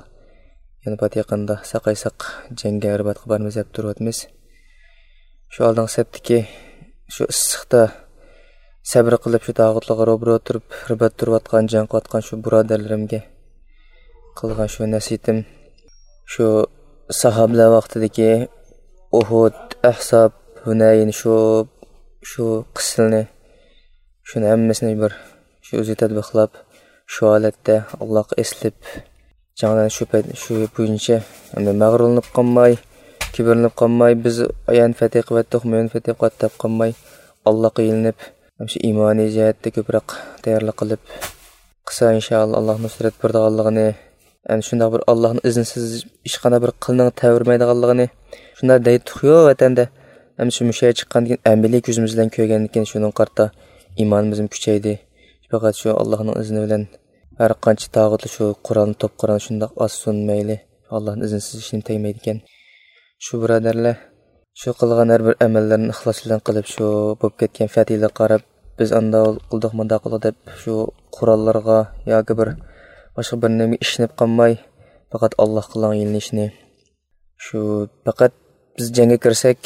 يەنە پات يېقىندا ساقايساق جەڭگە رىباتقا بارىمىز دەپ تۇرۇۋاتىمىز. شۇ ئالدىنقى سەپتىكى شۇ ئىسسىقتا سەبرى قىلىپ شۇ تاغۇتلارغا روبىرو تۇرۇپ رىبات تۇرۇۋاتقان، جەڭ قىلىۋاتقان شۇ بۇرادەرلىرىمگە قىلغان شۇ نەسىھىتىم، شۇ ساھابىلەر ۋاقتىدىكى ئۇھۇد، ئەھزاب، ھۇنەين، شۇ، شۇ قىسسىلىرىنى، شۇنى ھەممىسىنى بىر شۇ ئۆزى تەتبىقلاپ، شۇ ھالەتتە ئاللاغا ئېسىلىپ، جەڭلەرنى شۇ پەيت، شۇ بويىچە ئەمدى مەغرۇرلىنىپ قالماي، كىبىرلىنىپ قالماي، بىز ئايان فەتھى قىلىۋەتتۇق، مۆمىن فەتھى قىلىۋەتتۇق دەپ قالماي، ئاللاغا يېلىنىپ، شۇ ئىمانىي جەھەتتە كۆپرەك تەييارلىق قىلىپ قىلسا، ئىنشائاللا، ئاللا نۇسرەت بېرىدىغانلىقىنى، ئەنە شۇنداق بىر ئاللانىڭ ئىزنىسىز ھېچقانداق بىر قىلنىڭ تەۋرىمەيدىغانلىقىنى، شۇنداق دەيتتۇقيۇ ۋەتەندە. ئەمدى شۇ مۇشۇ يەرگە چىققاندىن كېيىن، ئەمەلىي كۆزىمىز بىلەن كۆرگەندىن كېيىن، شۇنىڭغا قارىتا ئىمانىمىزمۇ كۈچەيدى. پەقەت شۇ ئاللانىڭ ئىزنى بىلەن ھەر قانچە تاغۇتلار شۇ قورالنى، توپ قورالنى شۇنداق ئاتسۇن مەيلى، ئاللانىڭ ئىزنىسىز ھېچنېمە تەگمەيدىكەن. شۇ بۇرادەرلەر، شۇ قىلغان ھەر بىر ئەمەللىرىنى ئىخلاس بىلەن قىلىپ، شۇ بولۇپ كەتكەن فەتھىلەرگە قاراپ، بىز ئانداق قىلدۇق، مۇنداق قىلدۇق دەپ، شۇ قوراللارغا ياكى بىر باشقا بىر نېمىگە ئىشىنىپ قالماي، پەقەت ئاللاغا قىلغان يېلىنىشنى، شۇ پەقەت بىز جەڭگە كىرسەك،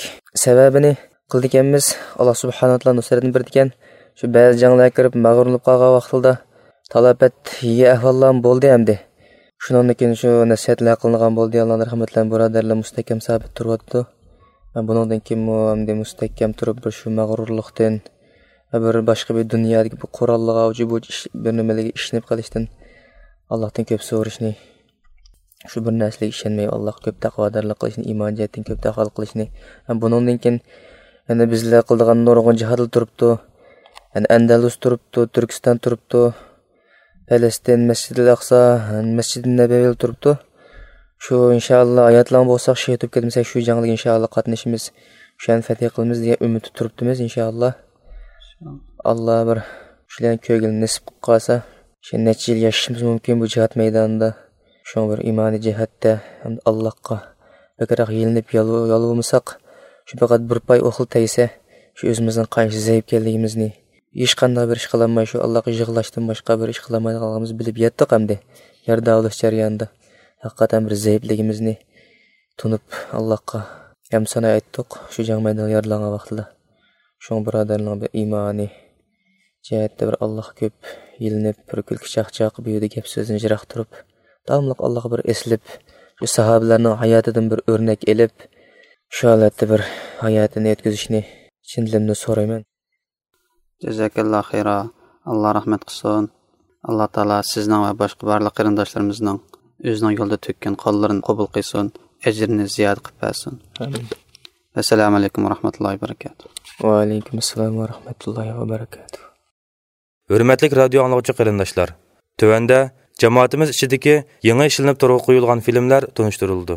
سەۋەبىنى قىلىدىكەنمىز، ئاللا سۇبھانەھۇ ۋە تائالا نۇسرەتنى بېرىدىكەن. شۇ بەزى جەڭلەرگە كىرىپ مەغرۇر بولۇپ قالغان ۋاقتىدا تالاپەت يېگەن ئەھۋاللارمۇ بولدى ئەمدى. شۇنىڭدىن كېيىن شۇ نەسىھەتلەر قىلىنغان بولدى، ئاللانىڭ رەھمىتى بىلەن بۇرادەرلەر مۇستەھكەم سابىت تۇرۇۋاتىدۇ. بۇنىڭدىن كېيىنمۇ ئەمدى مۇستەھكەم تۇرۇپ، بىر شۇ مەغرۇرلۇقتىن، بىر باشقا بىر دۇنيادىكى بىر قوراللىققا، بۇ، بۇ ئىش، بىر نېمىلىرگە ئىشىنىپ قېلىشتىن ئاللاھتىن كۆپ سورىشىنى، شۇ بىر نەرسىلەرگە ئىشەنمەي، ئاللاھقا كۆپ تەقۋادارلىق قىلىشنى، ئىمان جەھەتتىن كۆپ تەقۋادارلىق قىلىشنى. ھەم بۇنىڭدىن كېيىن يەنە بىزلەر قىلىدىغان نۇرغۇن جىھادلار تۇرۇپتۇ. يەنە ئەندەلۇس تۇرۇپتۇ، تۈركىستان تۇرۇپتۇ، پەلەستىن، مەسجىدىل ئەقسا، مەسجىدى نەبەۋىل تۇرۇپتۇ. شۇ ئىنشائاللا ھاياتلان بولساق، شېھىت بولۇپ كەتمىسەك، شۇ جەڭلىكى ئىنشائاللا قاتنىشىمىز، شۇ يەرنى فەتھى قىلىمىز دېگەن ئۈمىدتە تۇرۇپتىمىز ئىنشائاللا. ئاللا بىر شۇلارنى كۆرگىلى نېسىپ قىلىپ قالسا، شۇ نەچچە يىل ياشىشىمىز مۇمكىن بۇ جىھاد مەيدانىدا. شۇڭا بىر ئىمانىي جەھەتتە ھەمدە ئاللاھقا بەكرەك يېلىنىپ يالۋۇ-، يالۋۇرمىساق، شۇ پەقەت بىر پاي ئوقلا تەگسە، شۇ ئۆزىمىزنىڭ قانچە زەئىپ ئىكەنلىكىمىزنى، ھېچقانداق بىر ئىش قىلالماي، شۇ ئاللاھقا يىغلاشتىن باشقا بىر ئىش قىلالمايدىغانلىقىمىزنى بىلىپ يەتتۇق ئەمدى. يارىدار بولۇش جەريانىدا ھەقىقەتەن بىر زەئىپلىكىمىزنى تونۇپ، ئاللاھقا ھەمدۇ سانا ئېيتتۇق، شۇ جەڭ مەيدانىغا يارىلانغان ۋاقتىدا. شۇڭا بۇرادەرلەرنىڭ بىر ئىمانىي جەھەتتە بىر ئاللاھقا كۆپ يېلىنىپ، بىر كۈلكە چاقچاق، بۇ يەردە گەپ سۆزدىن يىراق تۇرۇپ، داۋاملىق ئاللاھقا بىر ئېسىلىپ، شۇ ساھابىلەرنىڭ ھاياتىدىن بىر ئۆرنەك ئېلىپ، شۇ ھالەتتە بىر ھاياتىنى ئۆتكۈزۈشنى چىن دىلىمدىن سورايمەن. جازاكاللا خەيرا. ئاللا رەھمەت قىلسۇن. ئاللا تائالا سىزنىڭ ۋە باشقا بارلىق قېرىنداشلىرىمىزنىڭ ئۆزىنىڭ يولىدا تۆككەن قانلىرىنى قوبۇل قىلسۇن، ئەجرىنى زىيادە قىلىپ بەرسۇن. ئامىن. ۋەسسالامۇ ئەلەيكۇم ۋەرەھمەتۇللاھى ۋەبەرىكاتۇھ. ۋەئەلەيكۇم ئەسسالام ۋەرەھمەتۇللاھى ۋەبەرىكاتۇھ. ھۆرمەتلىك رادىيو ئاڭلىغۇچى قېرىنداشلار، تۆۋەندە جامائىتىمىز ئىچىدىكى يېڭى ئىشلىنىپ تورغا قويۇلغان فىلىملەر تونۇشتۇرۇلىدۇ.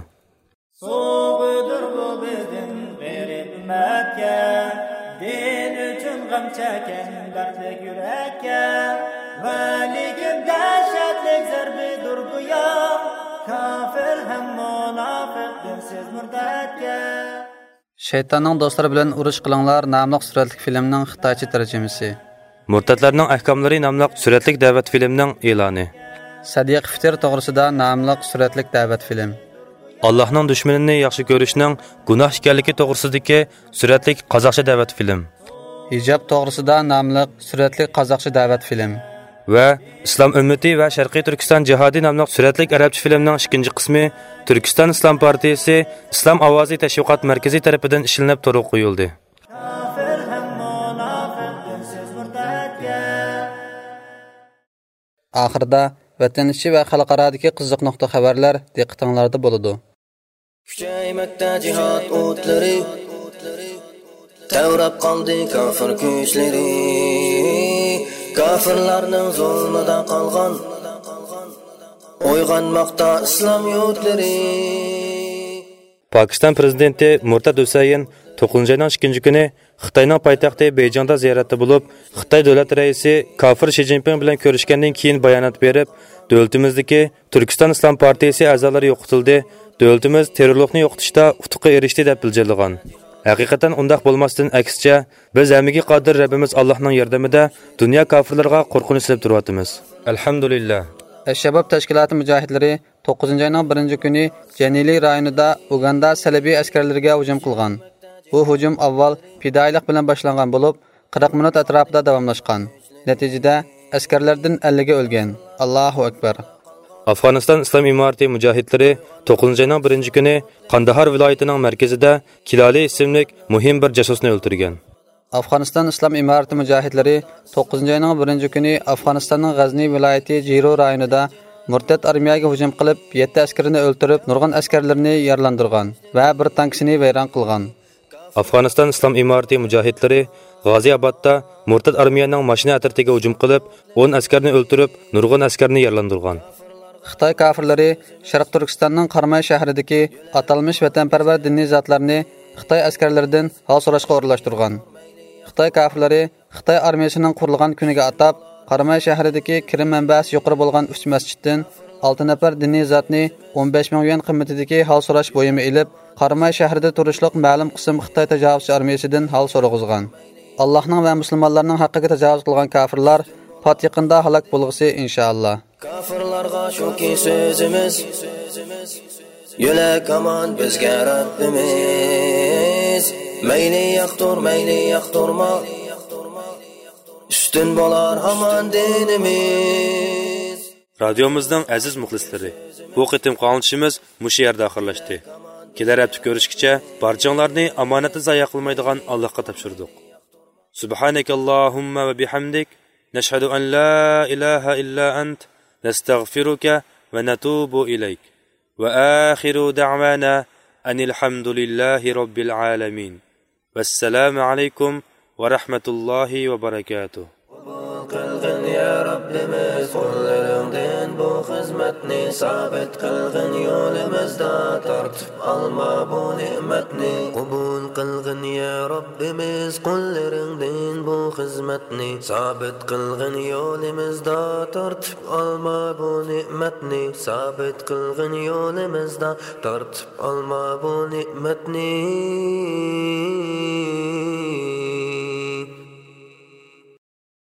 سوۋغىدۇر بۇ بىزدىن غېرىب ئۈممەتكە، دىن ئۈچۈن غەم چەككەن دەردلىك يۈرەككە. ۋەلىكىن دەھشەتلىك زەربىدۇر گويا، كاپىر ھەم مۇناپىق دىنسىز مۇرتەتكە. شەيتاننىڭ دوستلىرى بىلەن ئۇرۇش قىلىڭلار ناملىق سۈرەتلىك فىلىمنىڭ خىتايچە تەرجىمىسى. مۇرتەتلەرنىڭ ئەھكاملىرى ناملىق سۈرەتلىك دەۋەت فىلىمنىڭ ئېلانى. سەدىقە فىتىر توغرىسىدا ناملىق سۈرەتلىك دەۋەت فىلىم. ئاللاھنىڭ دۈشمىنىنى ياخشى كۆرۈشنىڭ گۇناھ ئىكەنلىكى توغرىسىدىكى سۈرەتلىك قازاقچە دەۋەت فىلىم. ھىجاب توغرىسىدا ناملىق سۈرەتلىك قازاقچە دەۋەت فىلىم. ۋە ئىسلام ئۈممىتى ۋە شەرقىي تۈركىستان جىھادى ناملىق سۈرەتلىك ئەرەبچە فىلىمنىڭ ئىككىنچى قىسمى تۈركىستان ئىسلام پارتىيىسى ئىسلام ئاۋازى تەشۋىقات مەركىزى تەرىپىدىن ئىشلىنىپ تورغا قويۇلدى. كاپىر ھەم مۇناپىق دىنسىز مۇرتەتكە. ئاخىرىدا ۋەتەن ئىچى ۋە خەلقئارادىكى قىزىق نۇقتا خەۋەرلەر دىققىتىڭلاردا بولىدۇ. كۈچەيمەكتە جىھاد ئوتلىرى، تەۋرەپ قالدى كافىر كۈچلىرى. كافىرلارنىڭ زۇلمىدا قالغان، ئويغانماقتا ئىسلام يۇرتلىرى. پاكىستان پرېزىدېنتى مۇرتەد ھۈسەيىن توققۇزىنچى ئاينىڭ ئىككىنچى كۈنى خىتاينىڭ پايتەختى بېيجىڭدا زىيارەتتە بولۇپ، خىتاي دۆلەت رەئىسى كافىر شى جىنپىڭ بىلەن كۆرۈشكەندىن كېيىن بايانات بېرىپ، دۆلىتىمىزدىكى تۈركىستان ئىسلام پارتىيىسى ئەزالىرى يوقىتىلدى، دۆلىتىمىز تېررورلۇقنى يوقىتىشتا ئۇتۇققا ئېرىشتى دەپ بىلجىرلىغان. ھەقىقەتەن ئۇنداق بولماستىن، ئەكسىچە، بىز ھەممىگە قادىر رەببىمىز ئاللاھنىڭ ياردىمىدە دۇنيا كاپىرلىرىغا قورقۇنچ سېلىپ تۇرۇۋاتىمىز. ئەلھەمدۇلىللا. ئەششەباب تەشكىلاتى مۇجاھىدلىرى توققۇزىنچى ئاينىڭ بىرىنچى كۈنى جەنىلى رايونىدا ئۇگاندا سەلىبىي ئەسكەرلىرىگە ھۇجۇم قىلغان. بۇ ھۇجۇم ئاۋۋال پىدائىيلىق بىلەن باشلانغان بولۇپ، قىرىق مىنۇت ئەتراپىدا داۋاملاشقان. نەتىجىدە، ئەسكەرلەردىن ئەللىكى ئۆلگەن. ئاللاھۇ ئەكبەر! ئافغانىستان ئىسلام ئىمارىتى مۇجاھىدلىرى توققۇزىنچى ئاينىڭ بىرىنچى كۈنى قانداھار ۋىلايىتىنىڭ مەركىزىدە كىلالى ئىسىملىك مۇھىم بىر جاسۇسنى ئۆلتۈرگەن. ئافغانىستان ئىسلام ئىمارىتى مۇجاھىدلىرى توققۇزىنچى ئاينىڭ بىرىنچى كۈنى ئافغانىستاننىڭ غەزنى ۋىلايىتى جىرو رايونىدا مۇرتەت ئارمىيەگە ھۇجۇم قىلىپ، يەتتە ئەسكىرىنى ئۆلتۈرۈپ، نۇرغۇن ئەسكەرلىرىنى يارىلاندۇرغان ۋە بىر تانكىسىنى ۋەيران قىلغان. ئافغانىستان ئىسلام ئىمارىتى مۇجاھىدلىرى غازىئابادتا مۇرتەت ئارمىيەنىڭ ماشىنا ئەترىتىگە ھۇجۇم قىلىپ، ئون ئەسكەرنى ئۆلتۈرۈپ، نۇرغۇن ئەسكەرنى يارىلاندۇرغان. خىتاي كاپىرلىرى شەرقىي تۈركىستاننىڭ قاراماي شەھىرىدىكى ئاتالمىش ۋەتەنپەرۋەر دىنىي زاتلارنى خىتاي ئەسكەرلىرىدىن ھال سوراشقا ئورۇنلاشتۇرغان. خىتاي كاپىرلىرى خىتاي ئارمىيىسىنىڭ قۇرۇلغان كۈنىگە ئاتاپ، قاراماي شەھىرىدىكى كىرىم مەنبەسى يۇقىرى بولغان ئۈچ مەسچىتتىن ئالتە نەپەر دىنىي زاتنى ئون بەش مىڭ يۈەن قىممىتىدىكى ھال سوراش بۇيۇمى ئېلىپ، قاراماي شەھىرىدە تۇرۇشلۇق مەلۇم قىسىم خىتاي تاجاۋۇزچى ئارمىيىسىدىن ھال سورىغۇزغان. ئاللاھنىڭ ۋە مۇسۇلمانلارنىڭ ھەققىگە تاجاۋۇز قىلغان كاپىرلار پات يېقىندا ھالاك بولغۇسى، ئىنشائاللا. كافىرلارغا شۇكى سۆزىمىز، يۆلەك ھامان بىزگە رەببىمىز. مەيلى ياقتۇر، مەيلى ياقتۇرما، ئۈستۈن بولار ھامان دىنىمىز. رادىيومىزنىڭ ئەزىز مۇخلىسلىرى، بۇ قېتىمقى ئاڭلىتىشىمىز مۇشۇ يەردە ئاخىرلاشتى. كېلەر ھەپتە كۆرۈشكىچە بارچىڭلارنى ئامانەتنى زايە قىلمايدىغان ئاللاھقا تاپشۇردۇق. سبحانك اللهم وبحمدك، نشهد أن لا إله إلا أنت، نستغفرك ونتوب إليك. وآخر دعوانا أن الحمد لله رب العالمين. والسلام عليكم ورحمة الله وبركاته. قوبۇل قىلغىن يا رەببىمىز قۇللىرىڭدىن بۇ خىزمەتنى، سابىت قىلغىن يولىمىزدا تارتىپ ئالما بۇ نېمەتنى. قوبۇل قىلغىن يا رەببىمىز قۇللىرىڭدىن بۇ خىزمەتنى، سابىت قىلغىن يولىمىزدا تارتىپ ئالما بۇ نېمەتنى، سابىت قىلغىن يولىمىزدا تارتىپ ئالما بۇ نېمەتنى.